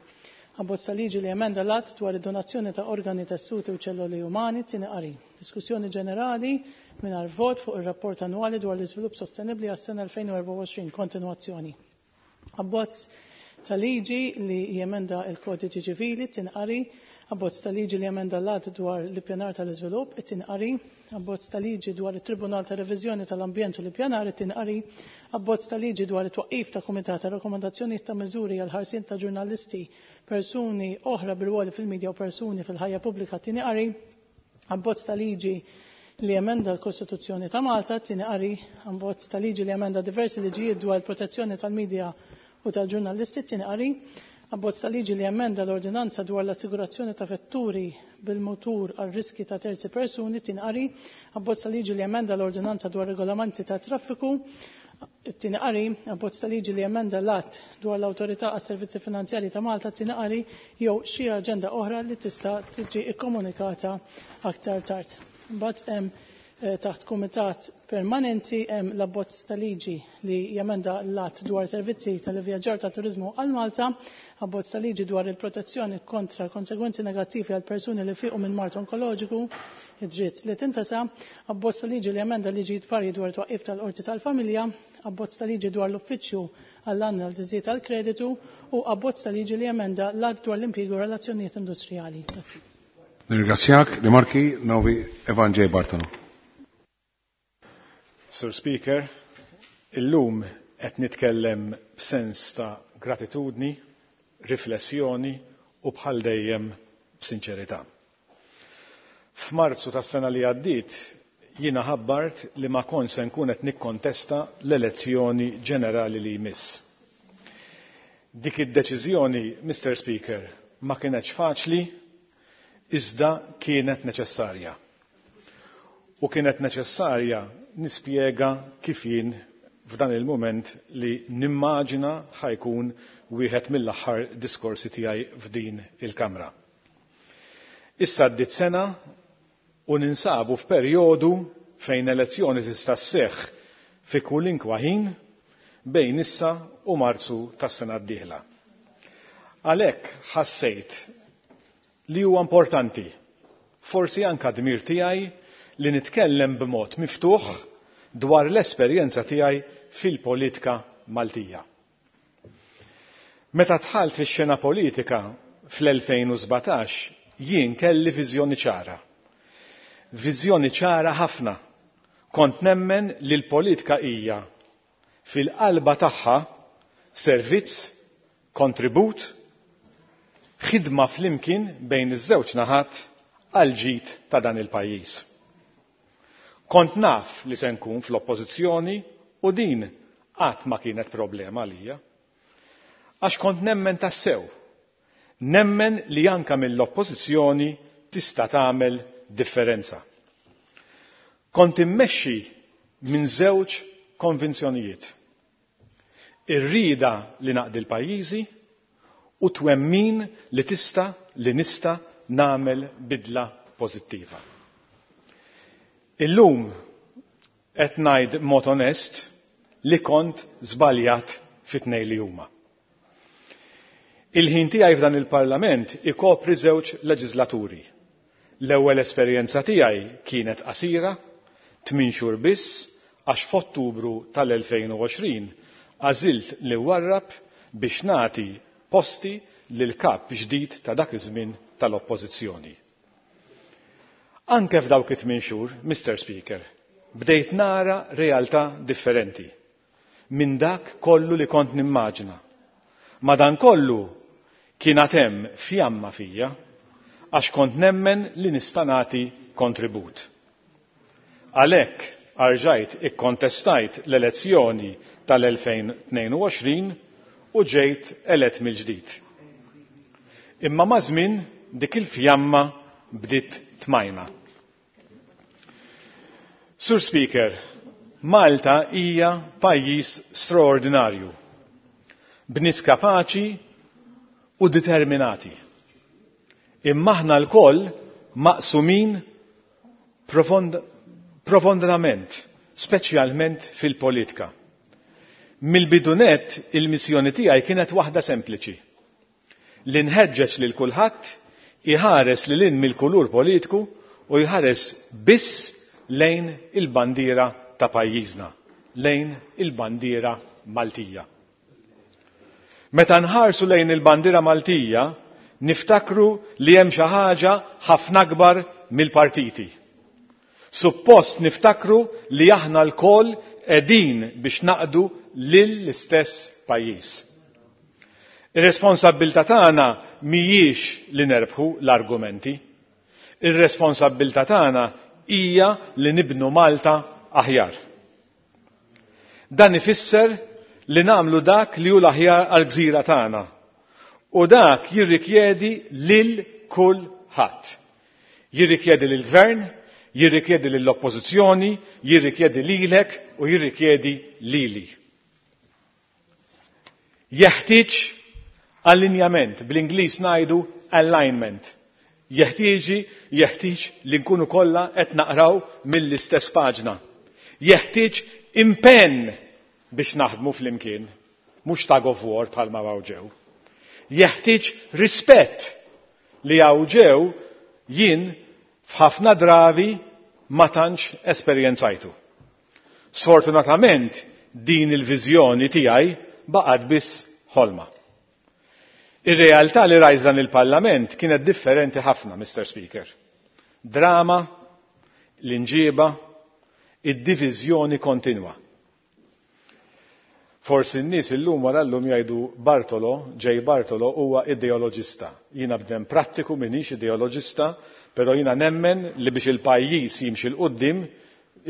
Abbozz ta' liġi li emenda l-att dwar id-donazzjoni ta' organi, tessuti u ċelloli umani, it-tieni qari. Diskussjoni ġenerali mingħajr vot fuq ir-rapport annwali dwar l-iżvilupp sostenibbli għas-sena 2024, kontinwazzjoni. Abbozz ta' liġi li jemenda il-kodiċi ċivili, it-tieni qari. Abbozz ta' liġi li jemenda l-Att dwar l-Ippjanar tal-Iżvilupp, it-tieni qari, Abbozz ta' liġi dwar it-Tribunal ta' Reviżjoni tal-Ambjent u l-Ippjanar, it-tieni qari, Abbozz ta' liġi dwar it-twaqqif ta' Kumitat ta' Rakkomandazzjonijiet ta' Miżuri għall-ħarsien ta' ġurnalisti, persuni oħra bi rwoli fil-midja u persuni fil-ħajja pubblika, it-tieni qari, Abbozz ta' liġi li jemenda l-Kostituzzjoni ta' Malta, it-tieni qari, Abbozz ta' liġi li jemenda diversi liġijiet dwar il-protezzjoni tal-midja u tal-ġurnalisti, it-tieni qari, Abbozz ta' liġi li jemenda l-Ordinanza dwar l-assigurazzjoni ta' vetturi bil-mutur għal riski ta' terzi persuni, it-tieni qari, Abbozz ta' liġi li jemenda l-Ordinanza dwar regolamenti ta' traffiku, it-tieni qari, Abbozz ta' liġi li jemenda l-Att dwar l-Awtorità għas-Servizzi Finanzjarji ta' Malta, it-tieni qari, jew xi aġenda oħra li tista' tiġi kkomunikata aktar tard. Imbagħad hemm taħt kumitat permanenti hemm l-abbozz ta' liġi li jemenda l-Att dwar servizzi tal-ivvjaġġar ta' turiżmu għal Malta, abbozz ta' liġi dwar il-protezzjoni kontra konsegwenzi negattivi għal persuni li fiqu minn mard onkoloġiku, id-dritt li tintesa, abbozz ta' liġi li jemenda liġijiet varji dwar twaqqif tal-qorti tal-familja, abbozz ta' liġi dwar l-uffiċċju għall-analiżi tal-kreditu u abbozz ta' liġi li jemenda l-Att dwar l-impjiegi u relazzjonijiet industrijali. Grazzi. Nirringrazzjak, rimarki Novi Evan J. Bartolo. Sur Speaker, illum qed nitkellem b'sens ta' gratitudni, riflessjoni u bħal dejjem b'sinċerità. F'Marzu tas-sena li għaddiet jiena ħabbart li ma kontx se nkun qed nikkontesta l-elezzjoni ġenerali li jmiss. Dik id-deċiżjoni, Mr. Speaker, ma kienetx faċli, iżda kienet neċessarja. U kienet neċessarja nispjega kif jien f'dan il-mument li nimmaġina ħajkun wieħed mill-aħħar diskorsi tiegħi f'din il-Kamra. Issa għaddiet sena u ninsabu f'perjodu fejn elezzjoni tista' sseħħ fi kwalinkwa ħin bejn issa u Marzu tas-sena d-dieħla. Għalhekk ħassejt li huwa importanti, forsi anka dmir tiegħi, li nitkellem b'mod miftuħ dwar l-esperjenza tiegħi fil-politika Maltija. Meta dħalt fix-xena politika fl-2017 jien kelli viżjoni ċara. Viżjoni ċara ħafna. Kont nemmen li l-politika hija fil-qalba tagħha servizz, kontribut, ħidma flimkien bejn iż-żewġ naħat għal ġid ta' dan il-pajjiż. Kont naf li se nkun fl-oppożizzjoni u din qatt ma kienet problema għalija. Għax kont nemmen tassew, nemmen li anka mill-oppożizzjoni tista' tagħmel differenza. Kont immexxi minn żewġ konvinzjonijiet. Ir-rieda li naqdi l-pajjiżi u twemmin li tista' li nista' nagħmel bidla pożittiva. Illum qed ngħid mod onest li kont żbaljat fit-tnejn li huma. Il-ħin tiegħi f'dan il-Parlament ikopri żewġ leġislaturi. L-ewwel esperjenza tiegħi kienet qasira, 8 xhur biss, għax f'Ottubru tal-2020 għażilt li warrab biex nagħti posti lil kap ġdid ta' dak iż-żmien tal-Oppożizzjoni. Anke f'dawk it-8 xhur, Mr. Speaker, bdejt nara realtà differenti minn dak kollu li kont nimmaġina. Madankollu kien għad hemm fjamma fija għax kont nemmen li nista' nagħti kontribut. Għalhekk arġajt ikkontestajt l-elezzjoni tal-2022 u ġejt elett mill-ġdid. Imma ma' żmien dik il-fjamma bdiet tmajna. Sur Speaker, Malta hija pajjiż straordinarju, b'nies kapaċi u determinati. Imma aħna lkoll maqsumin profondament, speċjalment fil-politika. Mill-bidunet il-missjoni tiegħi kienet waħda sempliċi. Li nħeġġeġ lil kulħadd iħares lil hinn mill-kulur politiku u jħares biss lejn il-bandiera ta' pajjiżna, lejn il-bandiera Maltija. Meta nħarsu lejn il-bandiera Maltija, Niftakru li hemm xi ħaġa ħafna akbar mill-partiti. Suppost niftakru li aħna lkoll qegħdin biex naqdu lill-istess pajjiż. Ir-responsabbiltà tagħna mhijiex li nerbħu l-argumenti. Ir-responsabbiltà tagħna hija li nibnu Malta aħjar. Dan ifisser li nagħmlu dak li hu l-aħjar għall-gżira tagħna. U dak jirrikjedi lil kulħadd. Jirrikjedi lill-Gvern, jirrikjedi lill-Oppożizzjoni, jirrikjedi lilek u jirrikjedi lili. Jeħtieġ allinjament, bl-Ingliż ngħidu alignment. Jeħtieġi, jeħtieġ li nkunu kollha qed naqraw mill-istess paġna. Jeħtieġ impenn biex naħdmu flimkien, mhux tug of war bħalma hawn ġew. Jeħtieġ rispett li hawn ġew jien f'ħafna drabi ma tantx esperjenzajtu. Sfortunatament din il-viżjoni tiegħi baqgħet biss ħolma. Ir-realtà li rajt dan il-Parlament kienet differenti ħafna, Mr. Speaker. Drama, l-inġieba, id-diviżjoni kontinwa. Forsi n-nies illum wara llum jgħidu Bartolo, J. Bartolo huwa ideoloġista. Jiena bniedem prattiku m'iniex ideoloġista, però jiena nemmen li biex il-pajjiż jimxi 'l quddiem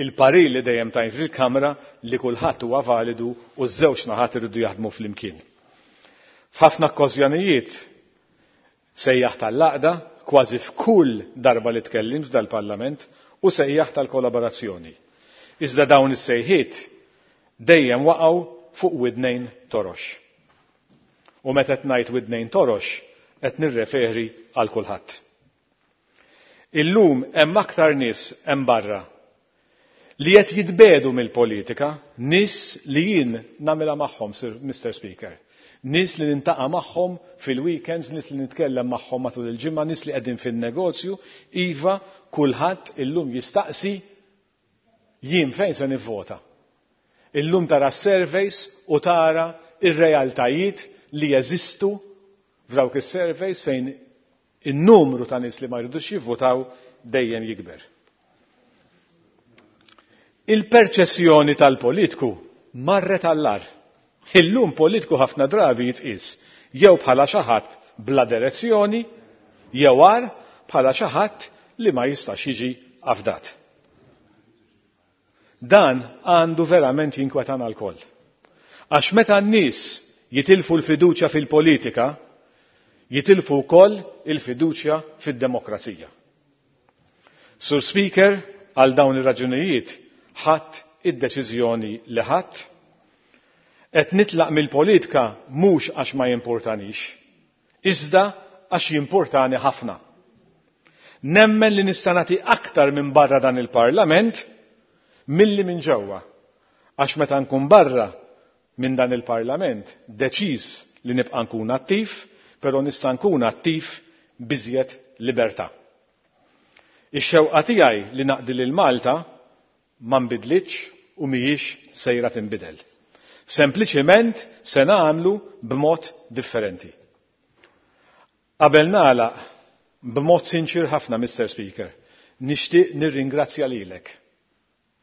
il-parir li dejjem tajt fil-Kamra li kulħadd huwa validu u ż-żewġ naħat iridu jaħdmu flimkien. F'ħafna okkażjonijiet sejjaħ tal-għaqda kważi f'kull darba li tkellimt f'dal-Parlament u sejjaħ tal-kollaborazzjoni. Iżda dawn is-sejħiet dejjem waqgħu fuq widnejn torox. U meta qed ngħid widnejn torox, qed nirreferi għal kulħadd. Illum hemm aktar nies hemm barra li qed jitbedu mill-politika, nies li jien nagħmilha magħhom, Mr. Speaker. Nies li nintaqa' magħhom fil-weekends, nies li nitkellem magħhom matul il-ġimgħa, nies li qegħdin fin-negozju, iva kulħadd illum jistaqsi jien fejn se nivvota. Illum tara surveys u tara ir-realtajiet li jeżistu f'dawk is-surveys fejn in-numru ta' nies li ma jridux jivvotaw dejjem jikber. Il-perċezzjoni tal-politiku marret għall-agħar. Illum politiku ħafna drabi jitqis jew bħala xi ħadd bla direzzjoni, jew agħar bħala xi ħadd li ma jistax jiġi afdat. Dan għandu verament jinkwetana lkoll. Għax meta n-nies jitilfu l-fiduċja fil-politika, jitilfu wkoll il-fiduċja fid-demokrazija. Sur Speaker, għal dawn ir-raġunijiet ħadt id-deċiżjoni li ħadt. Qed nitlaq mill-politika mhux għax ma jimportanix, iżda għax jimportani ħafna. Nemmen li nista' nagħti aktar minn barra dan il-Parlament milli minn ġewwa. Għax meta nkun barra minn dan il-Parlament deċiż li nibqa' nkun attiv, però nista' nkun attiv b'iżjed libertà. Ix-xewqa tiegħi li naqdi lil Malta ma nbidlitx u mhijiex sejra tinbidel. Sempliċiment se nagħmlu b'mod differenti. Qabel nagħlaq b'mod sinċir ħafna, Mr. Speaker, nixtieq nirringrazzja lilek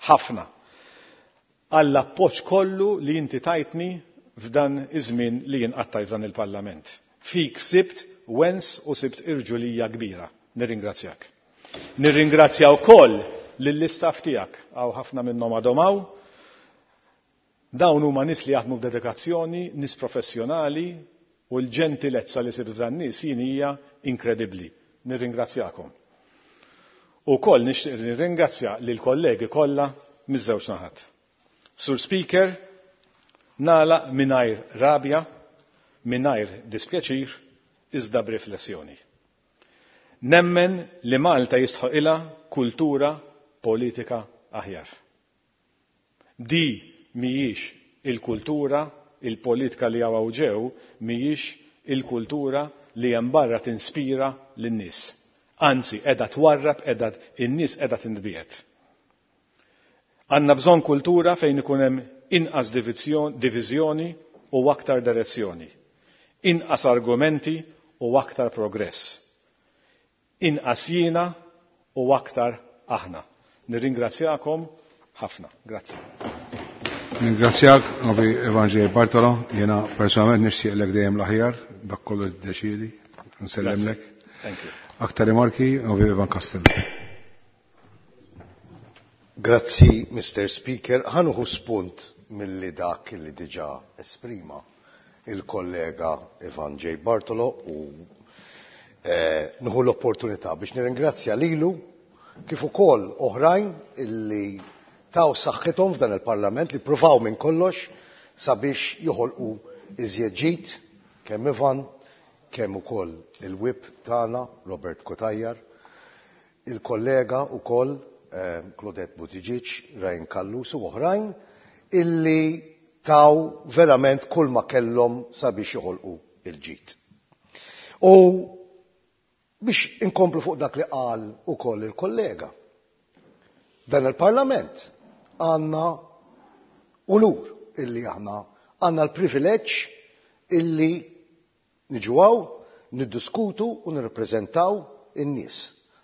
ħafna għall-appoġġ kollu li inti tajtni f'dan iż-żmien li jien qattajt f'dan il-Parlament. Fik sibt wens u sibt irġulija kbira. Nirringrazzjak. Nirringrazzja wkoll lill-istaff tiegħek, hawn ħafna minnhom għadhom hawn. Dawn huma nies li jaħdmu b'dedikazzjoni, nies professjonali u l-ġentilezza li sibt f'dan nies jien hija inkredibbli. Nirringrazzjakom. U koll nixtieq nirringrazzja lil kollegi kollha miż-żewġ naħat. Sur Speaker, nagħlaq mingħajr rabja, mingħajr dispjaċir, iżda b'riflessjoni. Nemmen li Malta jistħoqilha kultura politika aħjar. Di mhijiex il-kultura, il-politika li hawn ġew, mhijiex il-kultura li hemm barra tinspira lin-nies. Anzi, qiegħda twarrab, qiegħda in-nies qiegħda tintbiegħed. Għandna bżonn kultura fejn ikun hemm inqas diviżjoni u aktar direzzjoni. Inqas argumenti u aktar progress. Inqas jiena u aktar aħna. Nirringrazzjakom ħafna. Grazzi. Ningrazzjak, Novi Evanġej Bartolo, jena personalment nixtieqlek dejjem l-aħjar, dak kollu tiddeċiedi, nsellimlek. Thank you. Aktar rimarki, Novi Ivan Castello. Grazzi, Mr. Speaker. Ħa nieħu spunt milli dak li diġà esprima il-kollega Ivan J. Bartolo u eh, nieħu l-opportunità biex nirringrazzja lilu kif ukoll oħrajn illi taw saħħithom f'dan il-Parlament li pruvaw minn kollox sabiex joħolqu iżjed ġid kemm Ivan kemm ukoll il-whip tagħna Robert Cutajar, il-kollega ukoll eh, Claudette Buttigieg, Ryan Callus u oħrajn illi taw verament kull ma kellhom sabiex joħolqu il-ġid. U biex inkomplu fuq dak li qal ukoll il-kollega. Dan il-Parlament għandna unur illi aħna għandna l-privileġġ illi niġu hawn, niddiskutu u nirrepreżentaw in-nies.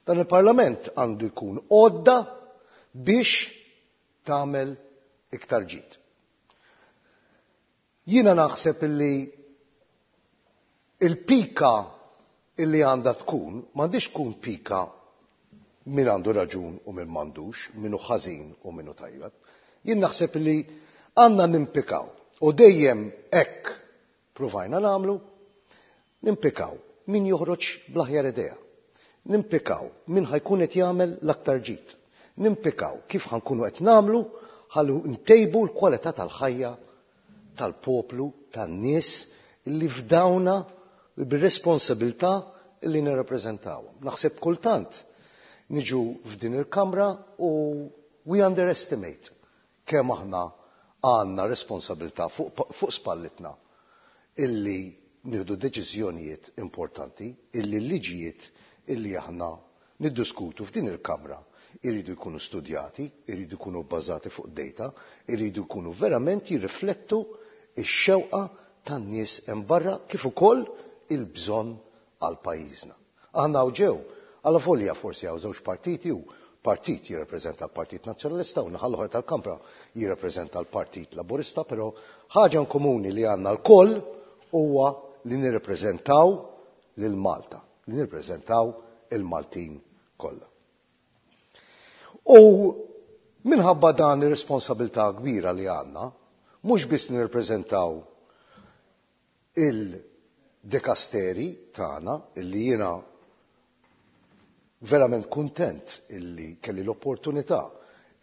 Dan il-Parlament għandu jkun għodda biex tagħmel iktar ġid. Jiena naħseb illi il-pika illi għandha tkun m'għandix tkun pika min għandu raġun u min m'għandux, min hu ħażin u min hu tajjeb. Jien naħseb li għandna nimpikaw u dejjem hekk pruvajna nagħmlu, nimpikaw min joħroġ bl-aħjar idea. Nimpikaw min ħa jkun qed jagħmel l-aktar ġid. Nimpikaw kif ħa nkunu qed nagħmlu ħallu ntejbu l-kwalità tal-ħajja tal-poplu, tan-nies li fdawna bir-responsabilità li nirrappreżentawhom. Naħseb kultant niġu f'din il-kamra u we underestimate kemm aħna għandna responsabilità fuq, fuq spallitna illi nieħdu deċiżjonijiet importanti, illi l-liġijiet illi aħna niddiskutu f'din il-kamra iridu jkunu studjati, iridu jkunu bbażati fuq data, iridu jkunu verament jirriflettu ix-xewqa tan-nies hemm barra kif ukoll il-bżonn għal pajjiżna. Aħna ġew, għala volja forsi hawn żewġ partiti u partit jirrappreżenta l-Partit Nazzjonalista u naħa l-oħra tal-Kamra jirrappreżenta l-Partit Laburista, però ħaġa komuni li għandna lkoll huwa li nirrappreżentaw lil Malta, li nirrappreżentaw il-Maltin kollha. U minħabba dan ir-responsabilità kbira li għandna, mhux biss nirrappreżentaw il-dekasteri tagħna illi jiena verament kuntent illi kelli l-opportunità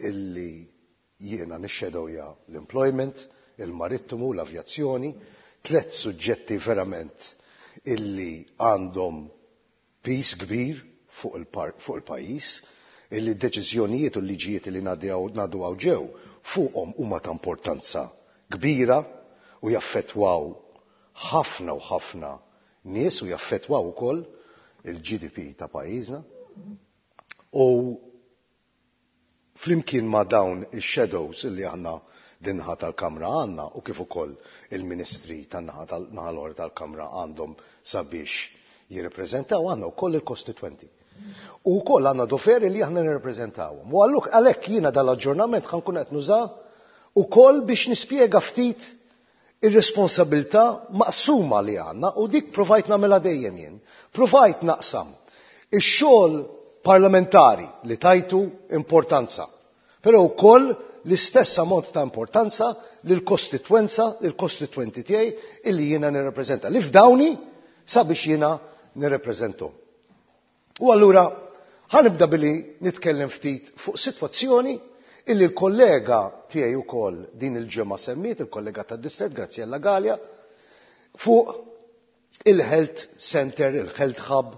illi jiena nixxedowja l-employment, il-marittimu, l-avjazzjoni, tlet suġġetti verament illi għandhom piż kbir fuq il-pajjiż, illi d-deċiżjonijiet u l-liġijiet li ngħaddu hawn ġew fuqhom huma ta' importanza kbira u jaffettwaw ħafna u ħafna nies u jaffettwaw ukoll il-GDP ta' pajjiżna. U flimkien ma' dawn ix-shadows li aħna din-naħa tal-Kamra għandna u kif ukoll il-ministri tan-naħa tal-naħa l-oħra tal-Kamra għandhom sabiex jirrepreżentaw għandna wkoll il-kostitwenti. U wkoll għandna doveri li aħna nirrepreżentawhom. U għalluk għalhekk jiena dal-aġġornament ħa nkun qed nuża ukoll biex nispjega ftit ir-responsabilità maqsuma li għandna u dik provajt nagħmilha dejjem jien. Provajt naqsam ix-xogħol parlamentari li tajtu importanza, però wkoll l-istess ammont ta' importanza lill-kostitwenza, lill-kostitwenti tiegħi illi jiena nirrappreżenta, li fdawni sabiex jiena nirrappreżenthom. U allura ħa nibda billi nitkellem ftit fuq sitwazzjoni illi l-kollega tiegħi wkoll din il-ġimgħa semmiet, il-kollega tad-distret Graziella Galea, fuq il-Health Center, il-Health Hub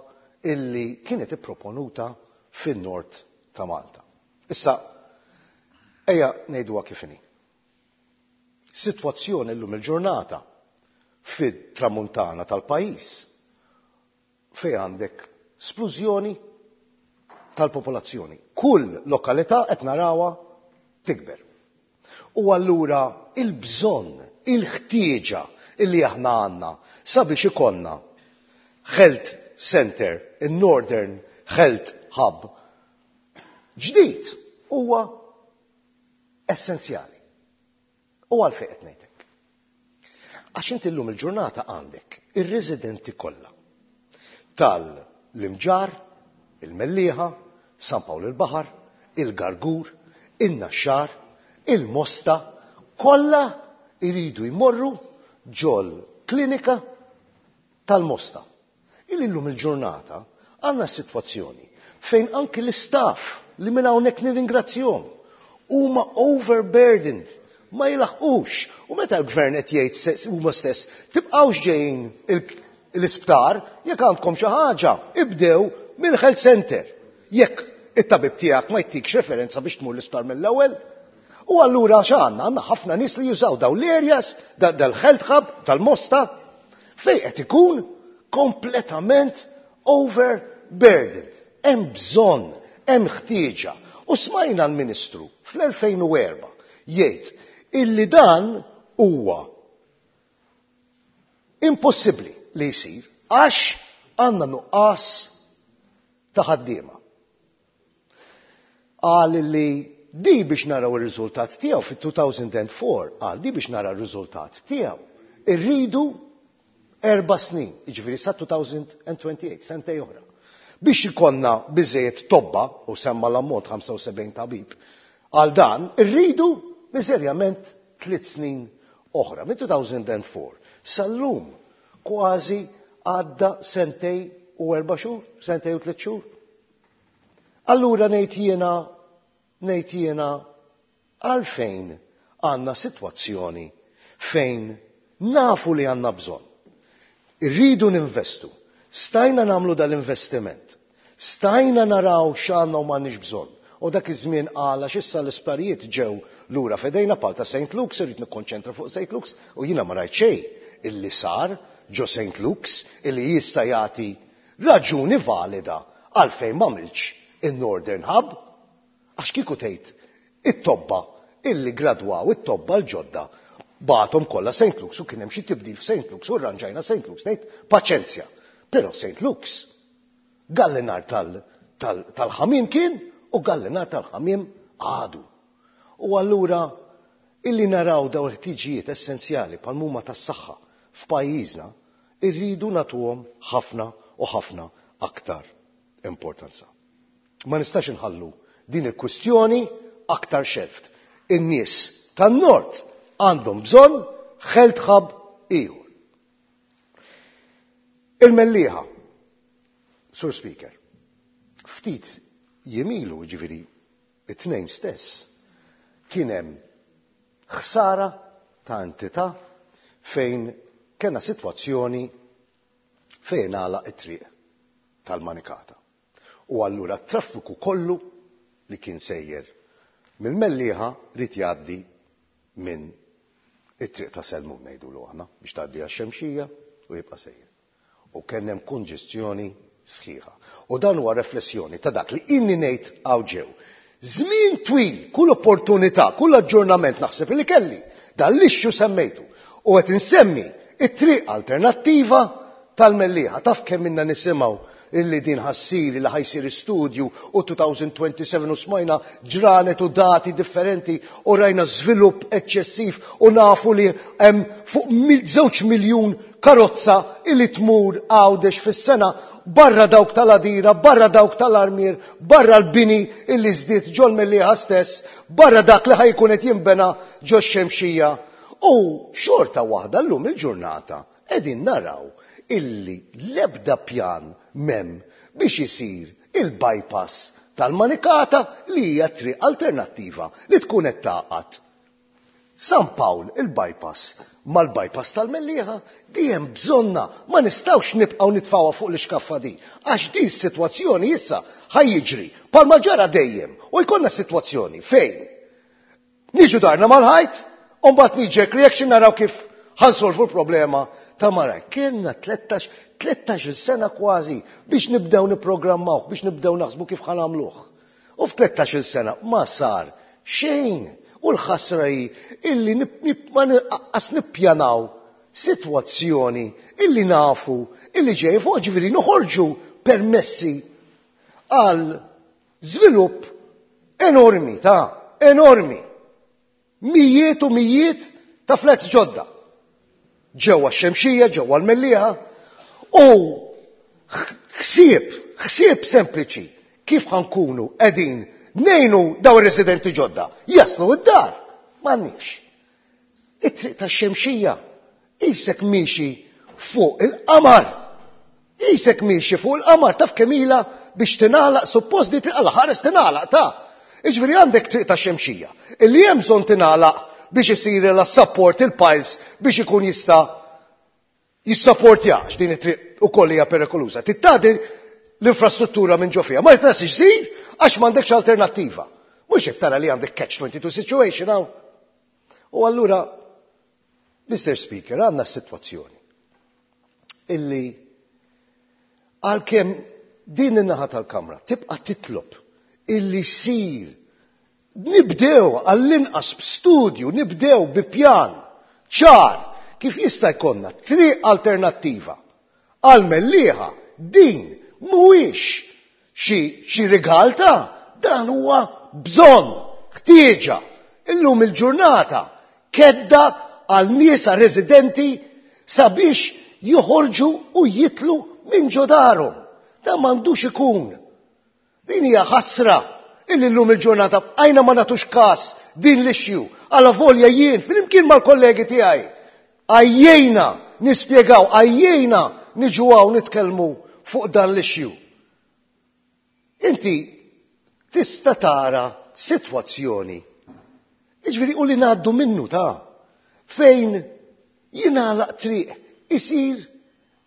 illi kienet ipproponuta fin-nord ta' Malta. Issa, ejja ngħiduha kif inhi. Sitwazzjoni llum il-ġurnata fit-tramuntana tal-pajjiż fejn għandek splużjoni tal-popolazzjoni. Kull lokalità qed narawha tikber. U allura il-bżonn, il-ħtieġa illi aħna għandna sabiex ikollna Health Center, il-Northern Health Hub, ġdid huwa essenzjali. U għalfejn qed ngħidlek. Għax inti llum il-ġurnata għandek ir-residenti kollha tal-Imġarr, il-Mellieħa, San Pawl il-Baħar, il-Gargur, in-Naxxar, il-Mosta, kollha jridu jmorru ġol klinika tal-Mosta. Illi llum il-ġurnata għandna sitwazzjoni fejn anki l-istaff li minn hawnhekk nirringrazzjahom huma overburdened, ma jilaħqux. U meta l-gvern qed jgħid huma stess tibqgħux ġejjin l-isptar jekk għandkom xi ħaġa, ibdew mill-health center. Jekk it-tabib tiegħek ma jtikx referenza biex tmur l-isptar mill-ewwel. U allura x'għandna? Għandna ħafna nies li jużaw daw l-areas, dal-health hub tal-Mosta, fejn qed ikun kompletament overburdened. Hemm bżonn, hemm ħtieġa. U smajna l-Ministru fl-2004 jgħid illi dan huwa impossibbli li jsir għax għandna nuqqas ta' ħaddiema. Qal li di biex naraw ir-riżultat tiegħu fit-2004, qal di biex nara r-riżultat tiegħu. Irridu 4 snin, jiġifieri sa 2028, sentej oħra. Biex ikollna biżejjed tobba, u semma l-ammont 75 tabib, għal dan irridu miżerjament 3 snin oħra. Minn 2004 sal-lum kważi għadda sentej u 4 xhur, sentej u 3 xhur. Allura ngħid jiena għalfejn għandna sitwazzjoni fejn nafu li għandna bżonn. Irridu ninvestu. Stajna nagħmlu dal-investiment. Stajna naraw x'għandna u m'għandniex bżonn. U dak iż-żmien qal għax issa l-isptarijiet ġew lura fedejna pal ta' Saint Luke's, irrid nikkonċentra fuq Saint Luke's, u jiena ma rajt xejn illi sar ġo Saint Luke's illi jista' jagħti raġuni valida għalfejn m'għamilx in-Northern Hub. Għax kieku tgħid it-tobba illi gradwaw, it-tobba l-ġodda, bagħthom kollha Saint Luke's u kien hemm xi tibdil f'Saint Luke's u rranġajna Saint Luke's, ngħid paċenzja. Però Saint Luke's gallinar tal-ħamiem kien u gallinar tal-ħamiem għadu. U allura illi naraw daw il-ħtiġijiet essenzjali bħal huma tas-saħħa f'pajjiżna, irridu nagħtuhom ħafna u ħafna aktar importanza. Ma nistax inħallu din il-kwistjoni aktar xelft. In-nies tan-Nord għandhom bżonn health hub ieħor. Il-Mellieħa, Sur Speaker, ftit jemilu, ġifieri it-tnejn stess, kien hemm ħsara ta' entità fejn kena sitwazzjoni fejn għalaq it-triq tal-Manikata. U allura t-traffiku kollu li kien sejjer mill-Mellieħa rid jgħaddi minn it-triq ta' Selmun ngħidulu aħna biex tgħaddi għax-Xemxija u jibqa' sejjer. U kien hemm konġestjoni sħiħa. U dan huwa riflessjoni ta' dak li inni ngħid hawn ġew. Żmien twil, kull opportunità, kull aġġornament naħseb li kelli, dan l-issue semmejtu. U qed insemmi it-triq alternattiva tal-Mellieħa. Taf kemm minna nisimgħu illi din ħassir, illi ħajsir studju u 2027 u smajna ġranet u dati differenti u rajna żvilupp eċċessiv u nafu li hemm fuq 2 miljun karozza illi tmur Għawdex fis-sena barra dawk tal-Għadira, barra dawk tal-Armier, barra l-bini illi żdied ġol Mellieħa stess, barra dak li ħajkun qed jinbena ġo x-Xemxija. U xorta waħda llum il-ġurnata qegħdin naraw illi l-ebda pjan mem biex isir il-bypass tal-Manikata li hija triq alternattiva li tkun qed taqgħad San Pawl il-bypass mal-bypass tal-Mellieħa, di hemm bżonna, ma nistgħux nibqgħu nitfgħuha fuq l-ixkaffa di, għax di s-sitwazzjoni issa ħajjiġri bħalma ġara dejjem u jkollna sitwazzjoni fejn niġu darna mal-ħajt u mbagħad knee-jerk reaction naraw kif ħansolvu l-problema ta' mara. Kienna 13-il sena kważi biex nibdew nipprogrammawh, biex nibdew naħsbu kif ħanamluh. U f'13-il sena ma sar xejn. U l-ħasra hi illi ma nqas nippjanaw sitwazzjoni illi nafu illi ġej fuq, ġifieri noħorġu permessi għal żvilupp enormi ta' enormi. Mijiet u mijiet ta' flats ġodda. Ġewwa x-Xemxija, ġewwa l-Mellieħa u ħsieb, ħsieb sempliċi kif ħa nkunu qegħdin ngħinu daw ir-residenti ġodda jaslu d-dar. M'għandniex. It-triq tax-Xemxija qisek miexi fuq il-qamar. Qisek miexi fuq il-qamar, taf kemm ilha biex tingħalaq suppost di triq għal ħares tingħalaq ta'. Jiġifieri għandek triq tax-Xemxija illi hemm bżonn tingħalaq biex isir la support il-piles biex ikun jista' jissapportja għax din it-triq ukoll hija perikoluża. Trid l-infrastruttura minn ġo fiha. Ma jistax isir għax m'għandekx alternattiva. Mhux qed tara li għandek catch 22 situation hawn. U allura, Mr. Speaker, għandna situazzjoni illi għalkemm din in-naħa tal-Kamra tibqa' titlob illi sir nibdew għall-inqas b'studju, nibdew bi pjan ċar kif jista' jkollna triq alternattiva għal Mellieħa. Din mhuwiex xi rigal ta' dan huwa bżonn, ħtieġa. Illum il-ġurnata kedda għal nies residenti sabiex joħorġu u jitlu minn ġo darhom. Dan m'għandux ikun. Din hija ħasra illi llum il-ġurnata bqajna ma nagħtux każ din l-issue. Għala volja jien flimkien mal-kollegi tiegħi għajjejna nispjegaw, għajjejna niġu hawn nitkellmu fuq dan l-issue. Inti tista' tara sitwazzjoni, jiġifieri u li ngħaddu minnu ta' fejn jingħalaq triq, isir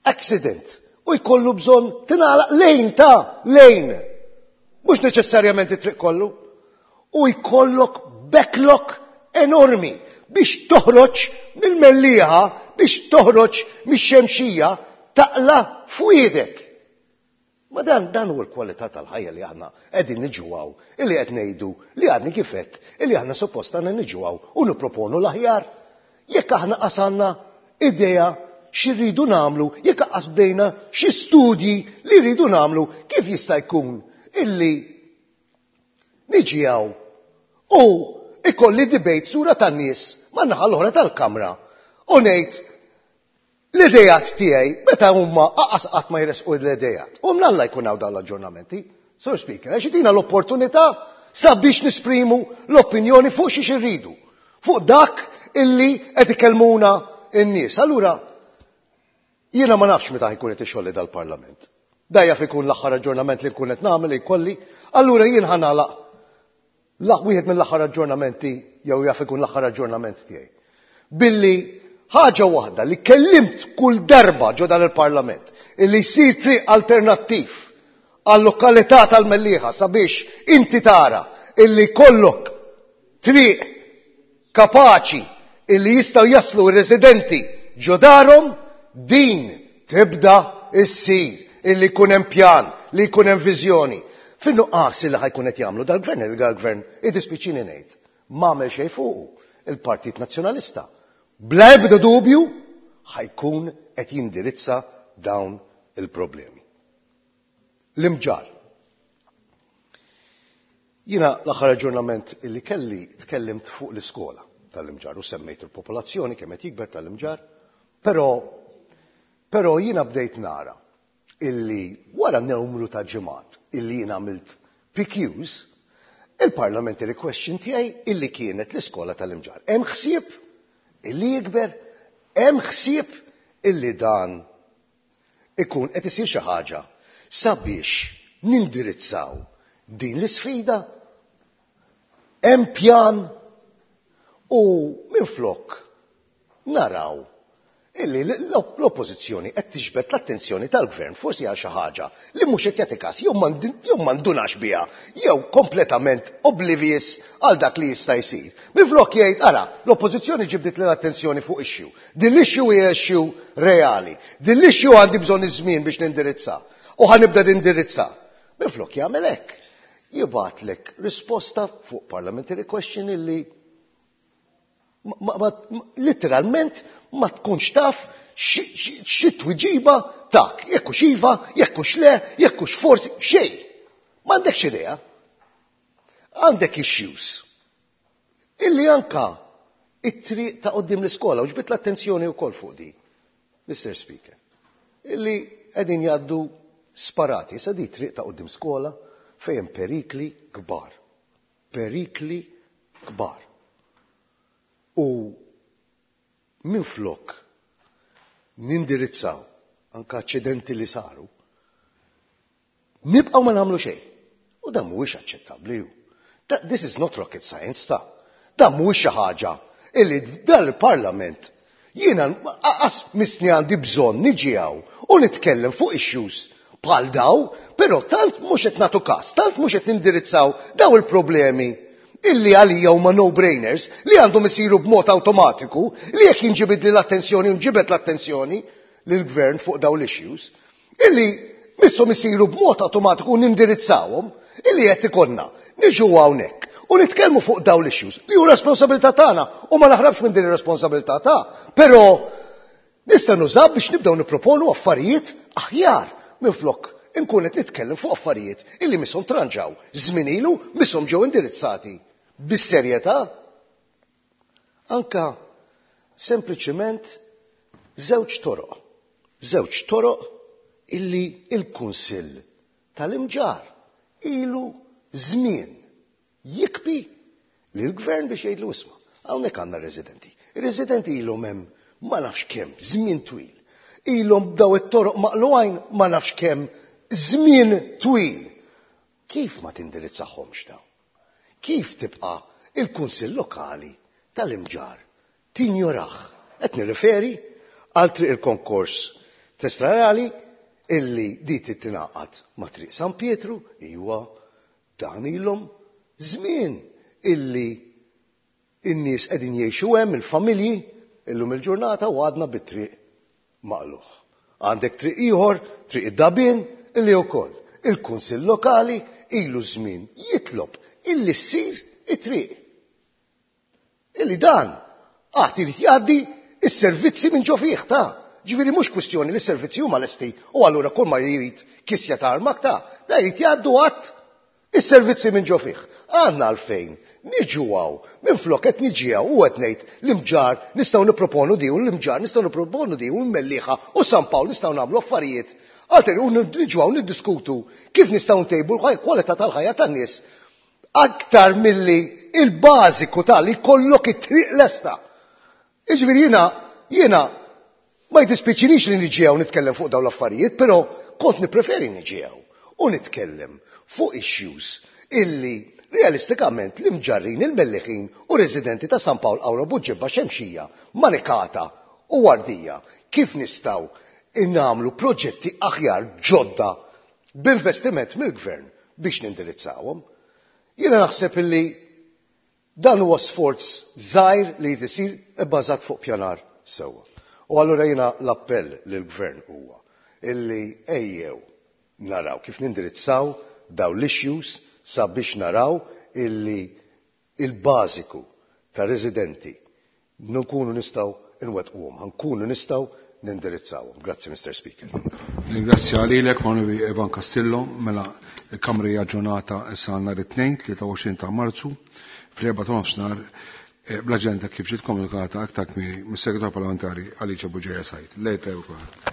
accident u jkollu bżonn tingħalaq lane ta' lane. Mhux neċessarjament it-triq kollu. U jkollok backlog enormi biex toħroġ mill-Mellieħa, biex toħroġ mix-Xemxija, taqla fwiedek. Ma dan huwa l-kwalità tal-ħajja li aħna qegħdin niġu hawn, illi qed ngħidu li għadni kif għedt, illi aħna suppost għandna niġu hawn u nipproponu l-aħjar. Jekk aħna qasanna idea xi rridu nagħmlu, jekk qas bdejna xi studji li rridu nagħmlu, kif jista' jkun illi niġi hawn u ikolli debate sura tan-nies man-naħa l-oħra tal-kamra u ngħid l-idejat tiegħi meta huma aqas qatt ma jresqu l-idejat. U mnalla jkun hawn dawn l-aġġornamenti. Sur Speaker, għax jtina l-opportunità sabiex nisprimu l-opinjoni fuq xiex irridu, fuq dak illi qed ikellmuna n-nies. Allura, jiena ma nafx meta ħajkun qed ixolli dal-Parlament. Da jaf ikun l-aħħar aġġornament li nkun qed nagħmel jkolli, allura jien ħa nagħlaq wieħed mill-aħħar aġġornamenti jew jaf ikun l-aħħar aġġornament tiegħi. Billi ħaġa waħda li kellimt kull darba ġo dan il-Parlament, illi jsir triq alternattiv għal-lokalità tal-Mellieħa sabiex inti tara illi kollok triq kapaċi illi jistgħu jaslu r-residenti ġo darhom, din tibda issir, illi jkun hemm pjan, li jkun hemm viżjoni. Fin-nuqqas illi ħajkun qed jagħmlu dal-gvern, il-gvern iddispiċini ngħid, m'għamel xejn fuqu il-Partit Nazzjonalista. Bla ebda dubju ħajkun qed jindirizza dawn il-problemi. L-Imġarr. Jiena l-aħħar aġġornament illi kelli tkellimt fuq l-iskola tal-Imġarr u semmejt il-popolazzjoni kemm qed jikber tal-Imġarr, però jiena bdejt nara illi wara numru ta' ġimgħat illi jiena għamilt PQs, il-parliamentary question tiegħi illi kienet l-iskola tal-Imġarr. Hemm ħsieb illi jikber, hemm ħsieb illi dan ikun qed isir xi ħaġa sabiex nindirizzaw din l-isfida, hemm pjan u minflok naraw illi l-oppożizzjoni qed tiġbed l-attenzjoni tal-gvern forsi għal xi ħaġa li mhux qed jagħti każ jew m'għandunax biha jew kompletament oblivious għal dak li jista' jsir. Minflok jgħid ara, l-oppożizzjoni ġibdet l-attenzjoni fuq issue. Din l-issue hija issue reali. Din l-issue għandi bżonn iż-żmien biex nindirizza. U ħa nibda nindirizza. Minflok jagħmel hekk. Jibgħatlek risposta fuq parliamentary question illi Literalment ma tkunx taf xi tweġiba tak, jekk hux iva, jekk hux le, jekk hux forsi, xejn. M'għandekx idea. Għandek issues illi anka it-triq ta' quddiem l-iskola, u ġbidt l-attenzjoni wkoll fuq di, Mr. Speaker, illi qegħdin jgħaddu sparati. Issa di triq ta' quddiem skola fejn perikli kbar. Perikli kbar. U minflok nindirizzaw anka aċċidenti li saru, nibqgħu ma nagħmlu xejn. U dan mhuwiex aċċettabbli. This is not rocket science ta'. Dan mhuwiex xi ħaġa illi dal-Parlament jiena qas missni għandi bżonn niġi hawn u nitkellem fuq issues bħal daw, però tant mhux qed nagħtu każ, tant mhux qed nindirizzaw daw il-problemi illi għalija huma no-brainers li għandhom isiru b'mod awtomatiku li jekk jinġibid l-attenzjoni u nġibed l-attenzjoni lill-gvern fuq daw l-issues, illi misshom isiru b'mod awtomatiku u nindirizzawhom, illi qed ikollna niġu hawnhekk u nitkellmu fuq daw l-issues li hu responsabilità tagħna u ma naħrabx minn din ir-responsabilità ta', però nista' nużaw biex nibdew nipproponu affarijiet aħjar minflok inkun qed nitkellem fuq affarijiet illi misshom tranġaw żmien ilu, misshom ġew indirizzati bis-serjetà. Anka sempliċement żewġ toroq. Żewġ toroq illi il-Kunsill tal-Imġarr ilu żmien jikbi lill-gvern biex jgħidlu isma', hawnhekk għandna residenti. Ir-residenti ilhom hemm ma nafx kemm żmien twil. Ilhom daw it-toroq maqluqin ma nafx kemm żmien twil. Kif ma tindirizzahomx daw? Kif tibqa' il-Kunsill Lokali tal-Imġarr tinjorah? Qed nirriferi għal triq il-konkors testrarali illi di titingħaqad ma' triq San Pietru, iwa dan ilhom żmien illi in-nies qegħdin jgħixu hemm il-familji illum il-ġurnata u għadna bit-triq maqlugħ. Għandek triq ieħor, triq id-Dabin, illi wkoll il-Kunsill Lokali ilu żmien jitlob illi ssir it-triq. Illi dan għad irid jgħaddi is-servizzi minn ġo fih ta'. Ġifieri mhux kwistjoni li s-servizzi huma lesti u allura kull ma jrid kisja ta' armak ta', da jrid jgħaddu għadd is-servizzi minn ġo fih. Għandna għalfejn niġu hawn, minflok qed niġi hawn u qed ngħid l-Imġarr nistgħu nipproponu di u l-Imġarr nistgħu nipproponu di u l-Mellieħa u San Pawl nistgħu nagħmlu affarijiet. Għalter u niġu hawn niddiskutu kif nistgħu ntejbu l-kwalità tal-ħajja tan-nies aktar milli il-bażiku tal-li kollok it-triq lesta. Jiġifieri jiena ma jdispjaċinix li niġi hawn nitkellem fuq dawn l-affarijiet, però kont nippreferi niġi hawn u nitkellem fuq issues illi realistikament l-Imġarrin, il-Melliħin u residenti ta' San Pawl, Qawra, Buġibba, Xemxija, Manikata u Wardija kif nistgħu innagħmlu proġetti aħjar ġodda b'investiment mill-gvern biex nindirizzawhom. Jiena naħseb illi dan huwa sforz żgħir li jrid isir ibbażat fuq pjanar sewwa. U allura jiena l-appell lill-gvern huwa illi ejjew naraw kif nindirizzaw daw l-issues sabiex naraw illi il-bażiku ta' residenti nkunu nistgħu nwettquhom, nkunu nistgħu nindirizzawhom. Grazzi, Mr. Speaker. Ringrazzja lilek, Onorevoli Evan Castillo, mela il-Kamra hija aġġornata issa nhar it-Tnejn, 23 ta' Marzu, fl-4 ta' nofsinhar bl-aġenda kif ġiet komunikata aktar kmieni mis-Segretarju Parlamentari Alicia Bugeja Said. Lejl tajjeb kulħadd.